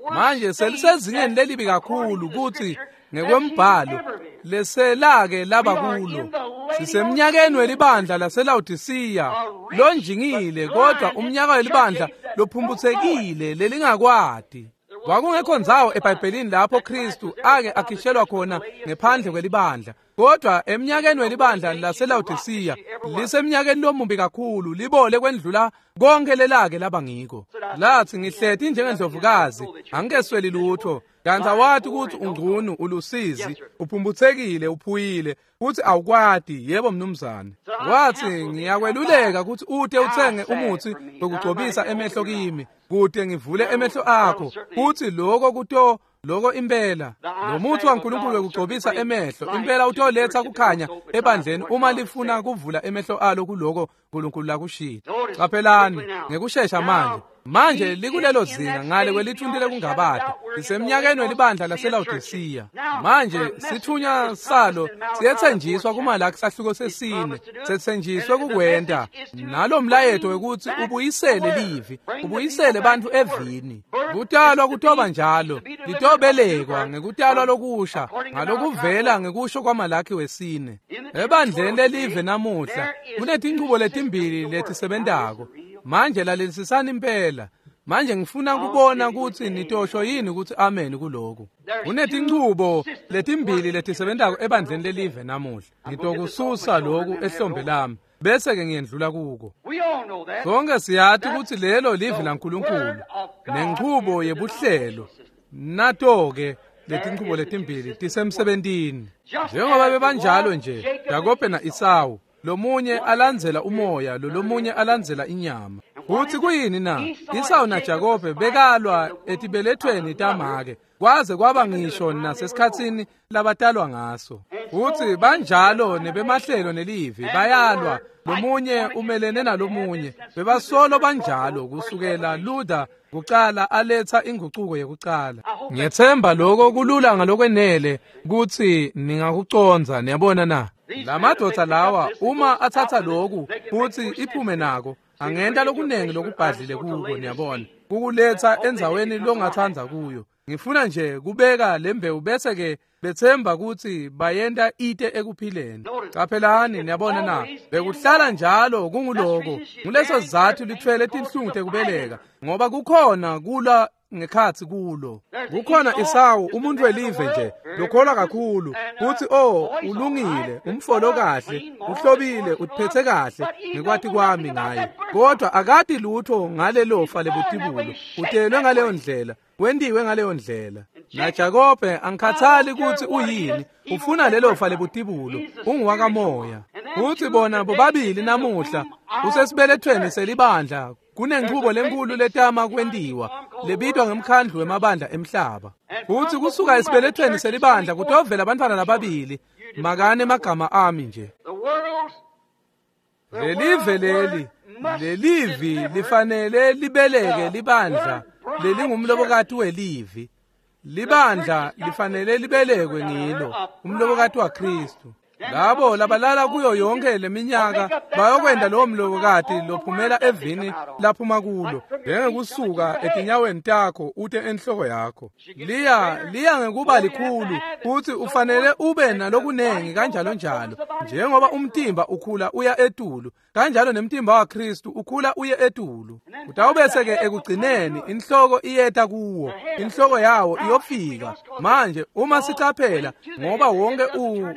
Manje selisezingeni lelibi kakhulu kuthi ngekwembhalo leselake laba kulo. Sisemnyakeni welibandla laseLawodisiya lonjingile, kodwa umnyaka welibandla lophumbuthekile lelingakwadi. Kwakungekho ndzawo eBhayibhelini lapho Kristu ake akhishelwa khona ngephandle kwelibandla. Kodwa eminyakeni welibandla laseLaodicea lisemnyakeni lomubi kakhulu, libole kwendlula konke lelake laba ngiko. Lathi ngihleti njengendlovukazi, angikesweli lutho, kanti awati ukuthi ungcunu, ulusizi, uphumbuthekile, uphuyile, futhi awukwati. Yebo mnumzane. Wathi ngiyakweluleka ukuthi ute uthenge umuthi wokugcobisa emehlo kimi, kude ngivule emehlo akho, futhi lokho kuto lokho impela lo muthi waNkulunkulu wekugcobisa emehlo impela utoletha kukhanya ebandleni uma lifuna kuvula emehlo alo kuloko uNkulunkulu lakushilo. Qaphelani ngekushesha manje. Manje likulelo zinga ngale kwelithunti lekungabata, lisemnyakeni welibandla laseLaodicea. Manje sithunya salo siyethenjiswa kuMalaki sahluko 4, sethenjiswe kukwenta nalo mlayeto wekuthi ubuyisele livi, ubuyisele bantu evini. Kutalwa kutoba njalo, litobelekwa ngekutalwa lokusha ngalokuvela ngekusho kwaMalaki 4. Ebandleni lelive namuhla kunetinchubo letimbili letisebentako. Manje lalelisisani impela. Manje ngifuna kubona ukuthi nitosho yini ukuthi amen kuloko. Kunetinchubo letimbili letisebentako ebandleni lelive namuhla. Ngitokususa lokhu ehlombe lami bese ke ngiyendlula kuko. Sonke siyati ukuthi lelo livi laNkulunkulu nenchubo yebuhlelo. Nato ke letinchubo letimbili tisemsebentini. Njengoba bebanjalo nje Jakobe na Esawu, lomunye alandzela umoya, lomunye alandzela inyama. Kuthi kuyini na? Esau na Jakobe bekalwa etibelethweni tamake, kwaze kwaba ngisho nasesikhatsini labatalwa ngaso. Uthi banjalo nebemahlelo nelivi bayalwa, lomunye umelene nalomunye. Bebasolo banjalo kusukela Luther kucala aletha inguquko yekucala. Ngiyethemba lokho kulula ngalokwenele kuthi ningakuconza, niyabona na? Lamadvodza lawa uma athatha lokhu futhi iphume nako, angenta lokunengi lokubhadlile kuko, niyabona, kukuletha endzaweni longathandza kuyo. Ngifuna nje kubeka lembewu bese ke bethemba ukuthi bayenta ite ekuphileni. Qaphelani, niyabona na? Bekuhlala njalo kunguloko. Nguleso sizathu lithwele tinhlungu tekubeleka, ngoba kukhona kula ngekhathi kulo. Kukhona Esawu, umuntu welive nje lokholwa kakhulu uthi oh ulungile, umfolo kahle, uhlobile, uthiphethe kahle ngekwati kwami ngaye, kodwa akati lutho ngalelofa lebutibulo. Utelwe ngaleyo ndlela, wendiwe ngaleyo ndlela. Na Jakobe angikhathali ukuthi uyini, ufuna lelofa lebutibulo, unguwakamoya. Uthi bona bobabili namuhla usesibelethweni selibandla. Kunenchubo lenkulu letama kwentiwa lebitwa ngemkhandlu wemabandla emhlaba. Futhi kusuka esibelethweni selibandla kutovela abantwana lababili, makane emagama ami nje. Lelive leli, lelivi lifanele libeleke libandla lelingumlobokati welivi. Libandla lifanele libelekwe ngilo, umlobokati waKristu. Labo labalala kuyo yonke leminyaka bayokwenda lowo mlobokati lophumela evini laphuma kulo, njengekusuka etinyaweni takho ute enhloko yakho. Liya ngekuba likhulu, futhi ufanele ube nalokunengi kanjalo njalo. Njengoba umtimba ukhula uya etulu, kanjalo nemtimba waKristu ukhula uye etulu. Utawubese ke ekugcineni inhloko iyeta kuwo, inhloko yawo iyofika. Manje uma sicaphela, ngoba wonke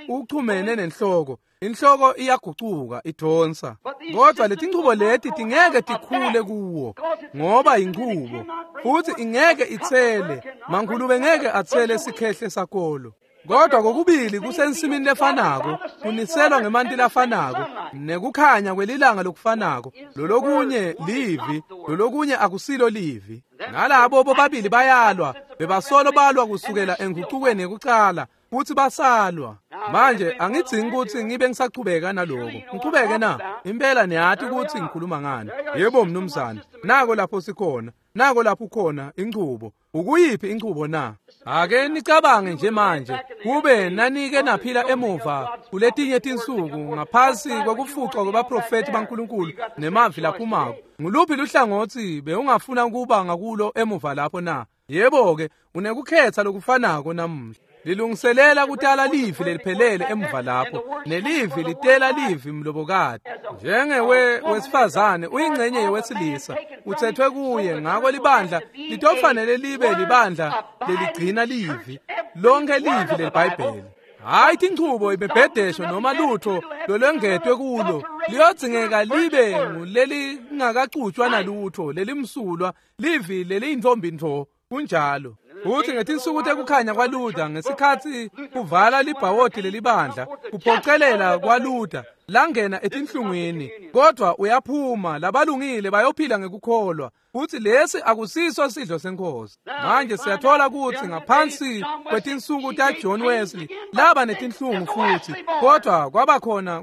uchumene nenhloko, inhloko iyagucuka idonsa. Kodwa letinchubo leti tingeke tikhule kuwo, ngoba inchubo futhi ingeke itsele. Mankhulube ngeke atsele sikhehle sakolo. Kodwa kokubili kusensimini lefanako, kuniselwa ngemanti lafanako, nekukhanya kwelilanga lokufanako. Lolokunye livi, lolokunye akusilo livi. Nalabo bobabili bayalwa, bebasolo balwa kusukela engucukweni yekucala, futhi basalwa. Manje angidzingi ukuthi ngibe ngisachubeka naloko. Ngichubeke na? Impela niyati ukuthi ngikhuluma ngani. Yebo mnumzane, nako lapho sikhona, nako lapho ukhona inchubo. Ukuyiphi inchubo na? Ake nicabange nje manje, kube nanike naphila emuva kuletinye tinsuku ngaphasi kwekufucwa kwabaprofeti baNkulunkulu nemavi laphumako. Nguluphi luhlangothi bewungafuna kuba ngakulo emuva lapho na? Yebo ke, unekukhetha lokufanako namuhla. Lilungiselela kutala livi leliphelele emuva lapho, nelivi litela livi mlobokati. Njengewe wesifazane uyingcenye yewesilisa, uthethwe kuye, ngako libandla litofanele libe libandla leligcina livi, lonke livi leliBhayibheli. Hhayi tinchubo imibhedesho noma lutho lolwengetwe kulo, liyodzingeka libe ngulelingakacutshwa nalutho, lelimsulwa, livi leliyintfombi ntfo. Kunjalo. Uthi ngetinsuku tekukhanya kwaLuther, ngesikhatsi kuvala libhawodi lelibandla, kuphocelela kwaLuther langena etinhlungwini, kodwa uyaphuma, labalungile bayophila ngekukholwa. Uthi lesi akusiso sidlo senkosi. Manje siyathola ukuthi ngaphansi kwetinsuku taJohn Wesley laba netinhlungu futhi, kodwa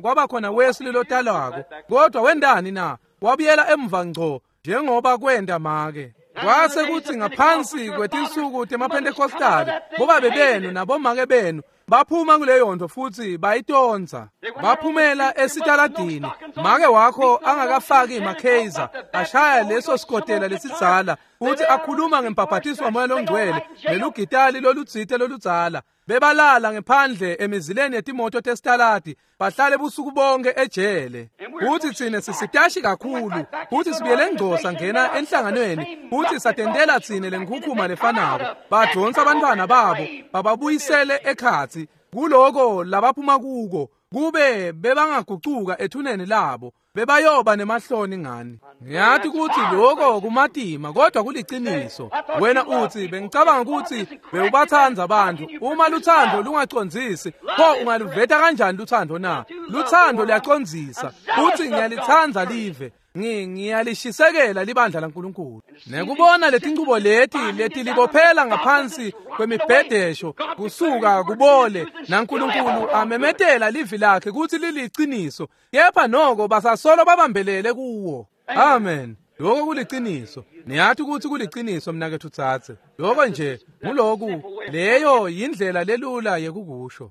kwabakhona Wesley lotalwako. Kodwa wendani na? Wabuyela emva ngco njengoba kwenda make. Kwase kuthi ngaphansi kwetinsuku temaPentecostal, bobabe benu nabomake benu baphuma kuleyo nto futhi bayitonza. Baphumela esitaladini, make wakho angakafaki makheza, ashaya leso sikotela lesidzala, futhi akhuluma ngembhabhatiso waMoya loNgcwele nelugitali lolutsite loludzala. Bebalala ngephandle emizileni yetimoto tesitaladi, bahlale busuku bonke ejele. Futhi tsine sisitashi kakhulu, futhi sibuyele ngco sangena enhlanganweni, futhi satentela tsine lenkhukhuma lefanako. Badonsa abantwana babo bababuyisele ekhatsi kuloko labaphuma kuko, kube bebangagucuka ethuneni labo, bebayoba nemahloni ngani. Ngiyathi ukuthi lokho kumatima, kodwa kuliciniso. Wena uthi bengicabanga ukuthi bewubathanda abantu. Uma luthando lungacondzisi, pho ungaluveta kanjani luthando na? Luthando luyacondzisa. Futhi ngiyalithanda live, ngiyalishisekela libandla laNkulunkulu. Nekubona letinchubo leti letilibophela ngaphansi kwemibhedesho kusuka kubole, naNkulunkulu amemetela livi lakhe kutsi liliciniso, kepha noko basasolo babambelele kuwo. Amen. Lokho kuliciniso. Niyathi ukuthi kuliciniso mnaketfu tsatse. Lokho nje nguloku, leyo yindlela lelula yekukusho.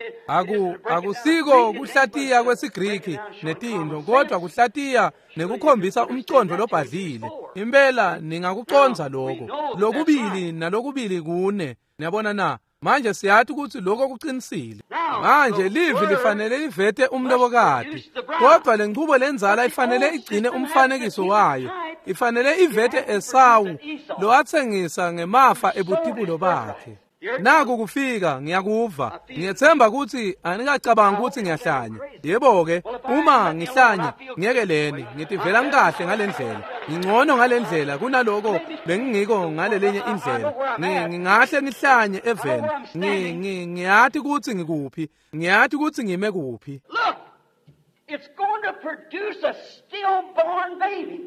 Akusiko kuhlatiya kwesiGriki netinto, kodwa kuhlatiya nekukhombisa umcondo lobhadlile. Impela ningakucondza lokho. Lokubili nalokubili kune. Niyabona na? Manje siyathi ukuthi lokho kuqinisile. Manje livi lifanele livete umlobokati, kodwa lenchubo lenzala ifanele igcine umfanekiso wayo. Ifanele ivete Esawu lowatsengisa ngemafa ebutibulo bakhe. Naku kufika, ngiyakuva. Ngiyethemba ukuthi anikacabanga ukuthi ngiyahlanya. Yebo-ke, uma ngihlanya, ngiyekeleni, ngitivela ngikahle ngalendlela. Ngingcono ngalendlela kunaloko bengingiko ngalelenye indlela. Ngingahle ngihlanye eveni. Ngiyathi ukuthi ngikuphi. Ngiyathi ukuthi ngime kuphi. Look, it's going to produce a stillborn baby.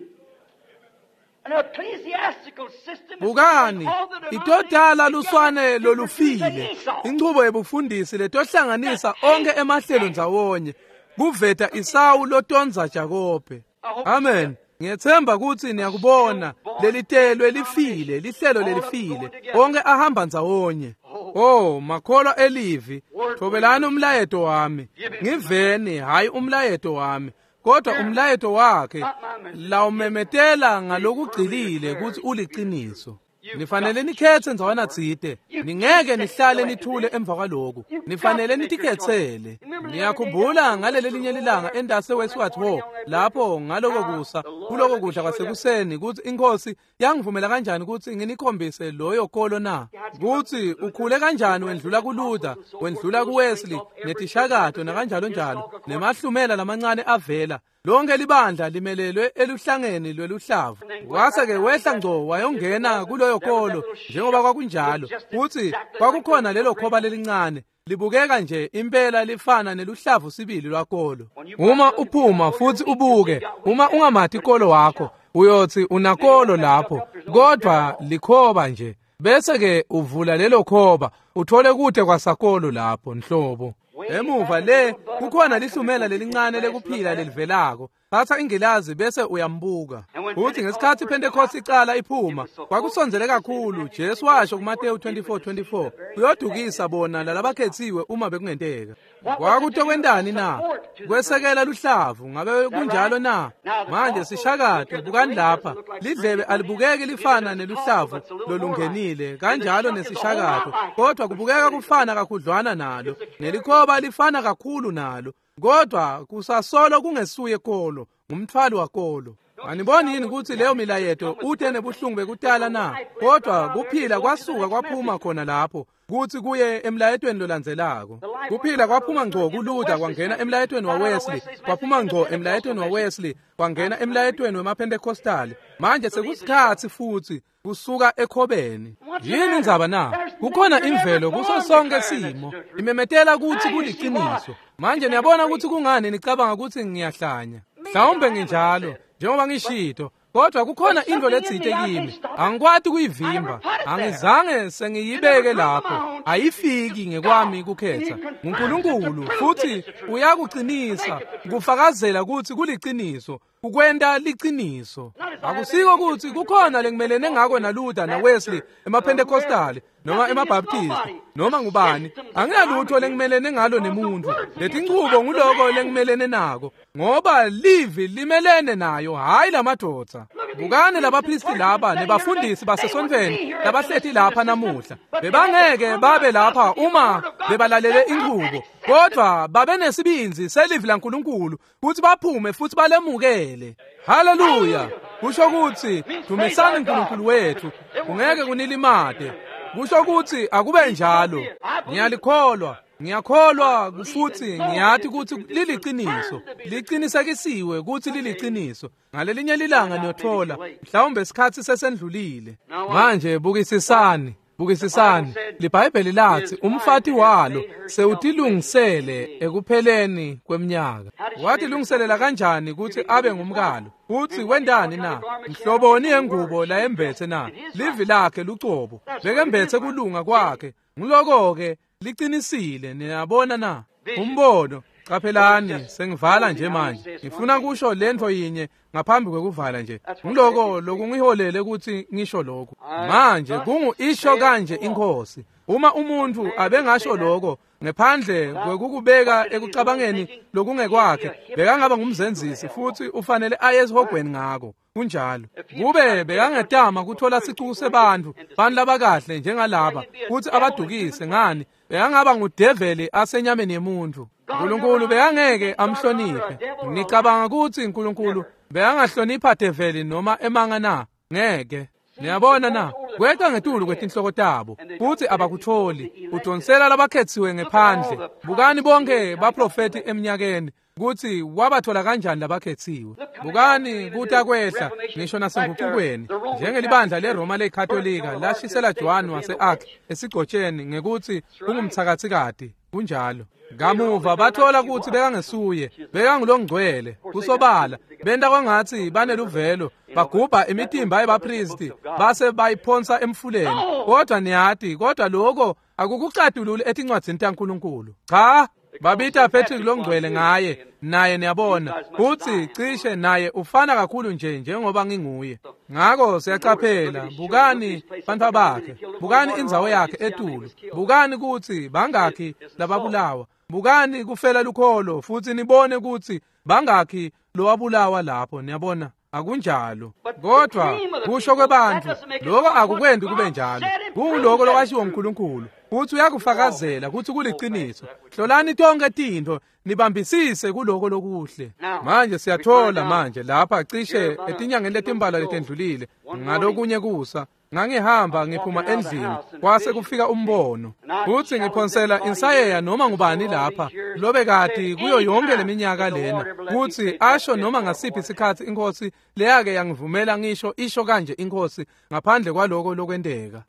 Bukani, itodala luswane lolufile, inchubo yebufundisi letohlanganisa onke emahlelo ndzawonye, kuveta Isawu lotonza Jakobe. Amen. Ngiyethemba ukuthi niyakubona lelitelwe lifile, lihlelo lelifile, onke ahamba ndzawonye. Oh, makholwa elivi, thobelani umlayeto wami. Ngiveni, hayi umlayeto wami, kodwa umlayeto wakhe lawumemetela ngalokugcilile ukuthi uliciniso. Nifanele nikhethe ndzawana tsite. Ningeke nihlale nithule emva kwaloku. Nifanele nitikhetsele. Niyakhumbula ngaleli linye lilanga endase Westward Ho, lapho ngaloko kusa, kuloko kudla kwasekuseni, ukuthi inkosi yangivumela kanjani ukuthi nginikhombise loyo kolo na? Ukuthi ukhule kanjani wendlula kuLuther, wendlula kuWesley, netishakato nakanjalo njalo, nemahlumela lamancane avela. Lonke libandla limelelwe eluhlangeni lweluhlavu. Wase-ke wehla ngco wayongena kuloyo kolo njengoba kwakunjalo. Futhi kwakukhona lelo khoba lelincane, libukeka nje impela lifana neluhlavu sibili lwakolo. Uma uphuma futhi ubuke, uma ungamati kolo wakho, uyothi unakolo lapho, kodwa likhoba nje. Bese-ke uvula lelo khoba, uthole kude kwasakolo lapho nhlobo. Emuva le kukhona lihlumela lelincane lekuphila lelivelako. Thatha ingilazi bese uyambuka. Uthi ngesikhathi iPentecost icala iphuma, kwakusondzele kakhulu. Jesu washo kuMateyu 24:24, kuyodukisa bona lalabakhethiwe uma bekungenteka. Kwakutokwentani na? Kwesekela luhlavu, ngabe kunjalo na? Manje sishakato, bukani lapha. Lidlebe alibukeki lifana neluhlavu lolungenile, kanjalo nesishakato, kodwa kubukeka kufana kakhudlwana nalo. Nelikhoba lifana kakhulu nalo, kodwa kusasolo kungesuye kolo, ngumthwalo wakolo. Aniboni yini kutsi leyo milayeto ute nebuhlungu bekutala na? Kodwa kuphila kwasuka kwaphuma khona lapho kutsi kuye emlayetweni lolandzelako. Kuphila kwaphuma ngco kuLuther kwangena emlayetweni waWesley, kwaphuma ngco emlayetweni waWesley kwangena emlayetweni wemaPentecostal. Manje sekusikhatsi futsi kusuka ekhobeni. Yini indzaba na? Kukhona imvelo kuso sonke simo imemetela kutsi kuliciniso. Manje niyabona kutsi kungani nicabanga kutsi ngiyahlanya. Mhlawumbe nginjalo njengoba ngishito, kodwa kukhona into letsite kimi angikwati kuyivimba. Angizange sengiyibeke lapho, ayifiki ngekwami kukhetha. NguNkulunkulu futhi uyakuqinisa kufakazela kutsi kuliciniso, ukwenta liciniso. Akusiko kutsi kukhona lengimelene ngako naLuther naWesley, emaPentecostal noma emaBaptist noma ngubani. Anginalutho lengimelene ngalo nemuntu. Letinchubo nguloko lengimelene nako, ngoba livi limelene nayo, hhayi lamadvodza. Bukani labaphristi laba nebafundisi basesontfweni labahleti lapha namuhla. Bebangeke babe lapha uma bebalalele inchubo, kodwa babenesibindzi selivi laNkulunkulu kutsi baphume futsi balemukele. Haleluya! Kusho kutsi dumisani uNkulunkulu wethu, kungeke kunilimate. Kusho kutsi akube njalo. Ngiyalikholwa, ngiyakholwa futsi ngiyati kutsi liliciniso, liqinisekisiwe kutsi liliciniso. Ngalelinye lilanga niyothola, mhlawumbe isikhatsi sesendlulile. Manje bukisisani, bukisisani. LiBhayibheli lathi umfati walo sewutilungisele ekupheleni kweminyaka. Watilungiselela kanjani kutsi abe ngumkalo? Kutsi wendani na? Mhloboni yengubo layembetse na? Livi lakhe lucobo. Bekembetse kulunga kwakhe. Nguloko-ke liqinisile, niyabona na? Umbono. Qaphelani, sengivala nje manje. Ngifuna kusho lentfo yinye ngaphambi kwekuvala nje. Ngiloko lokungiholele kutsi ngisho lokhu. Manje kungu isho kanje iNkhosi. Uma umuntu abengasho lokho ngephandle kwekukubeka ekucabangeni lokungekwakhe, bekangaba ngumzenzisi futhi ufanele aye esihogweni ngako. Kunjalo. Kube bekangetama kuthola sicuku sebantfu, bantu labakahle njengalaba, kutsi abadukise ngani, bekangaba ngudeveli asenyameni yemuntu. Nkulunkulu bekangeke amhloniphe. Nicabanga kutsi Nkulunkulu bekangahlonipha develi noma emanga na? Ngeke. Niyabona na? Kweqa ngetulu kwetinhloko tabo futsi abakutholi. Udonsela labakhetsiwe ngephandle. Bukani bonke baprofeti eminyakeni kutsi wabathola kanjani labakhetsiwe. Bukani kuta kwehla ngisho nasengucukweni, njengelibandla leRoma leKatolika lashisela Joan wase-Arc esigcotsheni ngekutsi ungumtsakatsikati. Kunjalo. Kamuva bathola kutsi bekangesuye, bekangulongcwele. Kusobala benta kwangatsi baneluvelo, bagubha imitimba yebaphristi base bayiphonsa emfuleni. Kodwa niyati, kodwa lokho akukucatululi etincwadzini taNkulunkulu. Cha, babita Patrick longcwele ngaye, naye niyabona kutsi cishe naye ufana kakhulu nje njengoba nginguye. Ngako siyacaphela, bukani bantfwa bakhe, bukani indzawo yakhe etulu, bukani kutsi bangakhi lababulawa, bukani kufela lukholo futsi nibone kutsi bangakhi lowabulawa lapho. Niyabona, akunjalo. Kodwa kusho kwebantfu lokho akukwendi kube njalo. Kunguloko lokwashiwo uNkulunkulu kutsi uyakufakazela kutsi kuliciniso. Hlolani tonke tintfo, nibambisise kuloko lokuhle. Manje siyathola manje lapha cishe etinyangeni letimbalwa letendlulile, ngalokunye kusa ngangihamba ngiphuma endlini, kwase kufika umbono kutsi ngiphonsela insayeya noma ngubani lapha lobekati kuyo yonke leminyaka lena kutsi asho noma ngasiphi isikhatsi iNkhosi leyake yangivumela ngisho isho kanje iNkhosi ngaphandle kwaloko lokwenteka.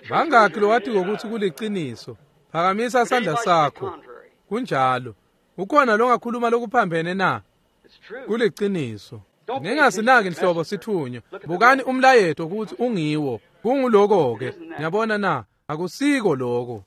Bangakhi lowatiko kutsi kuliciniso? Phakamisa sandla sakho. Kunjalo. Ukhona longakhuluma lokuphambene na? Kuliciniso. Ningasinaki nhlobo sithunywa. Bukani umlayeto kutsi ungiwo. Kunguloko-ke. Niyabona na? Akusiko loko.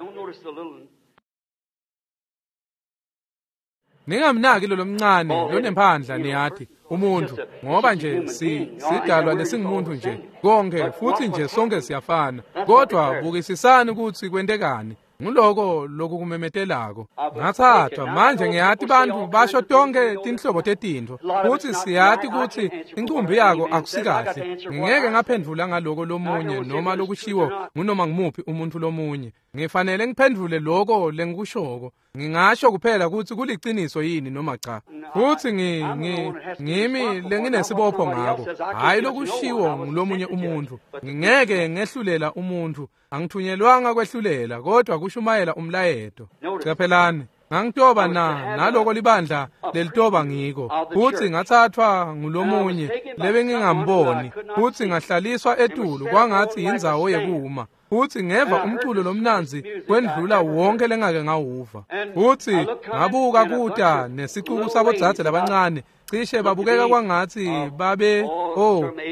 Ningamnaki lo lomncane lonemphandla, niyati, umuntu, ngoba nje sidalwa lesingumuntu nje konke, futhi nje sonke siyafana. Kodwa bukisisani kutsi kwentekani. Nguloko lokukumemetelako. Ngathathwa manje ngiyati bantfu basho tonke tinhlobo tetintfo, futsi siyati kutsi incumbi yako akusikahle. Ngingeke ngaphendvula ngaloko lomunye noma lokushiwo ngunoma ngumuphi umuntu lomunye. Ngifanele ngiphendvule loko lengikushoko. Ngingasho kuphela ukuthi kuliciniso yini noma cha. Futhi ngimi lenginesibopho ngako, hhayi lokushiwo ngulomunye umuntu. Ngingeke ngehlulela umuntu, angithunyelwanga kwehlulela, kodwa kushumayela umlayeto. Caphelani, ngangitoba naloko libandla lelitoba ngiko, futhi ngathathwa ngulomunye lebengingamboni, futhi ngahlaliswa etulu kwangathi indzawo yekuma. Futhi ngeva umculo lomnanzi kwendlula wonke lengake ngawuva. Futhi ngabuka kuta nesicuku sabodzadze labancane, cishe babukeka kwangathi babe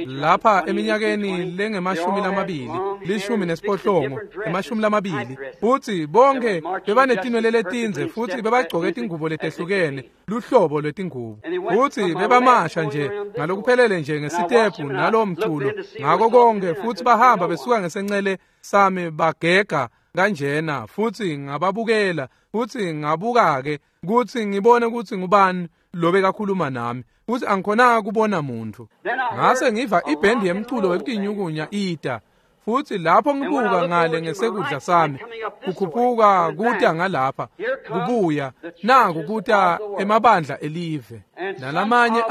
lapha eminyakeni lengemashumi 28, 20. Futhi bonke bebanetinwele letindze futhi bebagcoke tingubo letehlukene, luhlobo lwetingubo. Futhi bebamasha nje ngalokuphelele nje ngesitepu nalowo mculo ngako konke, futhi bahamba besuka ngesencele sami bagega kanjena, futhi ngababukela, futhi ngabuka-ke kutsi ngibone kutsi ngubani lobe kakhuluma nami, futhi angikhonanga kubona muntu. Ngase ngiva ibhendi yemculo wekutinyukunya ita, futhi lapho ngibuka ngale ngesekudla sami, kukhuphuka kuta ngalapha, kubuya naku kuta emabandla elive, nalamanye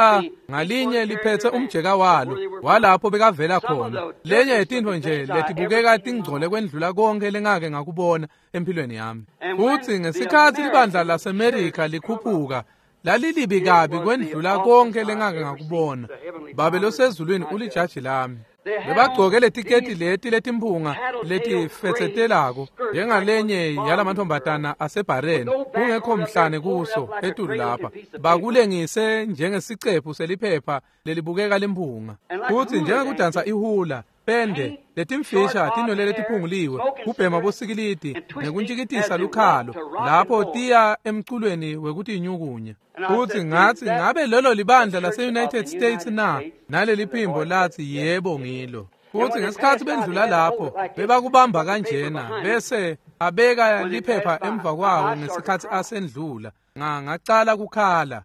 ngalinye liphethe umjeka walo walapho bekavela khona. Lenye yetintfo nje letibukeka tingcole kwendlula konke lengake ngakubona empilweni yami. Futhi ngesikhatsi libandla laseMerika likhuphuka, lalilibi kabi kwendlula konke lengake ngakubona. Babe losezulwini ulijaji lami. Bebagcoke letiketi leti letimphunga letifetsetelako njengalenye yalamantombazana asebhareni, kungekho mhlane kuso etulu lapha, bakulengise njengesicephu seliphepha lelibukeka limphunga. Futhi njengekudansa ihula pende letimfisha tinwele letiphunguliwe, kubhema bosikilidi nekuntjikitisa lukhalo lapho tiya emculweni wekutinyukunya. Futhi ngathi, ngabe lelo libandla lase-United States na? Naleli phimbo lathi, yebo ngilo. Futhi ngesikhatsi bendlula lapho bebakubamba kanjena, bese abeka liphepha emva kwawo ngesikhatsi asendlula. Ngacala kukhala.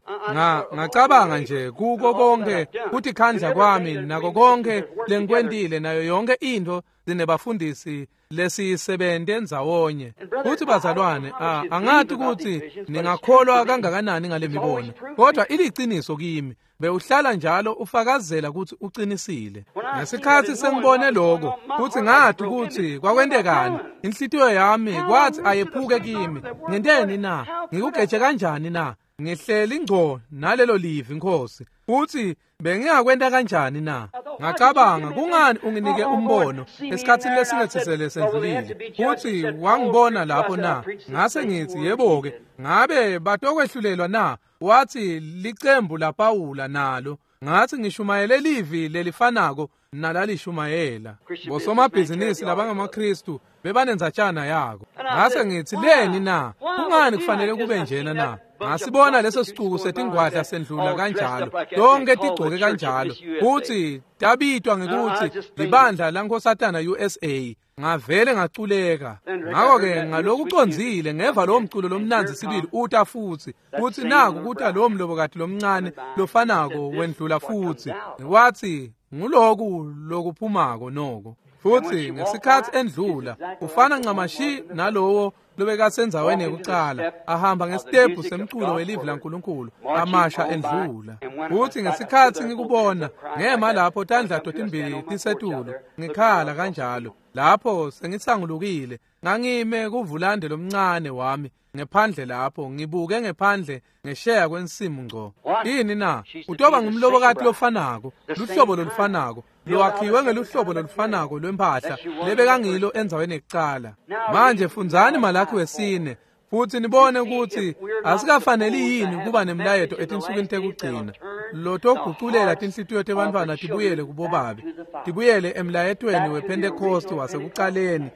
Ngacabanga nje kuko konke kutikhandla kwami nako konke lengikwentile nayo yonke intfo sinebafundisi lesiyisebente ndzawonye. Futhi bazalwane, angathi ukuthi ningakholwa kangakanani ngale mibono, kodwa iliciniso kimi. Bewuhlala njalo ufakazela ukuthi uqinisile. Ngesikhatsi sengibone lokho, futhi ngathi ukuthi kwakwentekani, inhlitiyo yami kwathi ayephuke kimi. Ngenteni na? Ngikugeje kanjani na? Ngihleli ngco nalelo livi, Nkosi. Futhi bengingakwenta kanjani na? Ngacabanga, kungani unginike umbono esikhatsini lesingethisele sendlulile, futhi wangibona lapho na? Ngase ngithi, yebo-ke, ngabe batokwehlulelwa na? Wathi, licembu laPawula nalo. Ngathi, ngishumayele livi lelifanako nalalishumayela. Bosomabhizinisi labangamaKristu bebanendzatshana yako. Ngase ngithi, leni na? Kungani kufanele kube njena na? Ngasibona leso sicuku setingwadla sendlula kanjalo, tonke tigcoke kanjalo, futhi tabitwa ngekuthi libandla laNkosatana USA. Ngavele ngaculeka. Ngakho-ke ngalokucondzile ngeva lowo mculo lomnandzi sibili uta futhi, futhi naku kuta lowo mlobokati lomncane lofanako wendlula futhi. Wathi, nguloku lokuphumako noko. Futhi ngesikhatsi endlula ufana ncamashi nalowo lobekasendzaweni yekucala, ahamba ngesitebhu semculo welivi laNkulunkulu, amasha endlula. Futhi ngesikhatsi ngikubona, ngema lapho tandla totimbili tisetulu, ngikhala kanjalo. Lapho sengisangulukile, ngangime kuvulande lomncane wami ngephandle lapho, ngibuke ngephandle ngesheya kwensimu ngco. Yini na? Utoba ngumlobokati lofanako, luhlobo lolufanako, lowakhiwe ngeluhlobo lolufanako lwempahla lebekangilo endzaweni yekucala. Manje fundzani Malakhi wesine, futhi nibone ukuthi asikafaneli yini kuba nemlayeto etinsukwini tekugcina lotoguculela tinhlitiyo tebantfwana tibuyele kubobabe, tibuyele emlayetweni wePhentekosti wasekucaleni,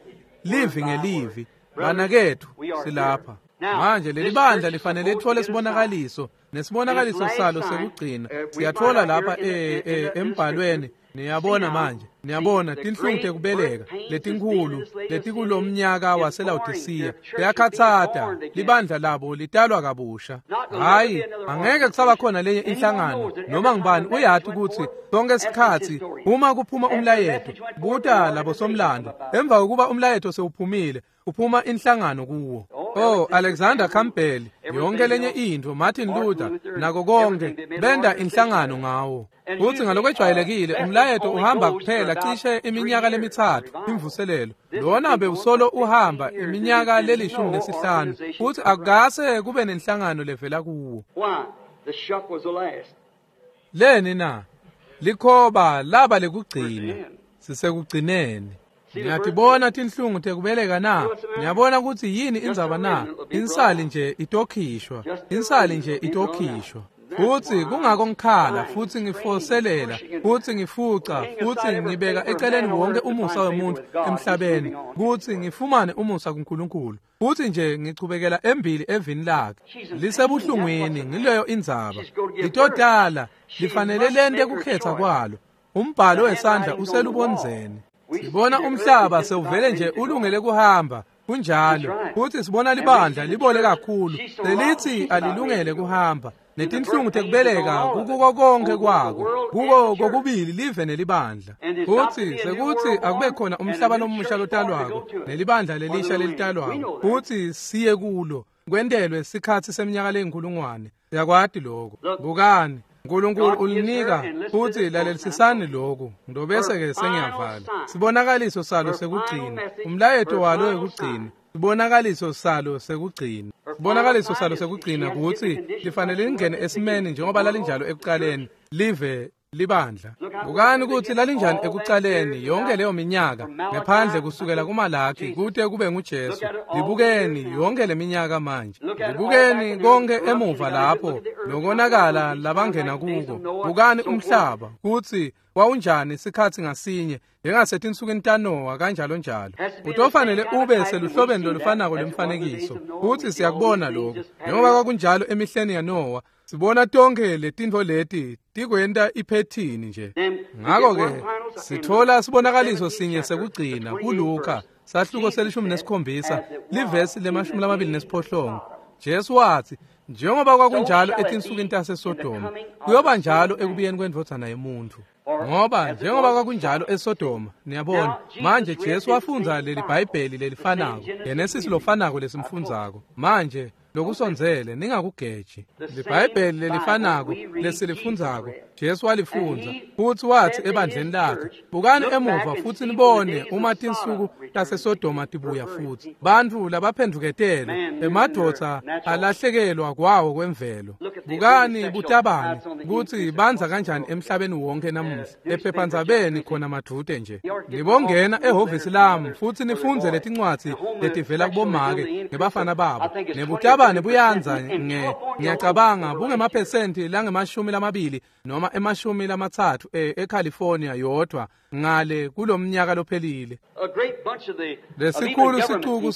livi ngelivi. Banaketfu, silapha manje. Leli bandla lifanele lithole sibonakaliso, nesibonakaliso salo sekugcina siyathola lapha embhalweni. Niyabona manje, niyabona tinhlungu tekubeleka letinkhulu letikulomnyaka waseLawodisiya liyakhatsata. Libandla labo litalwa kabusha. Hayi, angeke kusaba khona lenye inhlangano. Noma ngibani uyati ukuthi sonke isikhatsi uma kuphuma umlayeto, buta labo somlando, emva kokuba umlayeto sewuphumile, uphuma inhlangano kuwo. Oh, Alexander Campbell, yonke lenye intfo, Martin Luther, nako konke, benda inhlangano ngawo. Futsi ngalokwejwayelekile umlayeto uhamba kuphela cishe iminyaka lemithathu imvuselelo. Lona bewusolo uhamba iminyaka le-15 futsi akukase kube nenhlangano levela kuwo. Leni na? Likhoba laba lekugcina. Sisekugcineni. Niyatibona tinhlungu tekubeleka na? Niyabona kutsi yini indzaba na? Insali nje itokhishwa. Insali nje itokhishwa. Futsi kungako ngikhala futsi ngifoselela futsi ngifuca futsi ngibeka eceleni wonke umusa wemuntfu emhlabeni kutsi ngifumane umusa kuNkulunkulu. Futsi nje ngichubekela embili evini lakhe. Lisebuhlungwini ngileyo indzaba. Litotala lifanele lente kukhetha kwalo. Umbhalo wesandla uselubondzeni. Sibona umhlaba sewuvele nje ulungele kuhamba. Kunjalo. Futsi sibona libandla libole kakhulu. Lelithi alilungele kuhamba. Netinhlungu tekubeleka kukuko konke kwako. Kuko kokubili live nelibandla. Futsi sekutsi akube khona umhlaba lomusha lotalwako nelibandla lelisha lelitalwako. Futsi siye kulo. Kwentelwe sikhatsi seminyaka leyinkhulungwane. Siyakwati lokho. Bukani. Nkulunkulu ulinika futsi lalelisisani lokhu ngidobese-ke sengiyavala. Sibonakaliso salo sekugcina, umlayeto walo wekugcina, sibonakaliso salo sekugcina. Sibonakaliso salo sekugcina kutsi lifanele lingene esimeni njengoba lalinjalo ekuqaleni, live libandla. Bukani kutsi lalinjani ekuqaleni yonke leyo minyaka ngephandle kusukela kuMalaki kute kube nguJesu. Libukeni yonke leminyaka manje. Libukeni konke emuva lapho lokonakala labangena kuko. Bukani umhlaba kutsi wawunjani sikhatsi ngasinye njengasetinsukwini taNowa kanjalo njalo. Utofanele ube seluhlobeni lolufanako lwemfanekiso. Futsi siyakubona lokho. Njengoba kwakunjalo emihleni yaNowa, sibona tonke letintfo leti tikwenta iphethini nje. Ngako-ke sithola sibonakaliso sinye sekugcina kuLuka sahluko se-17 livesi le-28. Jesu watsi njengoba kwakunjalo etinsukwini taseSodoma kuyoba njalo ekubuyeni kwendvodzana yemuntfu. Ngoba njengoba kwakunjalo eSodoma, niyabona manje Jesu wafundza leli Bhayibheli lelifanako, Genesis lofanako lesimfundzako. Manje lokusondzele ningakugeji. LiBhayibheli lelifanako lesilifundzako Jesu walifundza futsi watsi ebandleni lakhe, bukani emuva futsi nibone uma tinsuku taseSodoma tibuya futsi. Bantfu labaphendvuketele, emadvodza alahlekelwa kwawo kwemvelo. Bukani butabani kutsi bandza kanjani emhlabeni wonke namuhla. Ephephandzabeni khona madvute nje. Nibongena ehhovisi lami futsi nifundze letincwadzi letivela kubomake ngebafana babo. Nebutabane buyanza ngiyacabanga bungemaphesenti langema-20 noma ema-30 eCalifornia yodwa ngale kulomnyaka lophelile. Lesikhulu sicuku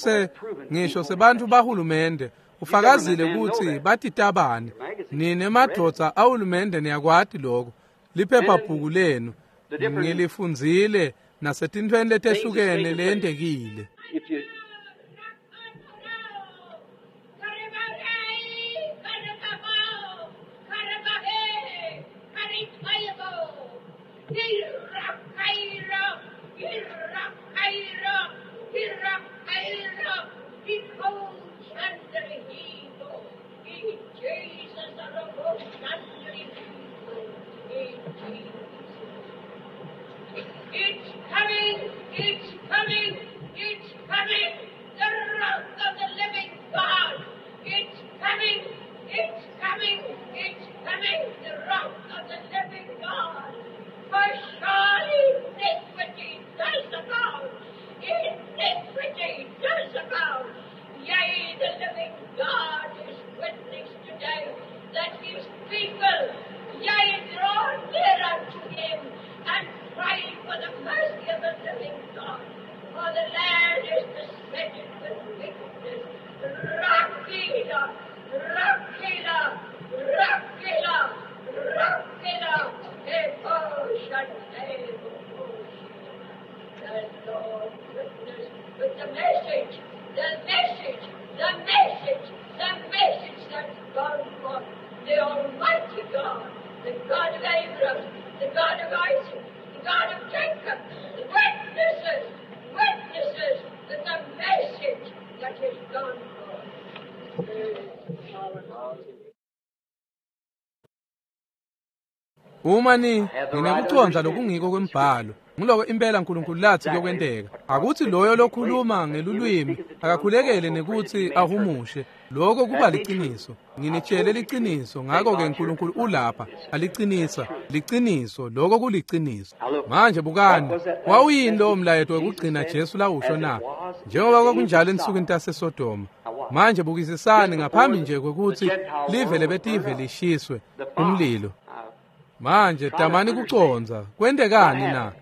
ngisho sebantfu bahulumende ufakazile kutsi batitabane. Nine madvodza ahulumende niyakwati lokho. Liphephabhuku lenu ngilifundzile nasetintfweni letehlukene leyentekile. It's coming, it's coming, it's coming, the wrath of the living God. It's coming, it's coming, it's coming, the wrath of the living God. For surely iniquity does abound, iniquity does abound. Yea, the living God is witness today that his people, yea, draw near unto him and pray for the mercy of the living God. For the land is besetted with wickedness. Rakila, Rakila, Rakila, Rakila, The Lord witness with the message, the message, the message, the message that's gone forth. The Almighty God, the God of Abraham, the God of Isaac, the God of Jacob, the witnesses, witnesses with the message that is gone forth. Uma ni nginekucondza lokungiko kwembhalo, ngiloko impela uNkulunkulu lathi kuyokwenteka. Akuthi loyo lokhuluma ngelulwimi akakhulekele nekuthi ahumushe. Lokho kuba liciniso. Nginitshele liciniso, ngakho-ke uNkulunkulu ulapha alicinisa liciniso. Lokho kuliciniso. Manje bukani, wawuyini lowo mlayeto wekugcina Jesu lawusho na? Njengoba kwakunjalo ensukwini taseSodoma. Manje bukisisani ngaphambi nje kwekuthi live lebetive lishiswe umlilo. Manje tamani kucondza kwentekani na?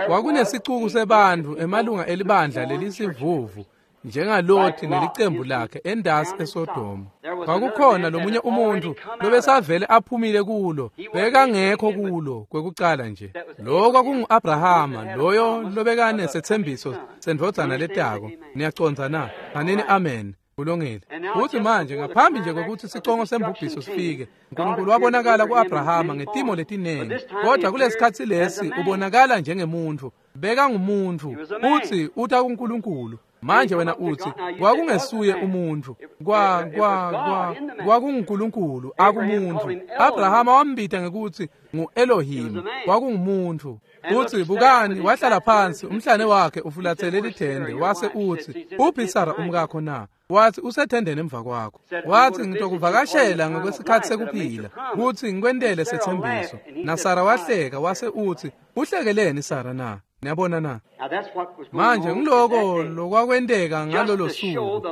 Kwakunesicuku sebantfu emalunga elibandla lelisivuvu njengaLothi nelicembu lakhe endasi eSodoma. Kwakukhona lomunye umuntu lobesavele aphumile kulo, bekangekho kulo kwekucala nje. Lo kwakungu-Abrahama, loyo lobekanesethembiso sendvodzana letako. Niyacondza na? Hanini amen. Kulungile. Futhi manje ngaphambi nje kokuthi sicongo sembubhiso sifike, uNkulunkulu wabonakala ku-Abrahama ngetimo letinengi, kodwa kulesikhatsi lesi ubonakala njengemuntfu. Bekangumuntu, uthi uta kuNkulunkulu. Manje wena uthi kwakungesuye umuntu, kwakunguNkulunkulu akumuntu. Abrahama wambita ngekuthi ngu-Elohim, kwakungumuntu. Uthi bukani, wahlala phansi, umhlane wakhe ufulathele lithende, wase uthi, uphi Sara umkakho na? Wathi usethendeni emva kwakho. Wathi ngitokuvakashela ngokwesikhathi sekuphila, kuthi ngikwentele sethembiso. NaSara wahleka, wase uthi, uhlekeleni Sara na? Niyabona na? Manje ngiloko lokwakwenteka ngalolo suku,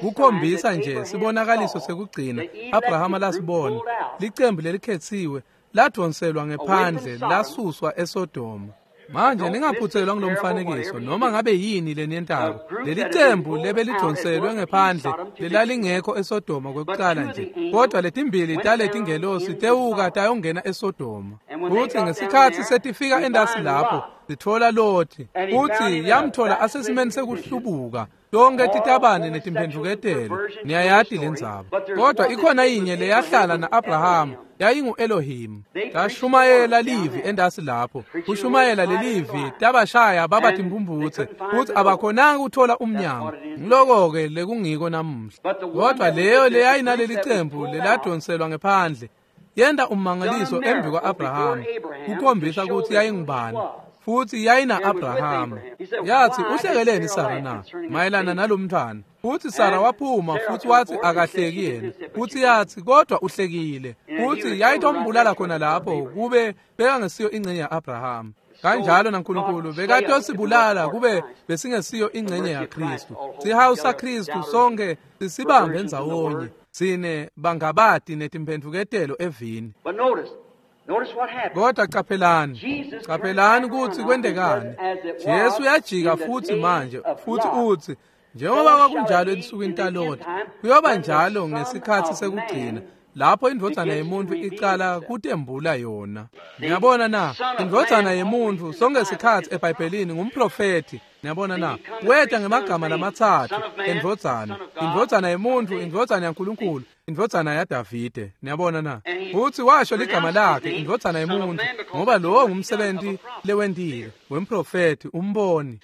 kukhombisa nje sibonakaliso sekugcina Abrahama lasibona. Licembu lelikhetsiwe ladonselwa ngephandle, lasuswa eSodoma. Manje ningaphuthelwa ngulomfanekiso noma ngabe yini leniyentako. Leli cembu lebelidonselwe ngephandle lelalingekho eSodoma kwekucala nje, kodwa letimbili taletingelosi tewuka tayongena eSodoma. Futhi ngesikhatsi setifika endasi lapho sitfola Lothi, futhi yamthola asesimeni sekuhlubuka. Tonke titabane netimphendvuketelo, niyayati lendzaba. Kodwa ikhona yinye leyahlala na-Abrahama, yayingu-Elohim. Tashumayela livi endasi lapho, kushumayela lelivi tabashaya baba timphumputse, futhi abakhonanga ukuthola umnyango. Ngiloko-ke lekungiko namuhla. Kodwa leyo leyayinaleli cembu leladonselwa ngephandle yenta ummangaliso embi kwa-Abrahama, kukhombisa ukuthi yayingubani. Futhi yayina Abrahama. Yathi uhlekeleni Sara na mayelana nalomntwana? Futhi Sara waphuma futhi wathi akahleki yena. Futhi yathi kodwa uhlekile. Futhi yayitombulala khona lapho kube bekangesiyo ingcenye ya-Abrahama. Kanjalo naNkulunkulu bekatosibulala kube besingesiyo ingcenye yaKristu. Sihawu saKristu sonke sisibambe ndzawonye. Sine bangabati netimphendvuketelo evini. Kodwa qaphelani, qaphelani kutsi kwentekani. Jesu uyajika futhi manje, futhi uthi njengoba kwakunjalo ensukwini taLothi, kuyoba njalo ngesikhatsi sekugcina lapho indvodzana yemuntu icala kutembula yona. Niyabona na? Indvodzana yemuntu sonke sikhatsi eBhayibhelini ngumprofethi. Niyabona na? Weta ngemagama lamatsatfu endvodzana, indvodzana yemuntu, indvodzana yaNkulunkulu, indvodzana yaDavide. Niyabona na? Futhi washo ligama lakhe, indvodzana yemuntu, ngoba lowo ngumsebenzi lewentile wemprofethi, umboni.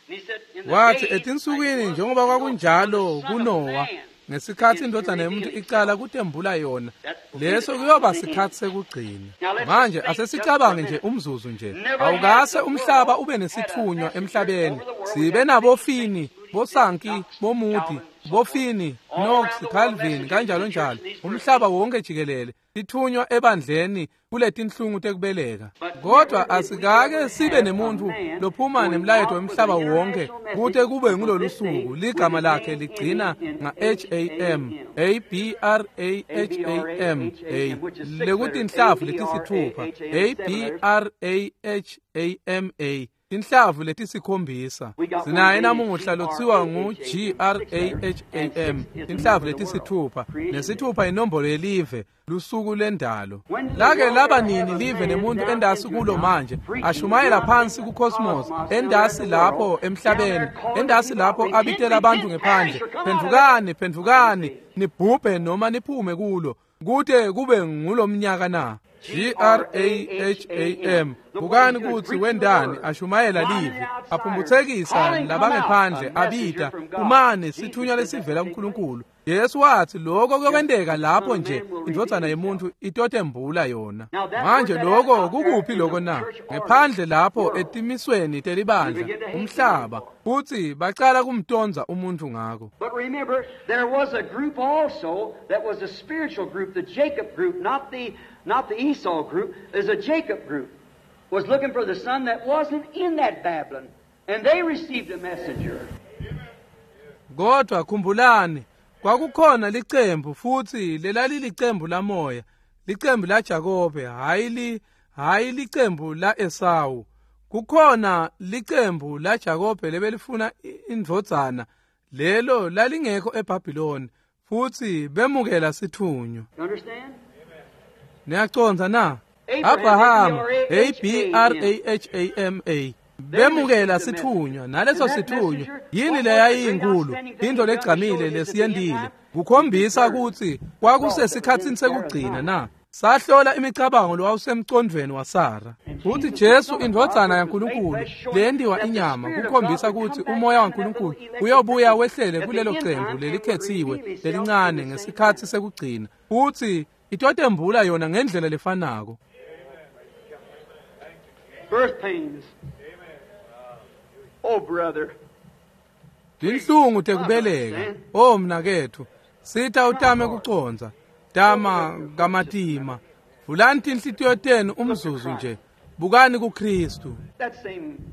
Wathi etinsukwini njengoba kwakunjalo kuNowa, ngesikhatsi indvodzana yemuntu icala kutembula yona, leso kuyoba sikhatsi sekugcina. Manje asesicabange nje umzuzu nje. Awukase umhlaba ube nesithunywa emhlabeni, sibe nabofini, bosanki, bomudi, bofini, Knox, Calvin, kanjalo njalo, umhlaba wonke jikelele, tithunywa ebandleni kuletinhlungu tekubeleka. Kodwa asikake sibe nemuntu lophuma nemlayeto wemhlaba wonke kute kube ngulolu suku ligama lakhe ligcina nga-H-A-M, A-B-R-A-H-A-M, A, lekutinhlavu letisithupha, A-B-R-A-H-A-M-A, tinhlavu letisikhombisa. Sinaye namuhla lotsiwa ngu-G-R-A-H-A-M, tinhlavu letisithupha, nesithupha inombolo yelive, lusuku lendalo. Lake laba nini live nemuntu endasi kulo manje, ashumayela phansi ku-cosmos, endasi lapho emhlabeni, endasi lapho abitela abantu ngephandle, phendvukani, phendvukani, nibhubhe noma niphume kulo, kute kube ngulomnyaka na? G-R-A-H-A-M. Bukani kutsi wendani ashumayela livi, aphumbuthekisa labangephandle, abita, umane sithunywa lesivela kuNkulunkulu. Jesu wathi lokho kuyokwenteka lapho nje indvodzana yemuntu itotembula yona. Manje lokho kukuphi lokho na? Ngephandle lapho etimisweni telibandla umhlaba, futhi bacala kumtonza umuntu ngako. But remember, there was a group also that was a spiritual group, the Jacob group, not the Esau group. There's a Jacob group was looking for the son that wasn't in that Babylon, and they received a messenger. Kodwa khumbulani, kwakukhona licembu futhi lelalilicembu lamoya, licembu la Jakobe, hayi licembu la Esawu. Kukhona licembu la Jakobe lebelifuna indvodzana, lelo lalingekho eBhabhiloni, futhi bemukela sithunywa. Niyacondza na? Abraham, A-B-R-A-H-A-M-A, bemukela sithunywa, naleso sithunywa yini leyayinkulu, into legcamile lesiyendile, kukhombisa ukuthi kwakusesikhatsini sekugcina na. Sahlola imicabango lowawusemcondvweni waSara. Futhi Jesu indvodzana yaNkulunkulu leyendiwa inyama, kukhombisa ukuthi umoya waNkulunkulu uyobuya wehlele kulelo cembu lelikhethiwe lelincane ngesikhathi sekugcina, futhi itotembula yona ngendlela lefanako. Birth pains. Oh brother. Tinhlungu tekubeleka. Oh mnakethu, sita utame kucondza. Tama kamatima. Vulani tinhlitiyo tenu umzuzu nje. Bukani kuKristu.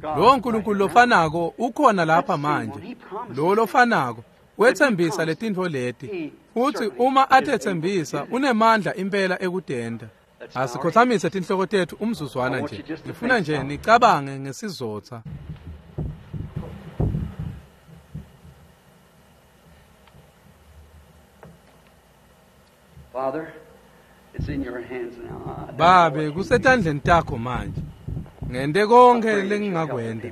Lo nkulunkulu lofanako ukhona lapha manje. Lo lofanako wethembisa letintfo leti. Futhi uma atethembisa unemandla impela ekudenda. Asikhothamise tinhloko tethu umzuzwana nje. Ngifuna nje nicabange ngesizotha. Father, it's in your hands now. Babe, kusetandleni takho manje. Ngente konke lengingakwenta.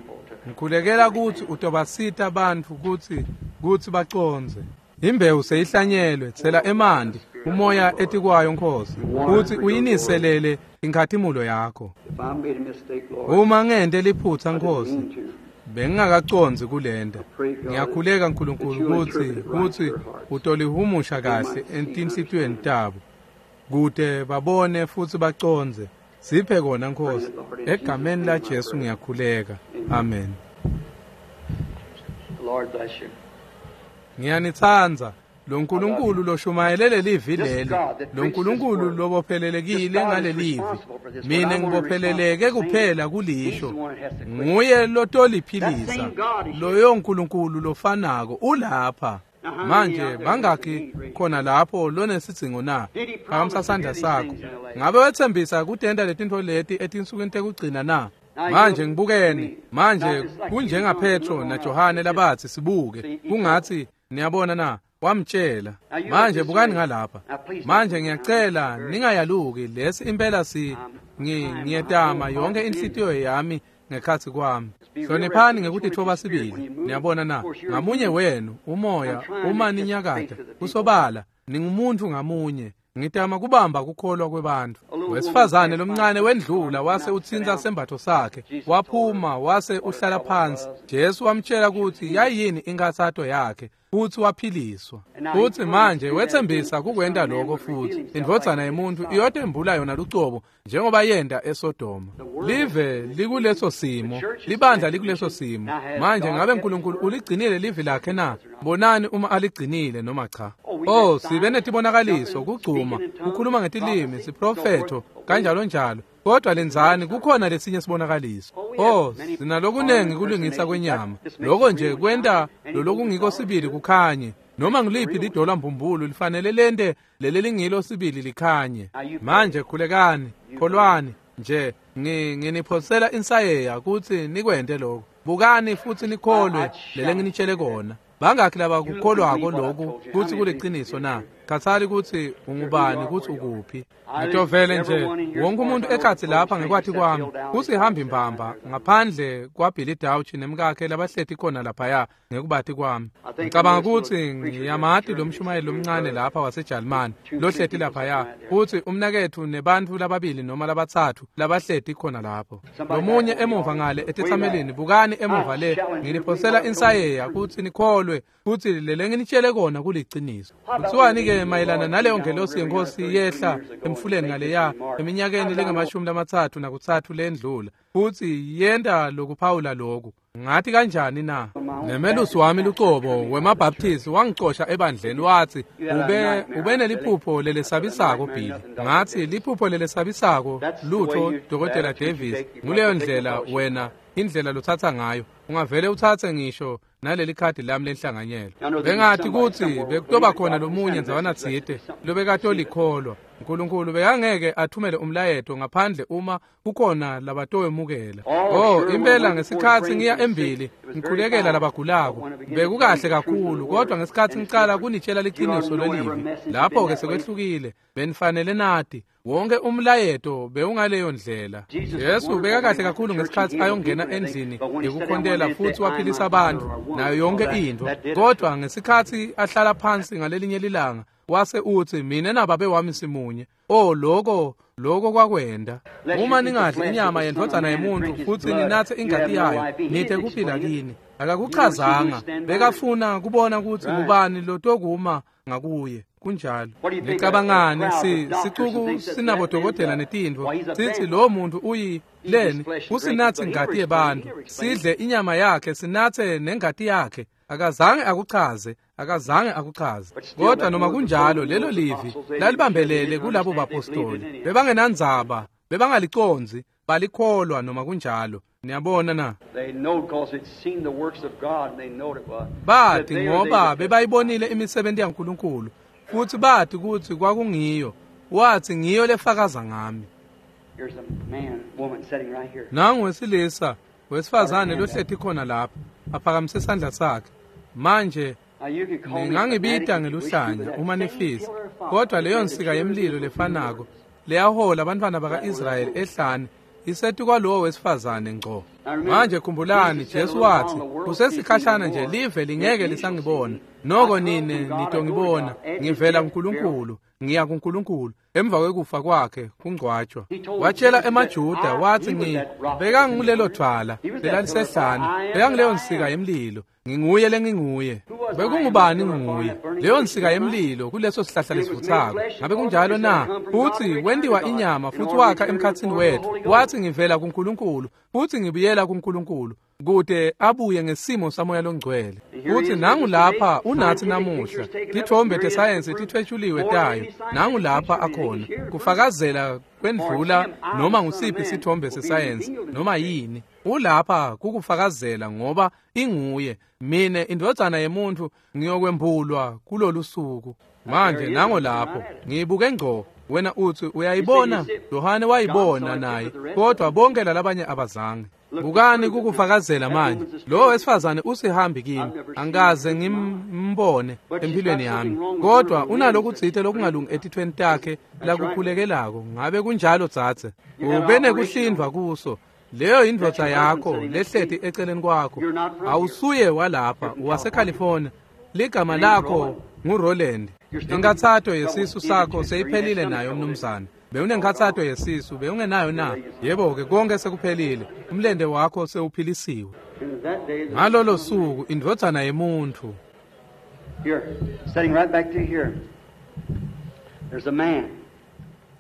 Ngikhulekela ukuthi utobasita abantu ukuthi bacondze. Imbewu seyihlanyelwe, tsela emanti, umoya etikwayo Nkosi, futhi uyiniselele inkhatimulo yakho. Uma ngente liphutha Nkosi, bengingakacondzi kulenda. Ngiyakhuleka nkulunkulu ukuthi utolihumusha kahle entinhlitiyweni tabo, kute babone futhi bacondze. Siphe kona Nkosi, egameni la Jesu ngiyakhuleka. Amen. Lord bless you. Ngiyanitsandza. Lo nkulunkulu loshumayelele livi leli, lo nkulunkulu lobophelelekile ngalelivi, mina ngibopheleleke kuphela kulisho. Nguye lotoliphilisa, loyo nkulunkulu lofanako ulapha. Manje bangakhi khona lapho lonesidzingo na? Phakamisa sandla sakho. Ngabe wethembisa kutenta letintfo leti etinsukwini tekugcina na? Manje ngibukeni. Manje kunjenga Petro na Johane labathi sibuke, kungathi niyabona na? Wamtshela. Manje bukani ngalapha. Manje ngiyacela ningayaluki, lesi impela ngiyetama yonke inhlitiyo yami ngekhathi kwami. Hloniphani ngekutitfoba sibili. Niyabona na? Ngamunye wenu umoya uma ninyakata kusobala ningumuntu ngamunye. Ngitama kubamba kukholwa kwebantfu. Wesifazane lomncane wendlula wase utsintsa sembatho sakhe, waphuma wase uhlala phansi. Jesu wamtshela ukuthi yayini inkathato yakhe, futhi waphiliswa. Futhi manje wethembisa kukwenta lokho futhi. Indvodzana yemuntu iyotembula yona lucobo njengoba yenta eSodoma. Live likuleso simo, libandla likuleso simo. Manje ngabe uNkulunkulu uligcinile livi lakhe na? Bonani uma aligcinile noma cha. Oh, sibe netibonakaliso, kugcuma, kukhuluma ngetilimi, siprofetho, kanjalo njalo. Kodwa lenzani kukhona lesinye sibonakaliso. Oh, sinalokunengi kulungisa kwenyama. Lokho nje kwenta lolokungiko sibili kukhanye. Noma ngiliphi lidola mbumbulu lifanele lente leli lingilo sibili likhanye. Manje khulekani, kholwani nje, nginiphosela insayeya ukuthi nikwente lokho. Bukani futhi nikholwe lele nginitshele kona. Bangakhi laba kukholwako lokhu kuthi kuliqiniso na? Angikhathali kutsi ungubani, kutsi ukuphi. Ngitovele nje wonke umuntu ekhatsi lapha ngekwati kwami kusihambi mbamba ngaphandle kwaBilly Dauch nemkakhe labahleti khona laphaya ngekubati kwami. Ngicabanga kutsi ngiyamati lo mshumayeli lomncane lapha waseJalimane lohleti laphaya, kutsi umnaketfu nebantfu lababili noma labatsatfu labahleti khona lapho. Lomunye emuva ngale etetsamelini, bukani emuva le, nginiphosela insayeya kutsi nikholwe kutsi lelenginitshele kona kuliciniso. Kuthiwani-ke mayelana naleyo ngelosi yenkosi yehla emfuleni ngaleya eminyakeni lengamashumi-33 lendlula, futsi yenta lokuphawula loku? Ngathi kanjani na? Nemelusi wami lucobo wemaBaptist wangicosha ebandleni, wathi ube neliphupho lelesabisako Billy. Ngathi liphupho lelesabisako lutho, Dr. Davis, nguleyo ndlela wena indlela lothatha ngayo. Ungavele uthathe ngisho naleli khadi lami lenhlanganyelo. Bengathi kutsi bekutoba khona lomunye ndzawana tsite lobekatolikholwa. uNkulunkulu bekangeke athumele umlayeto ngaphandle uma kukhona labatowemukela. Oh, impela ngesikhatsi ngiya embili ngikhulekela labagulako bekukahle kakhulu, kodwa ngesikhatsi ngicala kunitshela liqiniso lelivi, lapho-ke sekwehlukile. Benifanele nati wonke umlayeto bewungaleyo ndlela. Jesu bekakahle kakhulu ngesikhatsi ayongena endlini yekukhontela futsi waphilisa abantu nayo yonke intfo, kodwa ngesikhatsi ahlala phansi ngalelinye lilanga wase utsi, mina nababe wami simunye. Oh, lokho kwakwenda. Uma ningadli inyama yendvodzana yemuntu futsi ninatse ingati yayo, nite kuphila kini. Akakuchazanga, bekafuna kubona kutsi ngubani lotokuma ngakuye. Kunjalo. Nicabangani sicuku sinabodokotela netintfo sitsi lo muntu uyi leni usinatse ingati yebantfu, sidle inyama yakhe, sinatse nengati yakhe. Akazange akuchaze, akazange akuchaze. Kodwa noma kunjalo lelo livi lalibambelele kulabo bapostoli. Bebangenandzaba, bebangalicondzi, balikholwa noma kunjalo. Niyabona na? Bathi ngoba bebayibonile imisebenzi yaNkulunkulu, futhi bathi kutsi kwakungiyo. Wathi ngiyo lefakaza ngami. Nangu wesilisa wesifazane lohleti khona lapha, aphakamise isandla sakhe. Manje ningangibita ngeluhlanya uma nifisa, kodwa leyo nsika yemlilo lefanako leyahola abantwana baka-Israyeli ehlane isetu kwalowo wesifazane ngco. Manje khumbulani, Jesu wathi kusesikhashana nje live lingeke lisangibona, noko nine nitongibona. Ngivela kuNkulunkulu, ngiya kuNkulunkulu. Emva kwekufa kwakhe kungcwatshwa, watshela emaJuda wathi, bekangulelo dvwala lelalisehlane, bekanguleyo nsika yemlilo, nginguye lenginguye. Bekungubani nginguye? Leyo nsika yemlilo kuleso sihlahla lesivutsako. Ngabe kunjalo na? Futsi wentiwa inyama futsi wakha emkhatsini wethu. Wathi ngivela kuNkulunkulu futsi ngibuyela kuNkulunkulu, kute abuye ngesimo samoya longcwele. Futsi nangu lapha unathi namuhla, tithombe tesayensi tithwetshuliwe tayo, nangu lapha akhona kufakazela kwendlula noma ngusiphi sithombe sesayensi noma yini. Ulapha kukufakazela ngoba inguye. Mine indvodzana yemuntu ngiyokwembulwa kulolu suku. Manje nango lapho ngiyibuke ngco. Wena uthi uyayibona? Yohane wayibona naye, kodwa bonke lalabanye abazange. Bukani kukufakazela manje. Lo wesifazane usihambi kimi, angikaze ngimbone empilweni yami, kodwa unalokutsite lokungalungi etithweni takhe lakukhulekelako. Ngabe kunjalo dzadze? Ube nekuhlindvwa kuso. Leyo indvodza yakho lehleti eceleni kwakho. Awusuye walapha, waseCalifornia. Ligama lakho nguRoland. Inkathato yesisu sakho seyiphelile nayo mnumzane. Bewunenkathato yesisu, bewungenayo na? Yebo-ke, konke sekuphelile. Umlente wakho sewuphilisiwe. Ngalolo suku indvodzana yemuntu. Here, sitting right back to here. There's a man.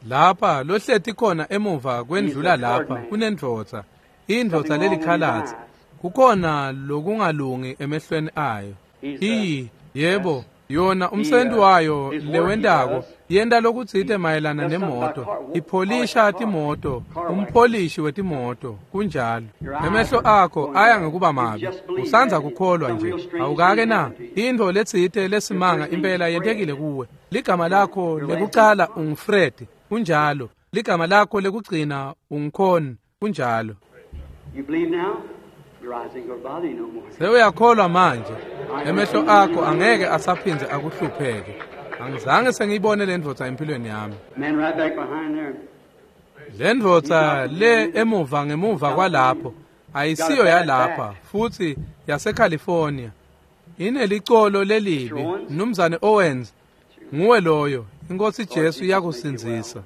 Lapha lohleti khona emuva kwendlula lapha kunendvodza, indvodza lelikhalatsi. Kukhona lokungalungi emehlweni ayo. Yebo, yona umsebenzi wayo lewentako yenta lokutsite mayelana nemoto, ipholisha timoto, umpholishi wetimoto. Kunjalo. Emehlo akho aya ngekuba mabi, usandza kukholwa nje. Awukake na? Intfo letsite lesimanga impela yentekile kuwe. Ligama lakho lekucala unguFred. Kunjalo. Ligama lakho lekugcina unguKhon. Kunjalo. You believe now? Your eyes ain't gonna bother you no more. Sewuyakholwa manje. Emehlo akho angeke asaphindze akuhlupheke. Angizange sengiyibone le ndvodza empilweni yami. Man right back behind there. Le ndvodza le emuva ngemuva kwalapho ayisiyo yalapha futhi yaseCalifornia. Inelicolo lelibi, Mnumzane Owens. Nguwe loyo. Inkosi Jesu iyakusindzisa.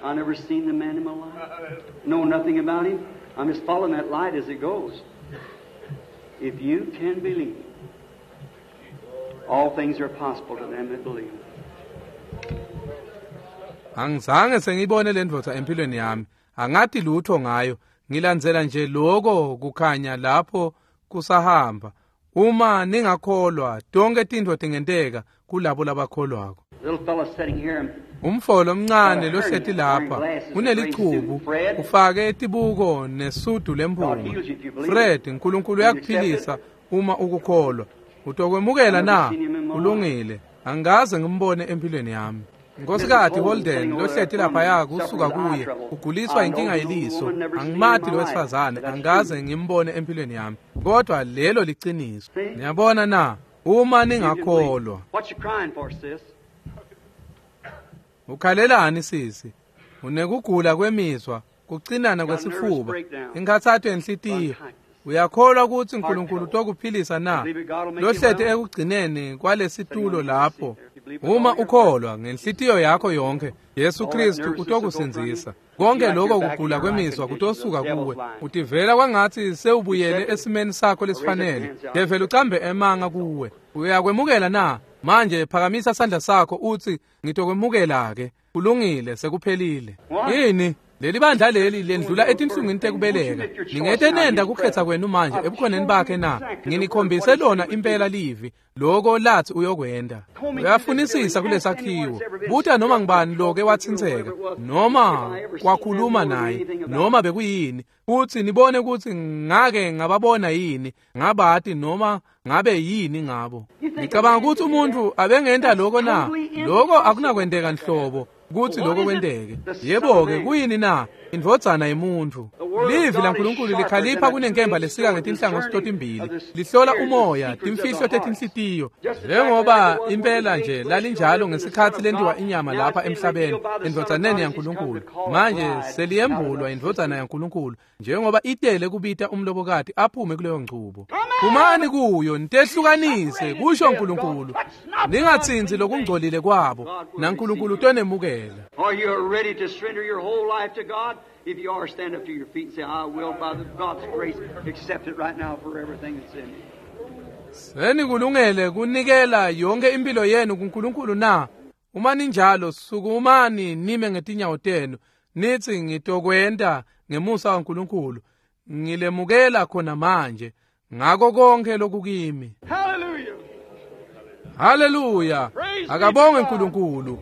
I never seen the man in my life. Know nothing about him. I'm just following that light as it goes. If you can believe, all things are possible to them that believe. Angizange sengiyibone le ndvodza empilweni yami. Angati lutho ngayo. Ngilandzela nje lokho kukhanya lapho kusahamba. Uma ningakholwa, tonke tintfo tingenteka kulabo labakholwako. Little fella sitting here, Umfo lomncane lohleti lapha unelichubu, ufake tibuko nesudu lemphunga. Fred, uNkulunkulu uyakuphilisa uma ukukholwa. Utokwemukela na? Ulungile. Angikaze ngimbone empilweni yami. Nkosikazi Holden lohleti laphaya kusuka kuye uguliswa inkinga yeliso. Angimati lo wesifazane, angikaze ngimbone empilweni yami, kodwa lelo liciniso. Niyabona na? Uma ningakholwa. What you crying for, sis? Ukhalelani sisi? Unekugula kwemizwa, kucinana kwesifuba, inkhathato yenhlitiyo. Uyakholwa ukuthi uNkulunkulu utokuphilisa na? Lohleti ekugcineni kwalesitulo lapho. Uma ukholwa ngenhlitiyo yakho yonke, Yesu Kristu utokusindzisa. Konke lokho kugula kwemizwa kutosuka kuwe. Utivela kwangathi sewubuyele esimeni sakho lesifanele. Develi ucambe emanga kuwe. Uyakwemukela na? Manje phakamisa sandla sakho uthi ngitokwemukela ke. Kulungile, sekuphelile. Yini? Leli bandla leli lendlula etinhlungwini tekubeleka. Ningete nenda kukhetha kwenu manje ebukhoneni bakhe na? Nginikhombise lona impela livi loko lathi uyokwenda. Uyafunisisa kulesakhiwo. Buta noma ngibani loke watsintseka, noma kwakhuluma naye, noma bekuyini, futhi nibone ukuthi ngake ngababona yini, ngabati noma ngabe yini ngabo. Ngicabanga ukuthi umuntu abengenta lokho na? Lokho akunakwenteka nhlobo kuthi lokho kwenteke. Yebo-ke, kuyini na? Indvodzana yemuntfu. Livi laNkulunkulu likhalipha kunenkemba lesika ngetinhlangothi totimbili, lihlola umoya, timfihlo tetinhlitiyo. Njengoba impela nje lalinjalo ngesikhatsi lentiwa inyama lapha emhlabeni endvodzaneni yaNkulunkulu, manje seliyembulwa indvodzana yaNkulunkulu njengoba itele kubita umlobokati aphume kuleyo ngcubo. Phumani kuyo, nitehlukanise, kusho uNkulunkulu. Ningatsintsi lokungcolile kwabo, naNkulunkulu utonemukela. Are you ready to surrender your whole life to God? If you are, stand up to your feet and say, I will, by the God's grace, accept it right now for everything that's in me. Senikulungele kunikela yonke impilo yenu kuNkulunkulu na? Uma ninjalo, sukumani nime ngetinyawo tenu, nithi ngitokwenta ngemusa waNkulunkulu. Ngilemukela khona manje ngako konke lokukimi. Hallelujah. Haleluya! Akabonge uNkulunkulu.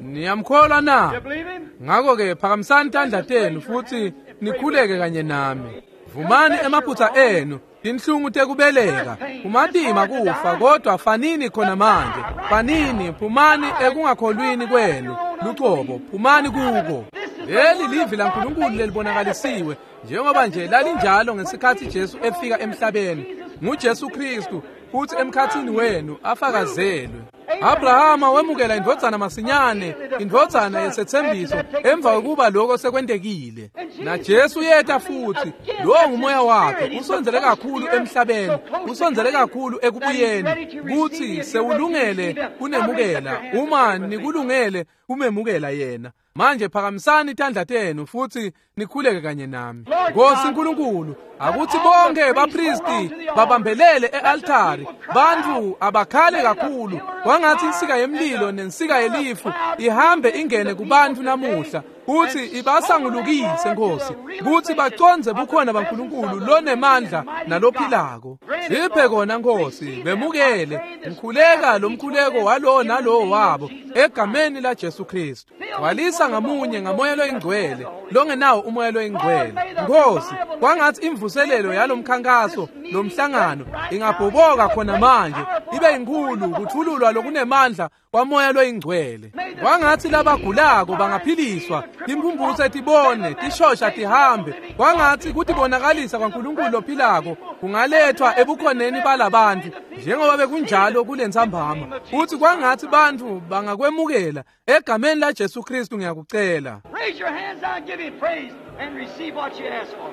Niyamkholwa na? You believe him? Ngakho-ke phakamisani tandla tenu futhi nikhuleke kanye nami. Vumani emaphutha enu, tinhlungu tekubeleka, kumatima kufa, kodwa fanini khona manje. Fanini, phumani ekungakholwini kwenu lucobo, phumani kuko. Leli livi laNkulunkulu lelibonakalisiwe njengoba nje lalinjalo ngesikhathi Jesu efika emhlabeni. NguJesu Kristu futhi emkhathini wenu afakazelwe. Abrahama wemukela indvodzana masinyane, indvodzana yesethembiso, emva kokuba lokho sekwentekile. Na Jesu yeta futhi, lowo ngumoya wakhe, usondzele kakhulu emhlabeni, usondzele kakhulu ekubuyeni, kuthi sewulungele kunemukela, uma nikulungele kumemukela yena. Manje phakamisani tandla tenu futhi nikhuleke kanye nami. Nkosi uNkulunkulu, akuthi bonke bapristi babambelele e-altari, bantu abakhale kakhulu, kwangathi insika yemlilo nensika yelifu ihambe ingene kubantu namuhla, kuthi ibasangulukise Nkosi, kuthi bacondze bukhona baNkulunkulu lonemandla nalophilako. Siphe kona Nkosi, bemukele, ngikhuleka lo mkhuleko walowo nalowo wabo egameni la Jesu Kristu. Gcwalisa ngamunye ngamoya loyingcwele, longenawo umoya loyingcwele. Nkosi, kwangathi imvuselelo yalomkhankaso lomhlangano ingabhoboka khona manje, ibe inkulu kuthululwa lokunemandla kwamoya loyingcwele. Kwangathi labagulako bangaphiliswa, Timphumphutse tibone, tishosha tihambe. Kwangatsi kutibonakalisa kwaNkulunkulu lophilako kungalethwa ebukhoneni balabantfu njengoba bekunjalo kulentsambama. Futsi kwangatsi bantfu bangakwemukela egameni laJesu Kristu ngiyakucela. Raise your hands now and give him praise and receive what you ask for.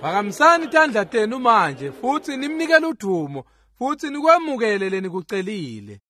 Phakamisani tandla tenu manje futsi nimnikele udumo futsi nikwemukele lenikucelile.